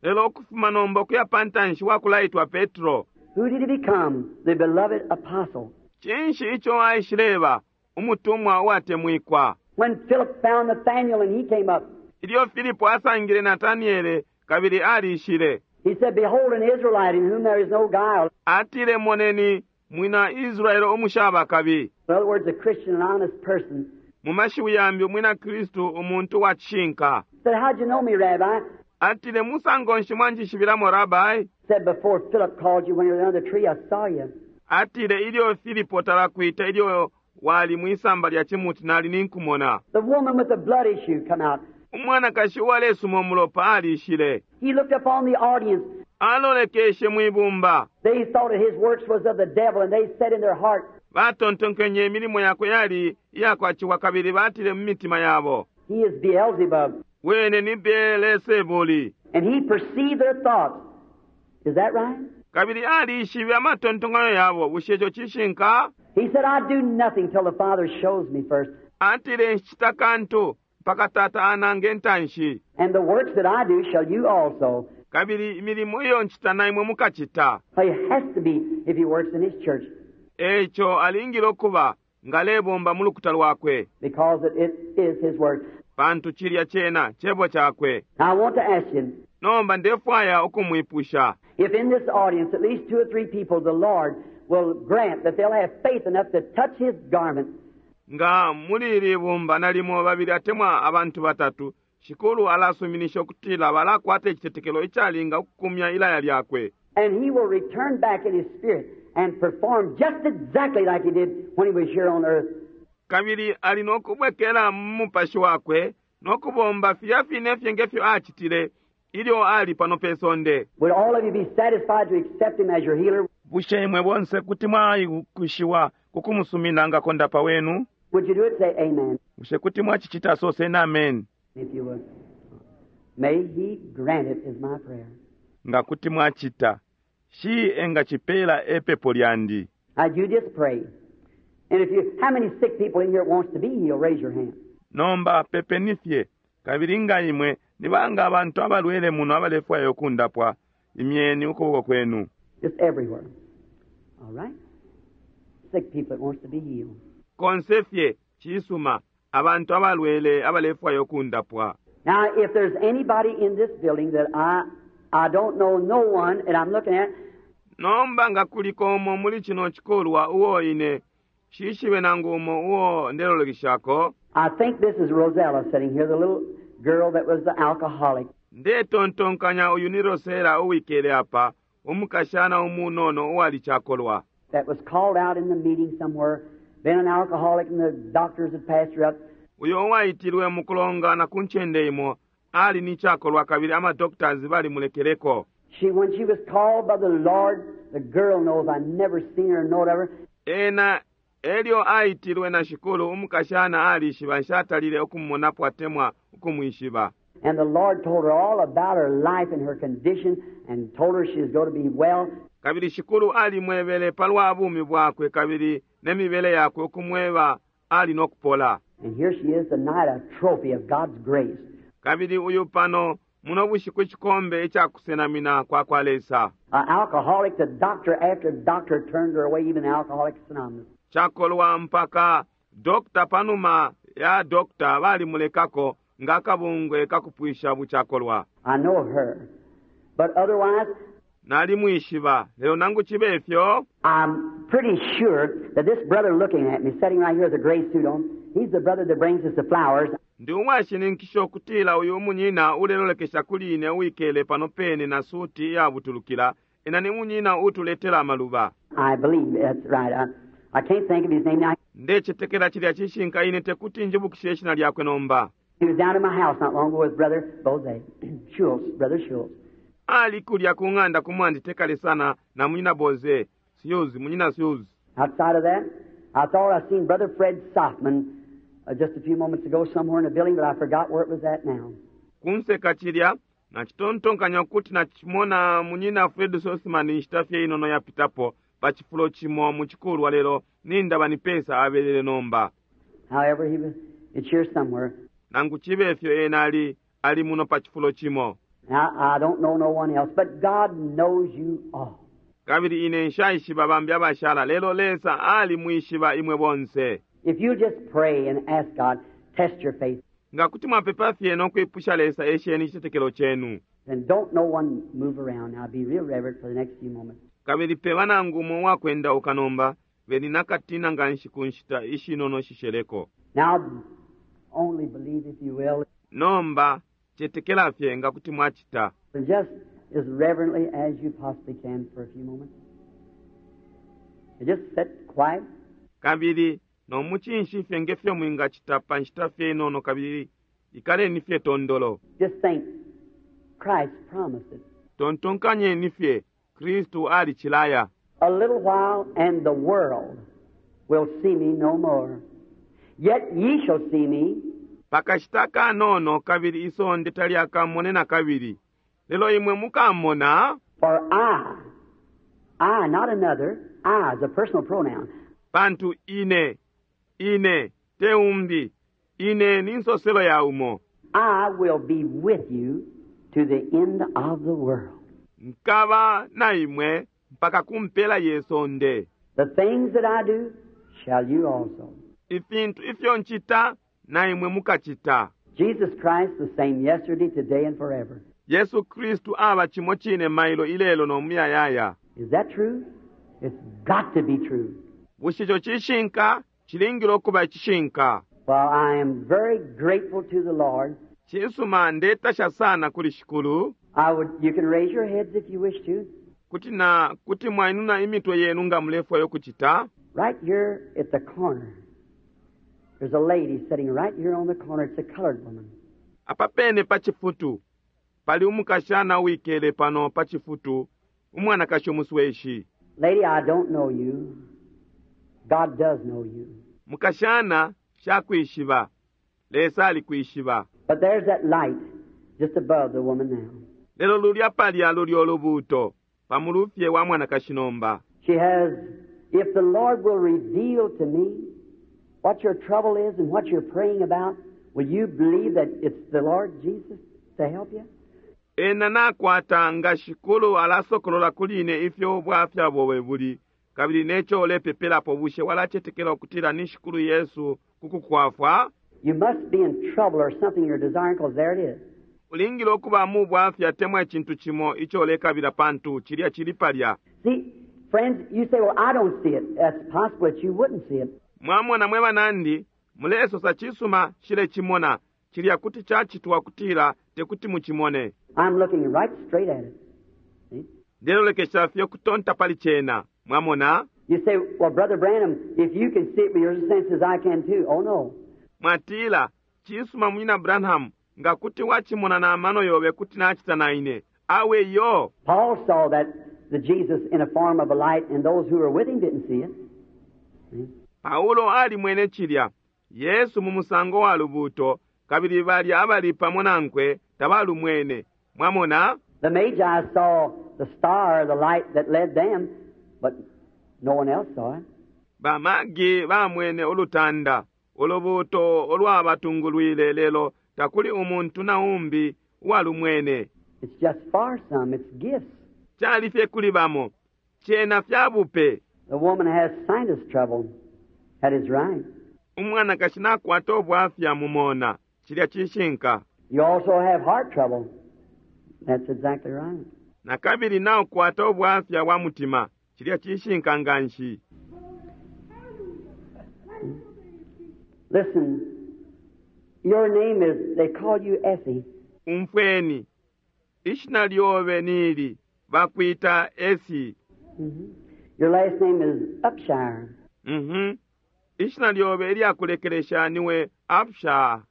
Lelo ukufuma nomba ukuya pa ntanshi wakulaitwa Petro. Who did he become? The beloved apostle. Cinshi ico aishileba? Umutumwa uwatemwikwa. When Philip found Nathanael and he came up, Ilyo Filipo asangile Nataniele kabili alishile. he said, Behold, an Israelite in whom there is no guile. Atile, moneni mwina Israele umushaba kabi. In other words, a Christian, an honest person. Mu mashiwi yambi umwina Kristu umuntu wa cishinka. Said, How'd you know me, Rabbi? Atile, musango nshi mwanjishibilamo, Rabbi? Said, Before Philip called you when you were under the tree, I saw you. Atile, ilyo Filipo talakwita ilyo wali mwisamba lya cimuti nali ninkumona. The woman with the blood issue come out. Umwanakashi uwalesuma umulopa alishile. He looked upon the audience. Alolekeshe mwibumba. They thought that his works was of the devil, and they said in their heart, Batontonkenye imilimo yakwe yali iyakwaciwa kabili batile mu mitima yabo, He is Beelzebub. Wene ni Beelzebuli. And he perceived their thoughts. Is that right? Kabili alishibe amatontonkanyo yabo. Bushe ico cishinka? He said, I do nothing till the Father shows me first. Atile, nshicita kantu mpaka Tata anange ntanshi. And the works that I do shall you also. Kabili imilimo iyo ncita na imwe mukacita. He has to be if he works in his church. Eico alingile ukuba nga alebomba mu lukuta lwakwe. Because it is his word. Pantu cilya cena Cebo cakwe. Now I want to ask you. Nomba ndefwaya ukumwipusha. If in this audience at least two or three people the Lord will grant that they'll have faith enough to touch his garment. Nga muli ili bumba nalimo babili atemwa abantu batatu, Shikulu alasuminisha ukutila balakwata icitetekelo icalinga ukukumya ilaya lyakwe. And he will return back in his spirit and perform just exactly like he did when he was here on earth. Kabili ali no kubwekela mu mupashi wakwe no kubomba filya fine fye nge fyo acitile ilyo ali pano pe sonde. Would all of you be satisfied to accept him as your healer? Bushe imwe bonse kuti mwaikushiwa ku kumusumina nga kondapa wenu? Would you do it? Say amen. Bushe kuti mwacicita? Soseni ameni. If you would. May he grant it is my prayer. Nga kuti mwacita. Shi engacipela e pepo lyandi. Now you just pray. And if you, how many sick people in here wants to be healed? Raise your hand. Nomba pepeni fye. Kabili nga imwe, ni banga abantu abalwele muno abalefwaya ukundapwa, imyeni ukuboko kwenu. Just everywhere. All right? Sick people that wants to be healed. Konse fye, cisuma, abantu abalwele abalefwaya ukundapwa. Now, if there's anybody in this building that I, I don't know no one, and I'm looking at, Nomba nga kuliko umo muli cino cikulwa uo ine nshishibe nangu umo uo ndelolekeshako, I think this is Rosella sitting here, the little girl that was the alcoholic. Ndetontonkanya uyu ni Rosella uwikele apa, umukashana umunono uwali cakolwa. That was called out in the meeting somewhere, been an alcoholic, and the doctors had passed her up. Uyo uwaitilwe mukulongana ku ncende imo, ali ni cakolwa kabili ama doctors balimulekeleko. She, when she was called by the Lord, the girl knows I never seen her nor whatever. Ena elyo aitilwe na Shikulu, umukashana alishiba nshatalile ukumumonapo atemwa ukumwishiba. And the Lord told her all about her life and her condition and told her she was going to be well. Kabili Shikulu alimwebele palwa bumi bwakwe kabili ne mibele yakwe ukumweba ali no kupola. And here she is tonight, a trophy of God's grace. Kabili uyu pano muno bushiku icikombe ica kusenamina kwa kwa Lesa. An alcoholic, the doctor after doctor turned her away, even the Alcoholics Anonymous. Cakolwa mpaka doctor panuma ya doctor balimulekako nga akabungwe kakupwisha bucakolwa. I know her. But otherwise, Nalimwishiba, lelo nangu cibe fyo, I'm pretty sure that this brother looking at me, sitting right here with a gray suit on, he's the brother that brings us the flowers. Ndi uwashininkisha ukutila uyu munyina ulelolekesha kuli ine uwikele pano pene na suti iyabutulukila, ena ni munyina utuletela amaluba. I believe that's right. I can't think of his name now. Ndecetekela cilya cishinka ine tekuti njibukishe ishina lyakwe nomba. He was down in my house not long ago with Brother Boze, Schultz, Brother Schultz. Ali kulya ku ng'anda ku mwandi tekale sana na munyina Boze, Schultz, munyina Schultz. Outside of that, I thought I seen Brother Fred Sothmann just a few moments ago somewhere in the building, but I forgot where it was at now. Kunse ka cilya, nacitontonkanya ukuti nacimona munyina Fred Sothmann inshita fye inono yapitapo pa cifulo cimo mu cikulwa lelo nindaba ni pesa abelele nomba. However, he was, it's here somewhere. Nangu cibe fyo ena ali, ali muno pa cifulo cimo. Now, I don't know no one else, but God knows you all. Kabili ine nshaishiba bambi abashala, lelo Lesa alimwishiba imwe bonse. If you just pray and ask God, test your faith. Nga kuti mwapepa fye no kwipusha Lesa esheni icitetekelo cenu. And don't no one move around. Now be real reverent for the next few moments. Kabili peba nangu umo uwakwendauka nomba, beni nakatina nganshi ku nshita ishinono shisheleko. Now, only believe if you will. Nomba, cetekela fye nga kuti mwacita. And just as reverently as you possibly can for a few moments. And just sit quiet. Kabili no mucinshi fye nge fyo mwingacita pa nshita fye inono kabili ikaleni fye tondolo. Just think, Christ promised it. Tontonkanyeni fye, Kristu alicilaya. A little while and the world will see me no more. Yet ye shall see me. Pakashita kanono kabili isonde talyakamone na kabili. Lelo imwe mukamona. For I, I, not another, I is a personal pronoun. Pantu ine, ine, te umbi, ine ni nsoselo ya umo. I will be with you to the end of the world. Nkaba na imwe mpaka ku mpela ye sonde. The things that I do shall you also. Ifintu ifyo ncita na imwe mukacita. Jesus Christ the same yesterday, today, and forever. Yesu Kristu aba cimo cine mailo ilelo no muyayaya. Is that true? It's got to be true. Bushe ico cishinka? Cilingile ukuba icishinka. Well, I am very grateful to the Lord. Cisuma, ndetasha sana kuli Shikulu. I would, you can raise your heads if you wish to. Kuti na kuti mwainuna imitwe yenu nga mulefwayo kucita. Right here at the corner, there's a lady sitting right here on the corner. It's a colored woman. Apa pene pa cifutu pali umukashana uwikele pano pa cifutu, umwanakashi umusweshi. Lady, I don't know you. God does know you. Mukashana, shakwishiba. Lesa alikwishiba. But there's that light just above the woman now. Lelo lulya palya luli ulubuuto pa mulufye wa mwanakashi nomba. She has, if the Lord will reveal to me what your trouble is and what you're praying about, will you believe that it's the Lord Jesus to help you? Ena nakwata nga Shikulu alasokolola kuli ine ifyo ubwafya bobe buli kabili neco ulepepelapo, bushe walacetekela ukutila ni Shikulu Yesu ku kukwafwa? You must be in trouble or something you're desiring, because there it is. Ulingile ukuba mu bwafya temwa icintu cimo ico ulekabila pantu cilya cili palya. See, friends, you say, "Well, I don't see it." That's possible that you wouldn't see it. Mwamona mwe banandi, mulesosa cisuma nshilecimona. Cilya kuti cacitwa kutila tekuti mucimone. I'm looking right straight at it. See? Ndelolekesha fye ukutonta pali cena. Mwamona? You say, "Well, Brother Branham, if you can see it with your senses, I can too." Oh, no. Mwatila, Cisuma, Munyina Branham, nga kuti wacimona na mano yobe kuti nacita na ine. Awe iyo! Paul saw that the Jesus in a form of a light, and those who were with him didn't see it. See? Paulo alimwene cilya, Yesu mu musango wa lubuuto, kabili balya abali pamo nankwe tabalumwene. Mwamona? The Magi saw the star, the light that led them, but no one else saw it. Ba Magi bamwene ulutanda, ulubuuto ulwabatungulwile, lelo takuli umuntu na umbi uwalumwene. It's just for some. It's gifts. Cali fye kuli bamo. Cena fya bupe. The woman has sinus trouble. That is right. Umwanakashi nakwata ubwafya mu mona. Cilya cishinka. You also have heart trouble. That's exactly right. Na kabili naukwata ubwafya bwa mutima. Cilya cishinka nganshi. Listen, your name is, they call you Essie. Umfweni. Ishina lyobe nili, bakwita Essie. Your last name is Upshire. Ishina lyobe ilyakulekelesha niwe Upshire.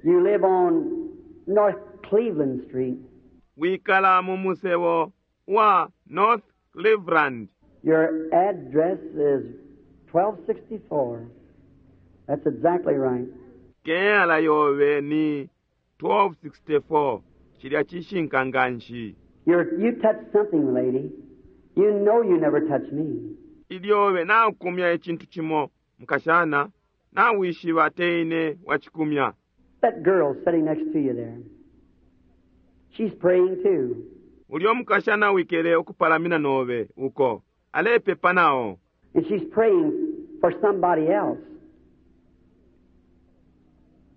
You live on North Cleveland Street. Wikala mu musebo wa North Cleveland. Your address is 1264. That's exactly right. Keyala yobe ni 1264. Cilya cishinka nganshi. You touched something, lady. You know you never touched me. Ilyobe naukumya icintu cimo, mukashana, nawishiba teine wacikumya. That girl sitting next to you there, she's praying too. Ulyo mukashana wikele ukupalamina nobe uko, alepepa nao. And she's praying for somebody else.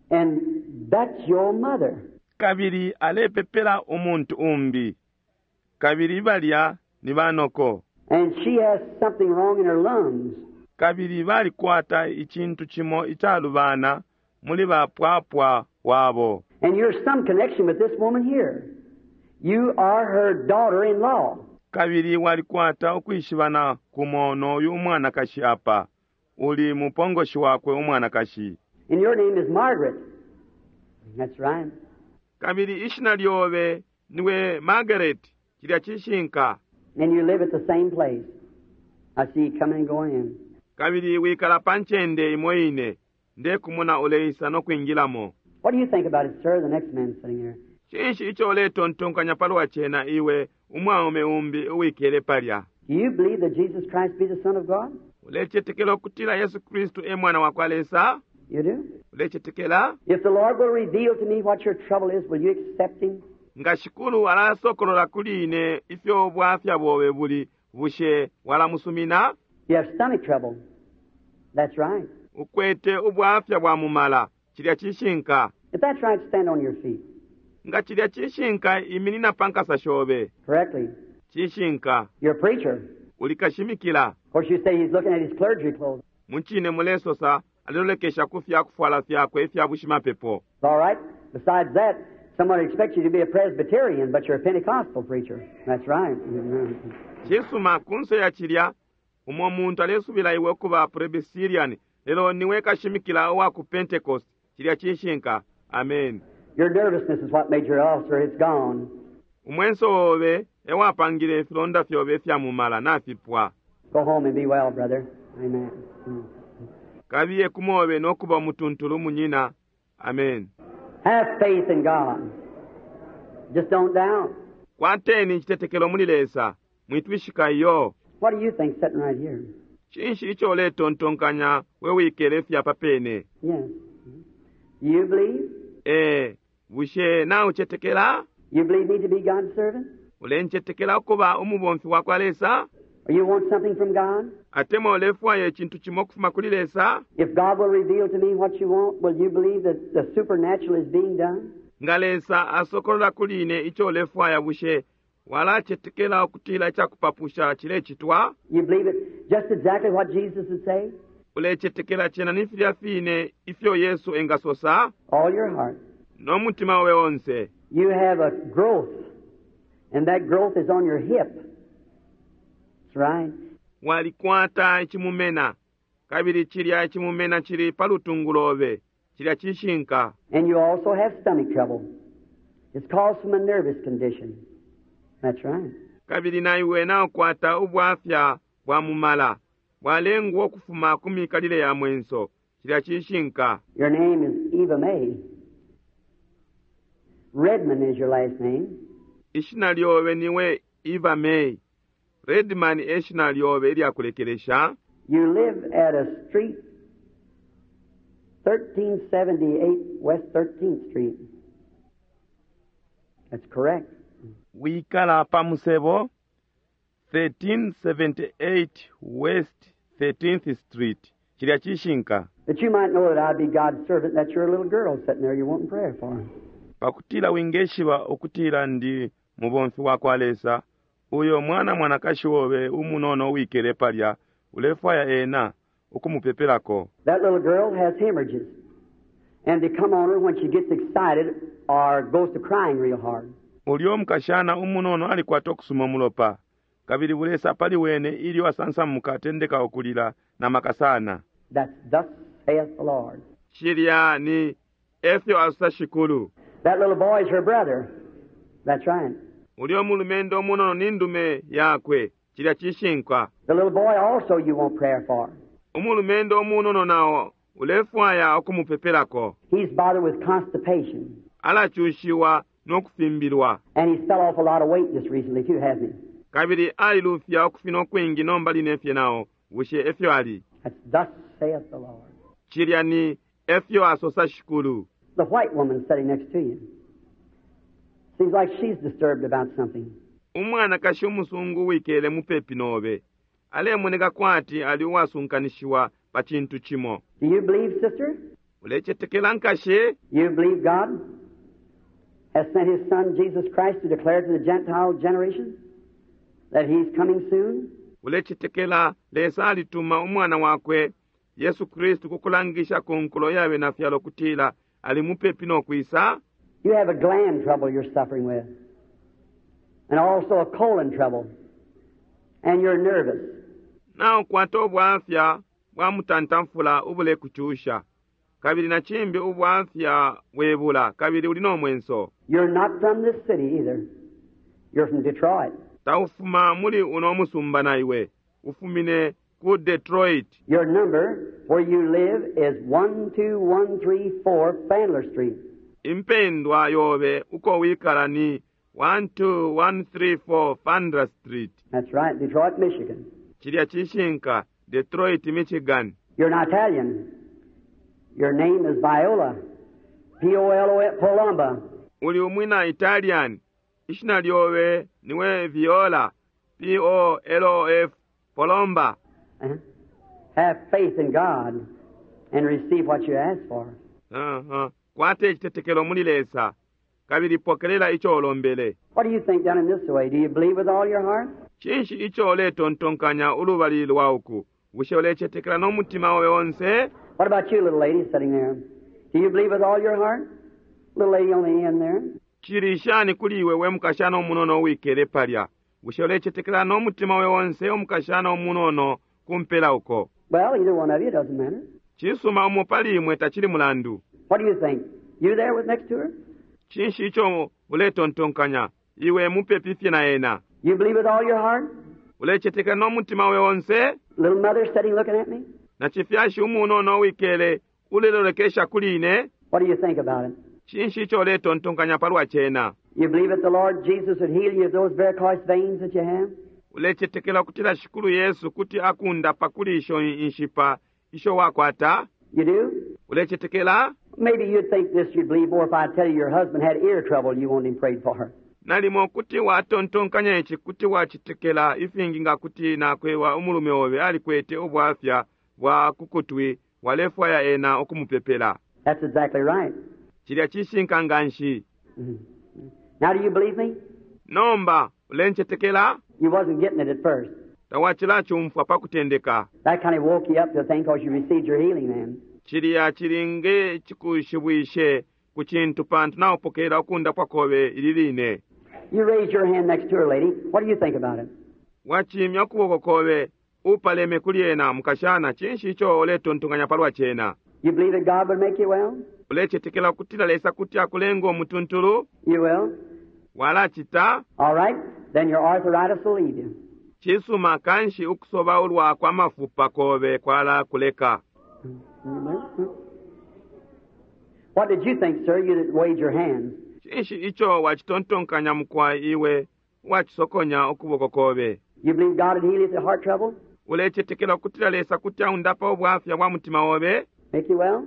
And that's your mother. Kabili alepepela umuntu umbi. Kabili balya ni banoko. And she has something wrong in her lungs. Kabili balikwata icintu cimo icalubana muli bapwapwa wabo. And you're some connection with this woman here. You are her daughter-in-law. Kabili walikwata ukwishibana kumo noyu umwanakashi apa. Uli mupongoshi wakwe umwanakashi. And your name is Margaret. That's right. Kabili ishina lyobe niwe Margaret. Cilya cishinka. And you live at the same place. I see you coming and going in. Kabili wikala pa ncende imo ine. Ndekumona uleisa no kwingilamo. What do you think about it, sir? The next man sitting here. Cinshi ico uletontonkanya palwa cena iwe umwaume umbi uwikele palya? Do you believe that Jesus Christ be the Son of God? Ulecetekela ukutila Yesu Kristu e Mwana wa kwa Lesa? You do? Ulecetekela? If the Lord will reveal to me what your trouble is, will you accept Him? Nga Shikulu alasokolola kuli ine ifyo ubwafya bobe buli, bushe walamusumina? You have stomach trouble. That's right. Ukwete ubwafya bwa mumala. Cilya cishinka. If that's right, stand on your feet. Nga cilya cishinka, iminina pa nkasa shobe. Correctly. Cishinka. You're a preacher. Uli kashimikila. Of course, you say he's looking at his clergy clothes. Mucine mulesosa alelolekesha ku fya kufwala fyakwe ifya bushimapepo. It's all right. Besides that, somebody expects you to be a Presbyterian, but you're a Pentecostal preacher. That's right. Cisuma, kunse ya cilya, umo muntu alesubila iwe ukuba Presbyterian, lelo niwe kashimikila uwa ku Pentecost. Cilya cishinka. Amen. Your nervousness is what made your ulcer. It's gone. Umwenso obe ewapangile ifilonda fyobe ifya mumala nafipwa. Go home and be well, brother. Amen. Kabiye kumobe nokuba umutuntulu munyina. Amen. Have faith in God. Just don't doubt. Kwateni icitetekelo muli Lesa. Mwitwishika iyo. What do you think sitting right here? Cinshi ico uletontonkanya we wikele fye apa pene? Yes. You believe? Ee, bushe naucetekela? You believe me to be God's servant? Ulencetekela ukuba umubomfi wa kwa Lesa? Or you want something from God? Atemwa ulefwaya icintu cimo ukufuma kuli Lesa? If God will reveal to me what you want, will you believe that the supernatural is being done? Nga Lesa asokolola kuli ine ico ulefwaya, bushe walacetekela ukutila icakupapusha cilecitwa? You believe it just exactly what Jesus would say? Ulecetekela cena ni filya fine ifyo Yesu engasosa? All your heart. No mutima obe onse. You have a growth, and that growth is on your hip. That's right. Walikwata icimumena, kabili cilya icimumena cili pa lutungu lobe. Cilya cishinka. And you also have stomach trouble. It's caused from a nervous condition. That's right. Kabili na iwe naukwata ubwafya bwa mumala, bwalengwa ukufuma ku mikalile ya mwenso. Cilya cishinka. Your name is Eva May. Redman is your last name. Ishina lyobe niwe Eva May. Redman e shina lyobe ilya kulekelesha. You live at a street, 1378 West 13th Street. That's correct. Wikala pa musebo 1378 West 13th Street. Cilya cishinka. That you might know that I'd be God's servant, that's your little girl sitting there you're wanting prayer for. Pakutila wingeshiba ukutila ndi mubomfi wa kwa Lesa, uyo mwana mwanakashi obe umunono uwikele palya, ulefwaya ena ukumupepelako. That little girl has hemorrhages, and they come on her when she gets excited or goes to crying real hard. Ulyo mukashana umunono alikwata ukusuma umulopa, kabili bulesa pali wene ilyo asansamuka atendeka ukulila na maka sana. That's thus saith the Lord. Cilya ni efyo asosa Shikulu. That little boy is her brother. That's right. Ulyo mulumendo umunono ni ndume yakwe. Cilya cishinka. The little boy also you want prayer for. Umulumendo umunono nao ulefwaya ukumupepelako. He's bothered with constipation. Alacushiwa no kufimbilwa. And he's fell off a lot of weight just recently too, hasn't he? Kabili alilufya ukufina ukwingi nomba line fye nao. Bushe efyo ali? That's thus saith the Lord. Cilya ni efyo asosa Shikulu. The white woman sitting next to you. Seems like she's disturbed about something. Umwanakashi umusungu uwikele mupepi nobe alemoneka kwati ali uwasunkanishiwa pa cintu cimo. Do you believe, sister? Ulecetekela, nkashi? You believe God has sent His Son, Jesus Christ, to declare to the Gentile generation that He's coming soon? Ulecetekela Lesa alituma Umwana wakwe, Yesu Kristu, ku kulangisha ku nkulo ya Benafyalo ukutila ali mupepi no kwisa? You have a gland trouble you're suffering with, and also a colon trouble, and you're nervous. Naukwata ubwafya bwa mutantamfula ubulekucusha, kabili na cimbi ubwafya bwe bula, kabili uli no mwenso. You're not from this city either. You're from Detroit. Taufuma muli uno musumba na iwe. Ufumine ku Detroit. Your number where you live is 12134 Fandler Street. Impendwa yobe uko wikala ni 12134 Fandler Street. That's right, Detroit, Michigan. Cilya cishinka, Detroit, Michigan. You're an Italian. Your name is Viola. P-O-L-O, Polomba. Uli umwina Italian. Ishina lyobe niwe Viola. P-O-L-O-F, Polomba. Have faith in God and receive what you ask for. Uh-huh. Kwata icitetekelo muli Lesa kabili pokelela ico ulombele. What do you think down in this way? Do you believe with all your heart? Cinshi ico uletontonkanya ulubali lwa uku? Bushe ulecetekela no mutima obe onse? What about you, little lady sitting there? Do you believe with all your heart? Little lady on the end there. Cili shani kuli iwe we mukashana umunono uwikele palya? Bushe ulecetekela no mutima obe onse, umukashana umunono kumpela uko? Well, either one of you, doesn't matter. Cisuma, umo pali imwe, tacili mulandu. What do you think? You there with next to her? Cinshi ico uletontonkanya, iwe mupepi fye na ena? You believe with all your heart? Ulecetekela no mutima obe onse? Little mother sitting looking at me? Na cifyashi umunono uwikele ulelolekesha kuli ine? What do you think about it? Cinshi ico uletontonkanya palwa cena? You believe that the Lord Jesus would heal you of those varicose veins that you have? Ulecetekela ukutila Shikulu Yesu kuti akundapa kuli isho inshipa isho wakwata? You do? Ulecetekela? Maybe you'd think this, you'd believe more if I tell you your husband had ear trouble you want him prayed for. Nalimo kuti watontonkanya ici, kuti wacetekela ifingi nga kuti nakweba umulume obe alikwete ubwafya bwa kukutwi walefwaya ena ukumupepela. That's exactly right. Cilya cishinka nganshi. Now do you believe me? Nomba ulencetekela? You wasn't getting it at first. Tawacilacumfwa pa kutendeka. That kind of woke you up to think because you received your healing then. Cilya cilinge cikushibwishe ku cintu pantu naupokelela ukundapwa kobe ili line. You raise your hand next to her, lady. What do you think about it? Wacimya ukuboko kobe upaleme kuli ena, mukashana. Cinshi ico uletontonkanya palwa cena? You believe that God would make you well? Ulecetekela ukutila Lesa kuti akulenga umutuntulu? You will? Walacita? All right. Then your arthritis will leave you. Cisuma, kanshi ukusobaulwa kwa mafupa kobe kwalakuleka. What did you think, sir, you that waved your hands? Cinshi ico wacitontonkanya, mukwai, iwe uwacisokonya ukuboko kobe? You believe God would heal you of the heart trouble? Ulecetekela ukutila Lesa kuti aundapa ubwafya bwa mutima obe? Make you well?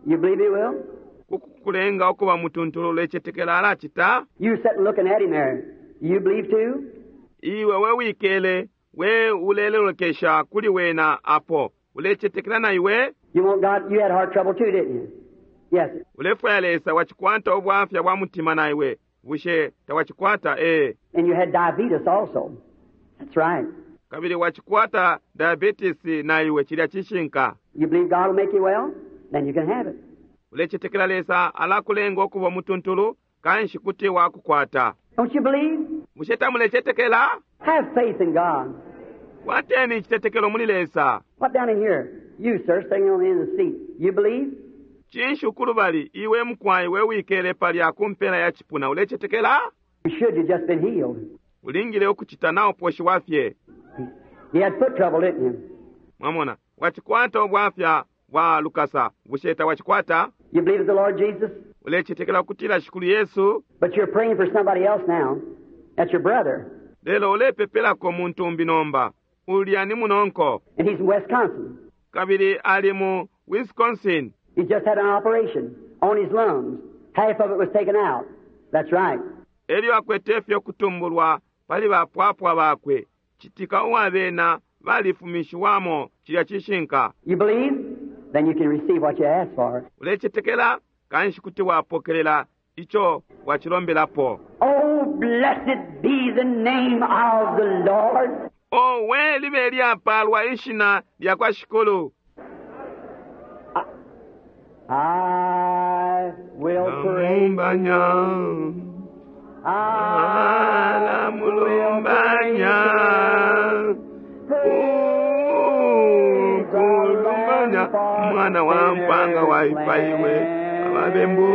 You believe He will? Kukulenga ukuba mutuntulu, ulecetekela alacita? You sitting looking at him there. You believe too? Iwe we wikele we ulelolekesha kuli wena apo, ulecetekela na iwe? You want God? You had heart trouble too, didn't you? Yes. Ulefwaya Lesa, wacikwata ubwafya bwa mutima na iwe, bushe tawacikwata? Ee. And you had diabetes also. That's right. Kabili wacikwata diabetes na iwe, cilya cishinka. You believe God will make you well? Then you can have it. Ulecetekela Lesa alakulenga ukuba umutuntulu? Kanshi kuti wakukwata. Don't you believe? Bushe tamulecetekela? Have faith in God. Kwateni icitetekelo muli Lesa. What down in here? You, sir, sitting on the end of the seat. You believe? Cinshi ukulubali, iwe mukwai we wikele palya ku mpela ya cipuna, ulecetekela? You should. You've just been healed. Ulingile ukucita, nauposhiwa fye. You had foot trouble, didn't you? Mwamona, wacikwata ubwafya bwa lukasa, bushe tawacikwata? You believe the Lord Jesus? Ulecetekela ukutila Shikulu Yesu? But you're praying for somebody else now. That's your brother. Lelo ulepepelako muntu umbi nomba. Ulya ni munonko. And he's in Wisconsin. Kabili ali mu Wisconsin. He just had an operation on his lungs. Half of it was taken out. That's right. Elyo akwete fye ukutumbulwa pali bapwapwa bakwe. Citika uwa bena balifumishiwamo. Cilya cishinka. You believe? Then you can receive what you asked for. Ulecetekela? Kanshi kuti wapokelela ico wacilombelapo. Oh, blessed be the name of the Lord. Owe, libe lyapalwa ishina lya kwa Shikulu. I will praise. Namulumbanya. I Namulumbanya. Ukulumbanya umwana wa mpanga waipaiwe ababembu.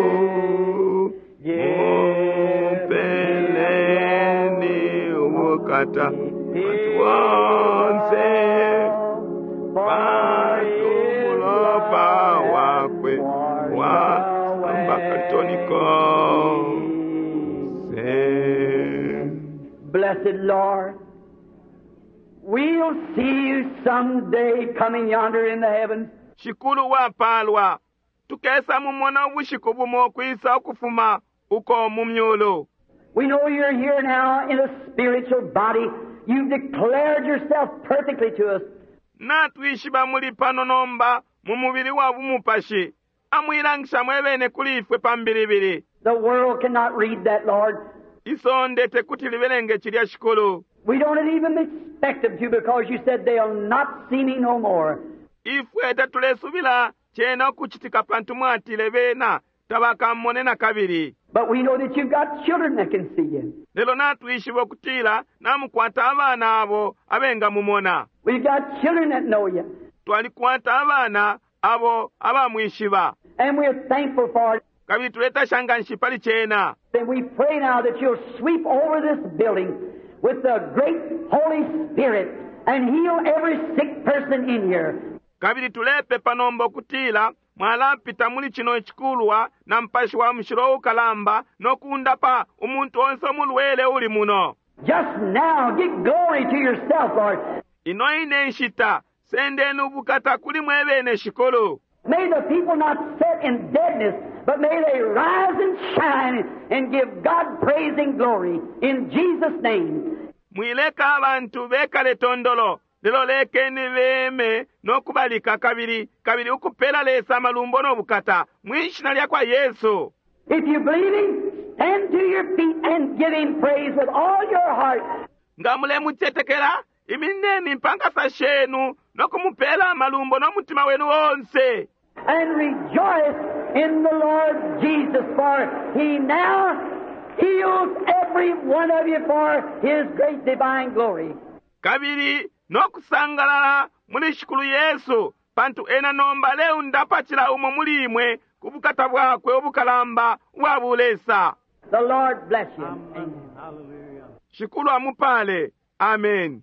Mupeleni ubukata bantu bonse pantu umulopa wakwe wa ambakalitoniko se. Blessed Lord, we'll see you someday coming yonder in the heavens. Shikulu wapalwa, tukesa mumona ubushiku bumo ukwisa ukufuma uko mu myulu. We know you're here now in a spiritual body. You've declared yourself perfectly to us. Natwishiba muli pano nomba mu mubili wa bumupashi. Amuilangisha mwebene kuli ifwe pambilibili. The world cannot read that, Lord. Isonde tekuti libelenge cilya, Shikulu. We don't even expect them to because you said they'll not see me no more. Ifwe tatulesubila cena ukucitika pantu mwatile bena tabakamone na kabili. But we know that you've got children that can see you. Lelo natwishiba ukutila namukwata abana abo abengamumona. We've got children that know you. Twalikwata abana abo abamwishiba. And we're thankful for it. Kabili tuletasha nganshi pali cena. And we pray now that you'll sweep over this building with the great Holy Spirit and heal every sick person in here. Kabili tulepepa nomba ukutila mwalapita muli cino icikulwa na Mupashi wa Mushilo ukalamba no kundapa umuntu onse umulwele uli muno. Just now, give glory to yourself, Lord. Ino ine nshita, sendeni ubukata kuli mwebene, Shikulu. May the people not sit in deadness, but may they rise and shine and give God praise and glory in Jesus' name. Mwileka abantu bekale tondolo, lelo lekeni beme no kubalika kabili, kabili ukupela Lesa amalumbo no bukata mwi shina lya kwa Yesu. If you believe Him, stand to your feet and give Him praise with all your heart. Nga mulemucetekela, imineni mpankasa shenu no kumupela amalumbo no mutima wenu onse. And rejoice in the Lord Jesus, for He now heals every one of you for His great divine glory. Kabili no kusangalala muli Shikulu Yesu, pantu ena nomba aleundapa cila umo muli imwe ku bukata bwakwe ubukalamba ubwa bulesa. The Lord bless you. Amen. Shikulu amupale. Amen.